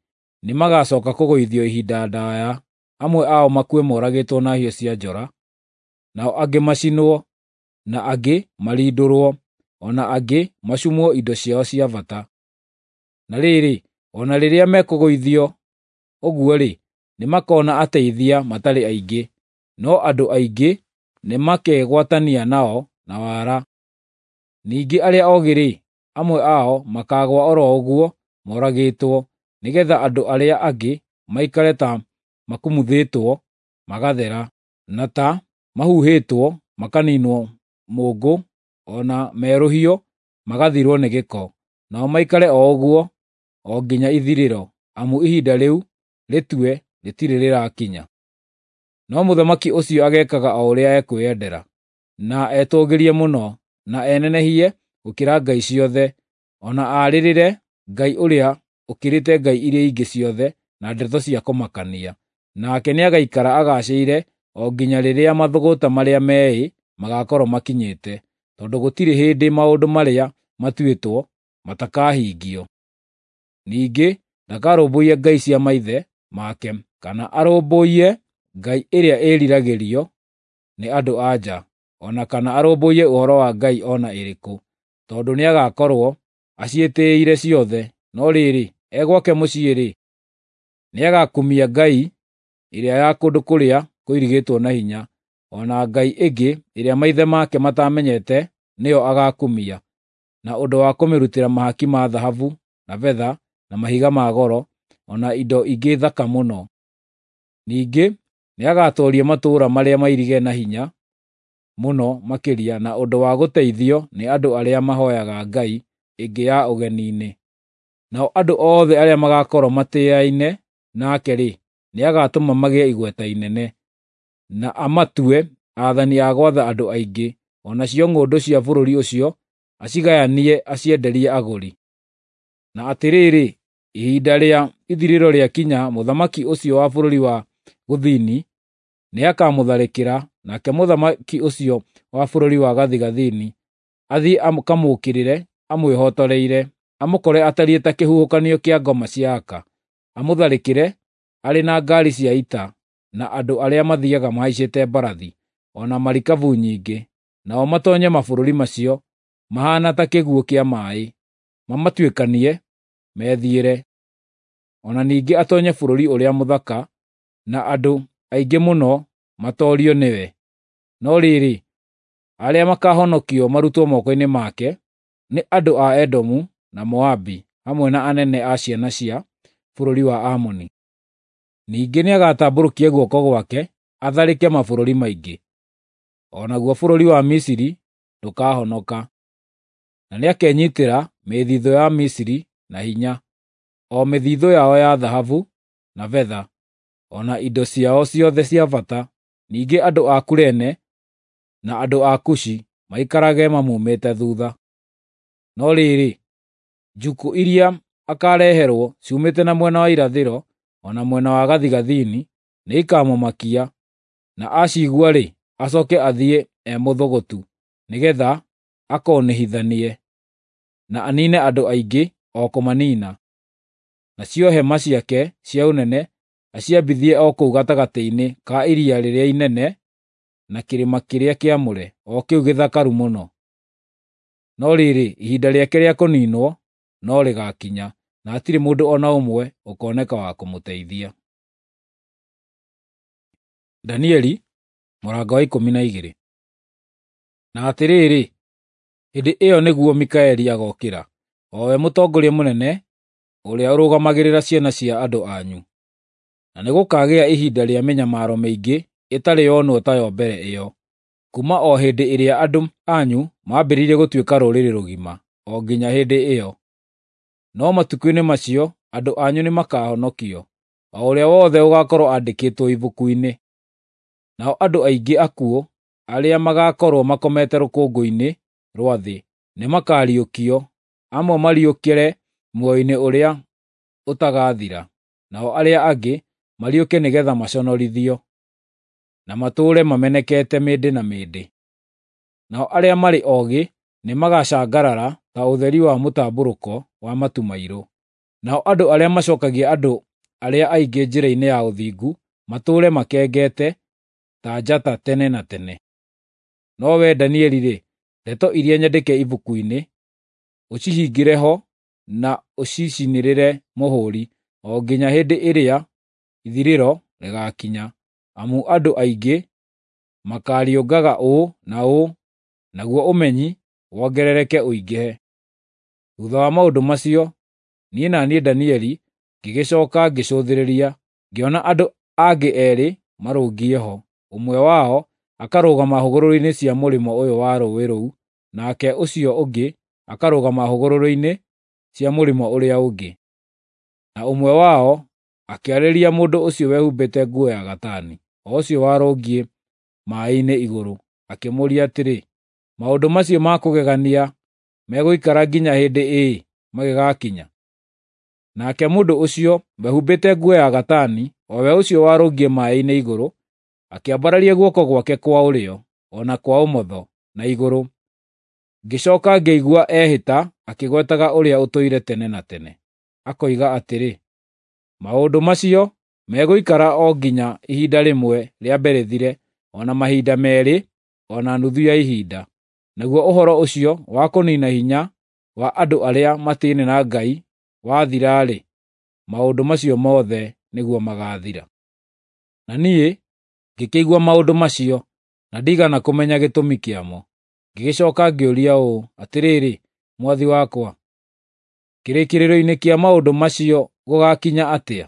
nĩmagacooka kũgũithio ihinda ndaaya, amwe ao makue moragĩtwo na hiũ cia njora, nao angĩ macinwo, na angĩ marindũrwo, o na angĩ macumwo indo ciao cia bata. Na rĩrĩ, o na rĩrĩa mekũgũithio ũguo-rĩ, nĩmakona ateithia matarĩ aingĩ, no andũ aingĩ nĩmakegwatania nao na wara. Ningĩ arĩa oogĩ-rĩ, amwe ao makaagũa o ro ũguo moragĩtwo, nĩgeetha andũ arĩa angĩ maikare ta makumuthĩtwo magathera, na ta mahuhĩtwo makaniinwo mũũngũ, o na merũhio magathirwo nĩ gĩko, nao maikare o ũguo o nginya ithirĩro, amu ihinda rĩu rĩtue rĩtirĩ rĩrakinya. No mũthamaki ũcio ageekaga o ũrĩa ekwĩendera, na etũũgĩrie mũno, na enenehie gũkĩra ngai ciothe, o na aarĩrĩre Ngai ũrĩa ũkĩrĩte ngai iria ingĩ ciothe na ndeto cia kũmakania. Nake nĩagaikara agaacĩire o nginya rĩrĩa mathũgũta marĩa meĩ magaakorwo makinyĩte, tondũ gũtirĩ hĩndĩ maũndũ marĩa matuĩtwo matakahingio. Ningĩ ndakarũmbũiya ngai cia maithe make, kana arũmbũiye ngai ĩrĩa ĩĩriragĩrio nĩ andũ-a-nja, o na kana arũmbũiye ũhoro wa ngai o na ĩrĩkũ, tondũ nĩagakorwo aciĩtĩĩire ciothe. No rĩrĩ, e gwake mũciĩ-rĩ, nĩagakumia ngai ĩrĩa ya kũndũ kũrĩa kũirigĩtwo na hinya, o na ngai ĩngĩ ĩrĩa maithe make mataamenyete nĩyo agaakumia, na ũndũ wa kũmĩrutĩra mahaki ma thahabu na betha na mahiga ma goro, o na indo ingĩ thaka mũno. Ningĩ nĩagatooria matũũra marĩa mairige na hinya mũno makĩria na ũndũ wa gũteithio nĩ andũ arĩa mahooyaga ngai ĩngĩ ya ũgeni-inĩ. Nao andũ othe arĩa magaakorwo matĩĩaine nake-rĩ, nĩagatũma magĩe igweta inene, na amatue aathani a gwatha andũ aingĩ, o nacio ng'ũndũ cia bũrũri ũcio acigayanie acienderie agũri. Na atĩrĩrĩ, ihinda rĩa ithirĩro rĩakinya, mũthamaki ũcio wa bũrũri wa gũthini nĩakamũtharĩkĩra, nake mũthamaki ũcio wa bũrũri wa gathigathini athiĩ akamũũkĩrĩre amwĩhotoreire, amũkore atariĩ ta kĩhuhũkanio kĩa ngoma cia aka, amũtharĩkĩre arĩ na ngaari cia ita na andũ arĩa mathiiaga mahaicĩte mbarathi, o na marikabu nyingĩ, nao matoonye mabũrũri macio mahaana ta kĩguũ kĩa maaĩ, mamatuĩkanie methiĩre. O na ningĩ atoonye bũrũri ũrĩa mũthaka, na andũ aingĩ mũno matoorio nĩwe. No rĩrĩ, arĩa makaahonokio marutwo moko-inĩ make nĩ andũ a Edomu na Moabi, hamwe na anene a ciana cia bũrũri wa Amoni. Ningĩ nĩagatambũrũkia guoko gwake atharĩke mabũrũri maingĩ, o naguo bũrũri wa Misiri ndũkahonoka. Na nĩakenyiitĩra mĩthithũ ya Misiri na hinya, o mĩthithũ yao ya thahabu na betha, o na indo ciao ciothe cia bata. Ningĩ andũ a Kurene na andũ a Kushi maikarage mamuumĩte thuutha. No rĩrĩ, njukũ iria akaareherwo ciumĩte na mwena wa irathĩro o na mwena wa gathigathini nĩikamũmakia, na aciigua-rĩ, acooke athiĩ e mũthũgũtu, nĩgeetha akoonĩhithanie, na aniine andũ aingĩ o kũmaniina. Nacio hema ciake cia ũnene aciambithie o kũu gatagatĩ-inĩ ka iria rĩrĩa inene na kĩrĩma kĩrĩa kĩamũre, o kĩu gĩthakaru mũno. No rĩrĩ, ihinda rĩake rĩa kũniinwo no rĩgaakinya, na hatirĩ mũndũ o na ũmwe ũkooneka wa kũmũteithia. Danieli mũrango wa ikũmi na igĩrĩ. Na atĩrĩrĩ, hĩndĩ ĩyo nĩguo Mikaeli agookĩra, o we mũtongoria mũnene ũrĩa ũrũgamagĩrĩra ciana cia andũ anyu. Na nĩgũkagĩa ihinda rĩa mĩnyamaro mĩingĩ ĩtarĩ yonwo tayo mbere ĩyo, kuuma o hĩndĩ ĩrĩa andũ anyu maambĩrĩirie gũtuĩka rũrĩrĩ rũgima, o nginya hĩndĩ ĩyo. No matukũ-inĩ macio andũ anyu nĩmakahonokio, o ũrĩa wothe ũgaakorwo andĩkĩtwo ibuku-inĩ. Nao andũ aingĩ akuũ arĩa magaakorwo makomete rũkũngũ-inĩ rwa thĩ nĩmakariũkio, amwe mariũkĩre muoyo-inĩ ũrĩa ũtagathira, nao arĩa angĩ mariũke nĩgeetha maconorithio, na matũũre mamenekete mĩndĩ na mĩndĩ. Nao arĩa marĩ oogĩ nĩmagacangarara ta ũtheri wa mũtambũrũko wa matu mairũ. Nao andũ arĩa macookagia andũ arĩa aingĩ njĩra-inĩ ya ũthingu matũũre makengete ta njata tene na tene. No wee Danieli-rĩ, ndeto iria nyandĩke ibuku-inĩ, ũcihingĩre ho na ũcicinĩrĩre mũhũũri o nginya hĩndĩ ĩrĩa ithirĩro rĩgaakinya, amu andũ aingĩ makaariũngaga ũũ na ũũ, naguo ũmenyi wongerereke ũingĩhe. Thuutha wa maũndũ macio, niĩ na niĩ Danieli ngĩgĩcooka ngĩcũthĩrĩria, ngĩona andũ angĩ eerĩ marũngiĩ ho, ũmwe wao akarũgama hũgũrũrũ-inĩ cia mũrĩmo ũyũ wa rũũĩ rũu, nake ũcio ũngĩ akarũgama hũgũrũrũ-inĩ cia mũrĩmo ũrĩa ũngĩ. Na ũmwe wao akĩarĩria mũndũ ũcio wehumbĩte nguo ya gatani, o ũcio warũngiĩ maaĩ-inĩ igũrũ, akĩmũũria atĩrĩ, “Maũndũ macio ma kũgegania megũikara nginya hĩndĩ ĩ magĩgakinya?” Nake mũndũ ũcio wehumbĩte nguo ya gatani, o we ũcio warũngiĩ maaĩ-inĩ igũrũ, akĩambararia guoko gwake kwa ũrĩo o na kwa ũmotho na igũrũ. Ngĩcooka ngĩigua ehĩta akĩgwetaga Ũrĩa Ũtũire Tene na Tene, akoiga atĩrĩ, “Maũndũ macio megũikara o nginya ihinda rĩmwe rĩambe rĩthire, o na mahinda meerĩ, o na nuthu ya ihinda.” Naguo ũhoro ũcio wa kũniina hinya wa andũ arĩa matĩĩne na Ngai wathira-rĩ, maũndũ macio mothe nĩguo magaathira. Na niĩ ngĩkĩigua maũndũ macio, na ndiigana kũmenya gĩtũmi kĩamo. Ngĩgĩcooka ngĩũria ũũ, “Atĩrĩrĩ, mwathi wakwa, kĩrĩkĩrĩro-inĩ kĩa maũndũ macio gũgaakinya atĩa?”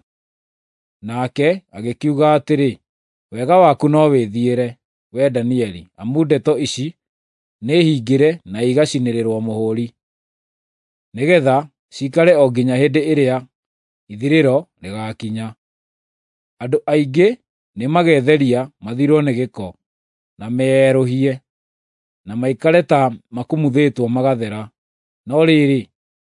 Nake agĩkiuga atĩrĩ, “Wega waku no wĩthiĩre, wee Danieli, amu ndeto ici nĩhingĩre na igacinĩrĩrwo mũhũũri, nĩgeetha ciikare o nginya hĩndĩ ĩrĩa ithirĩro rĩgaakinya. Andũ aingĩ nĩmagetheria mathirwo nĩ gĩko, na meerũhie, na maikare ta makumuthĩtwo magathera. No rĩrĩ,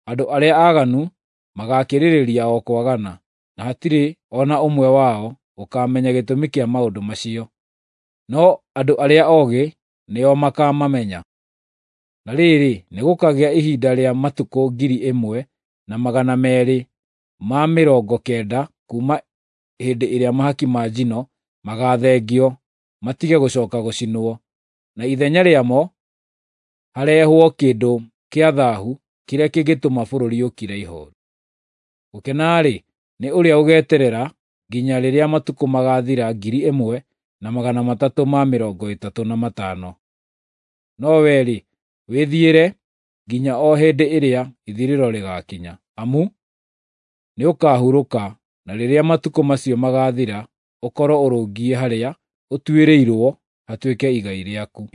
andũ arĩa aaganu magaakĩrĩrĩria o kwagana, na hatirĩ o na ũmwe wao ũkaamenya gĩtũmi kĩa maũndũ macio. No andũ arĩa oogĩ nĩo makaamamenya. Na rĩrĩ, nĩgũkagĩa ihinda rĩa matukũ ngiri ĩmwe na magana meerĩ ma mĩrongo kenda kuuma hĩndĩ ĩrĩa mahaki ma njino magaathengio matige gũcooka gũcinwo, na ithenya rĩamo harehwo kĩndũ kĩa thaahu kĩrĩa kĩngĩtũma bũrũri ũkire ihooru. Gũkena-rĩ, nĩ ũrĩa ũgeeterera nginya rĩrĩa matukũ magaathira ngiri ĩmwe na magana matatũ ma mĩrongo ĩtatũ na matano. No wee-rĩ, wĩthiĩre nginya o hĩndĩ ĩrĩa ithirĩro rĩgaakinya, amu nĩũkahurũka, na rĩrĩa matukũ macio magaathira ũkorwo ũrũngiĩ harĩa ũtuĩrĩirwo hatuĩke igai rĩaku.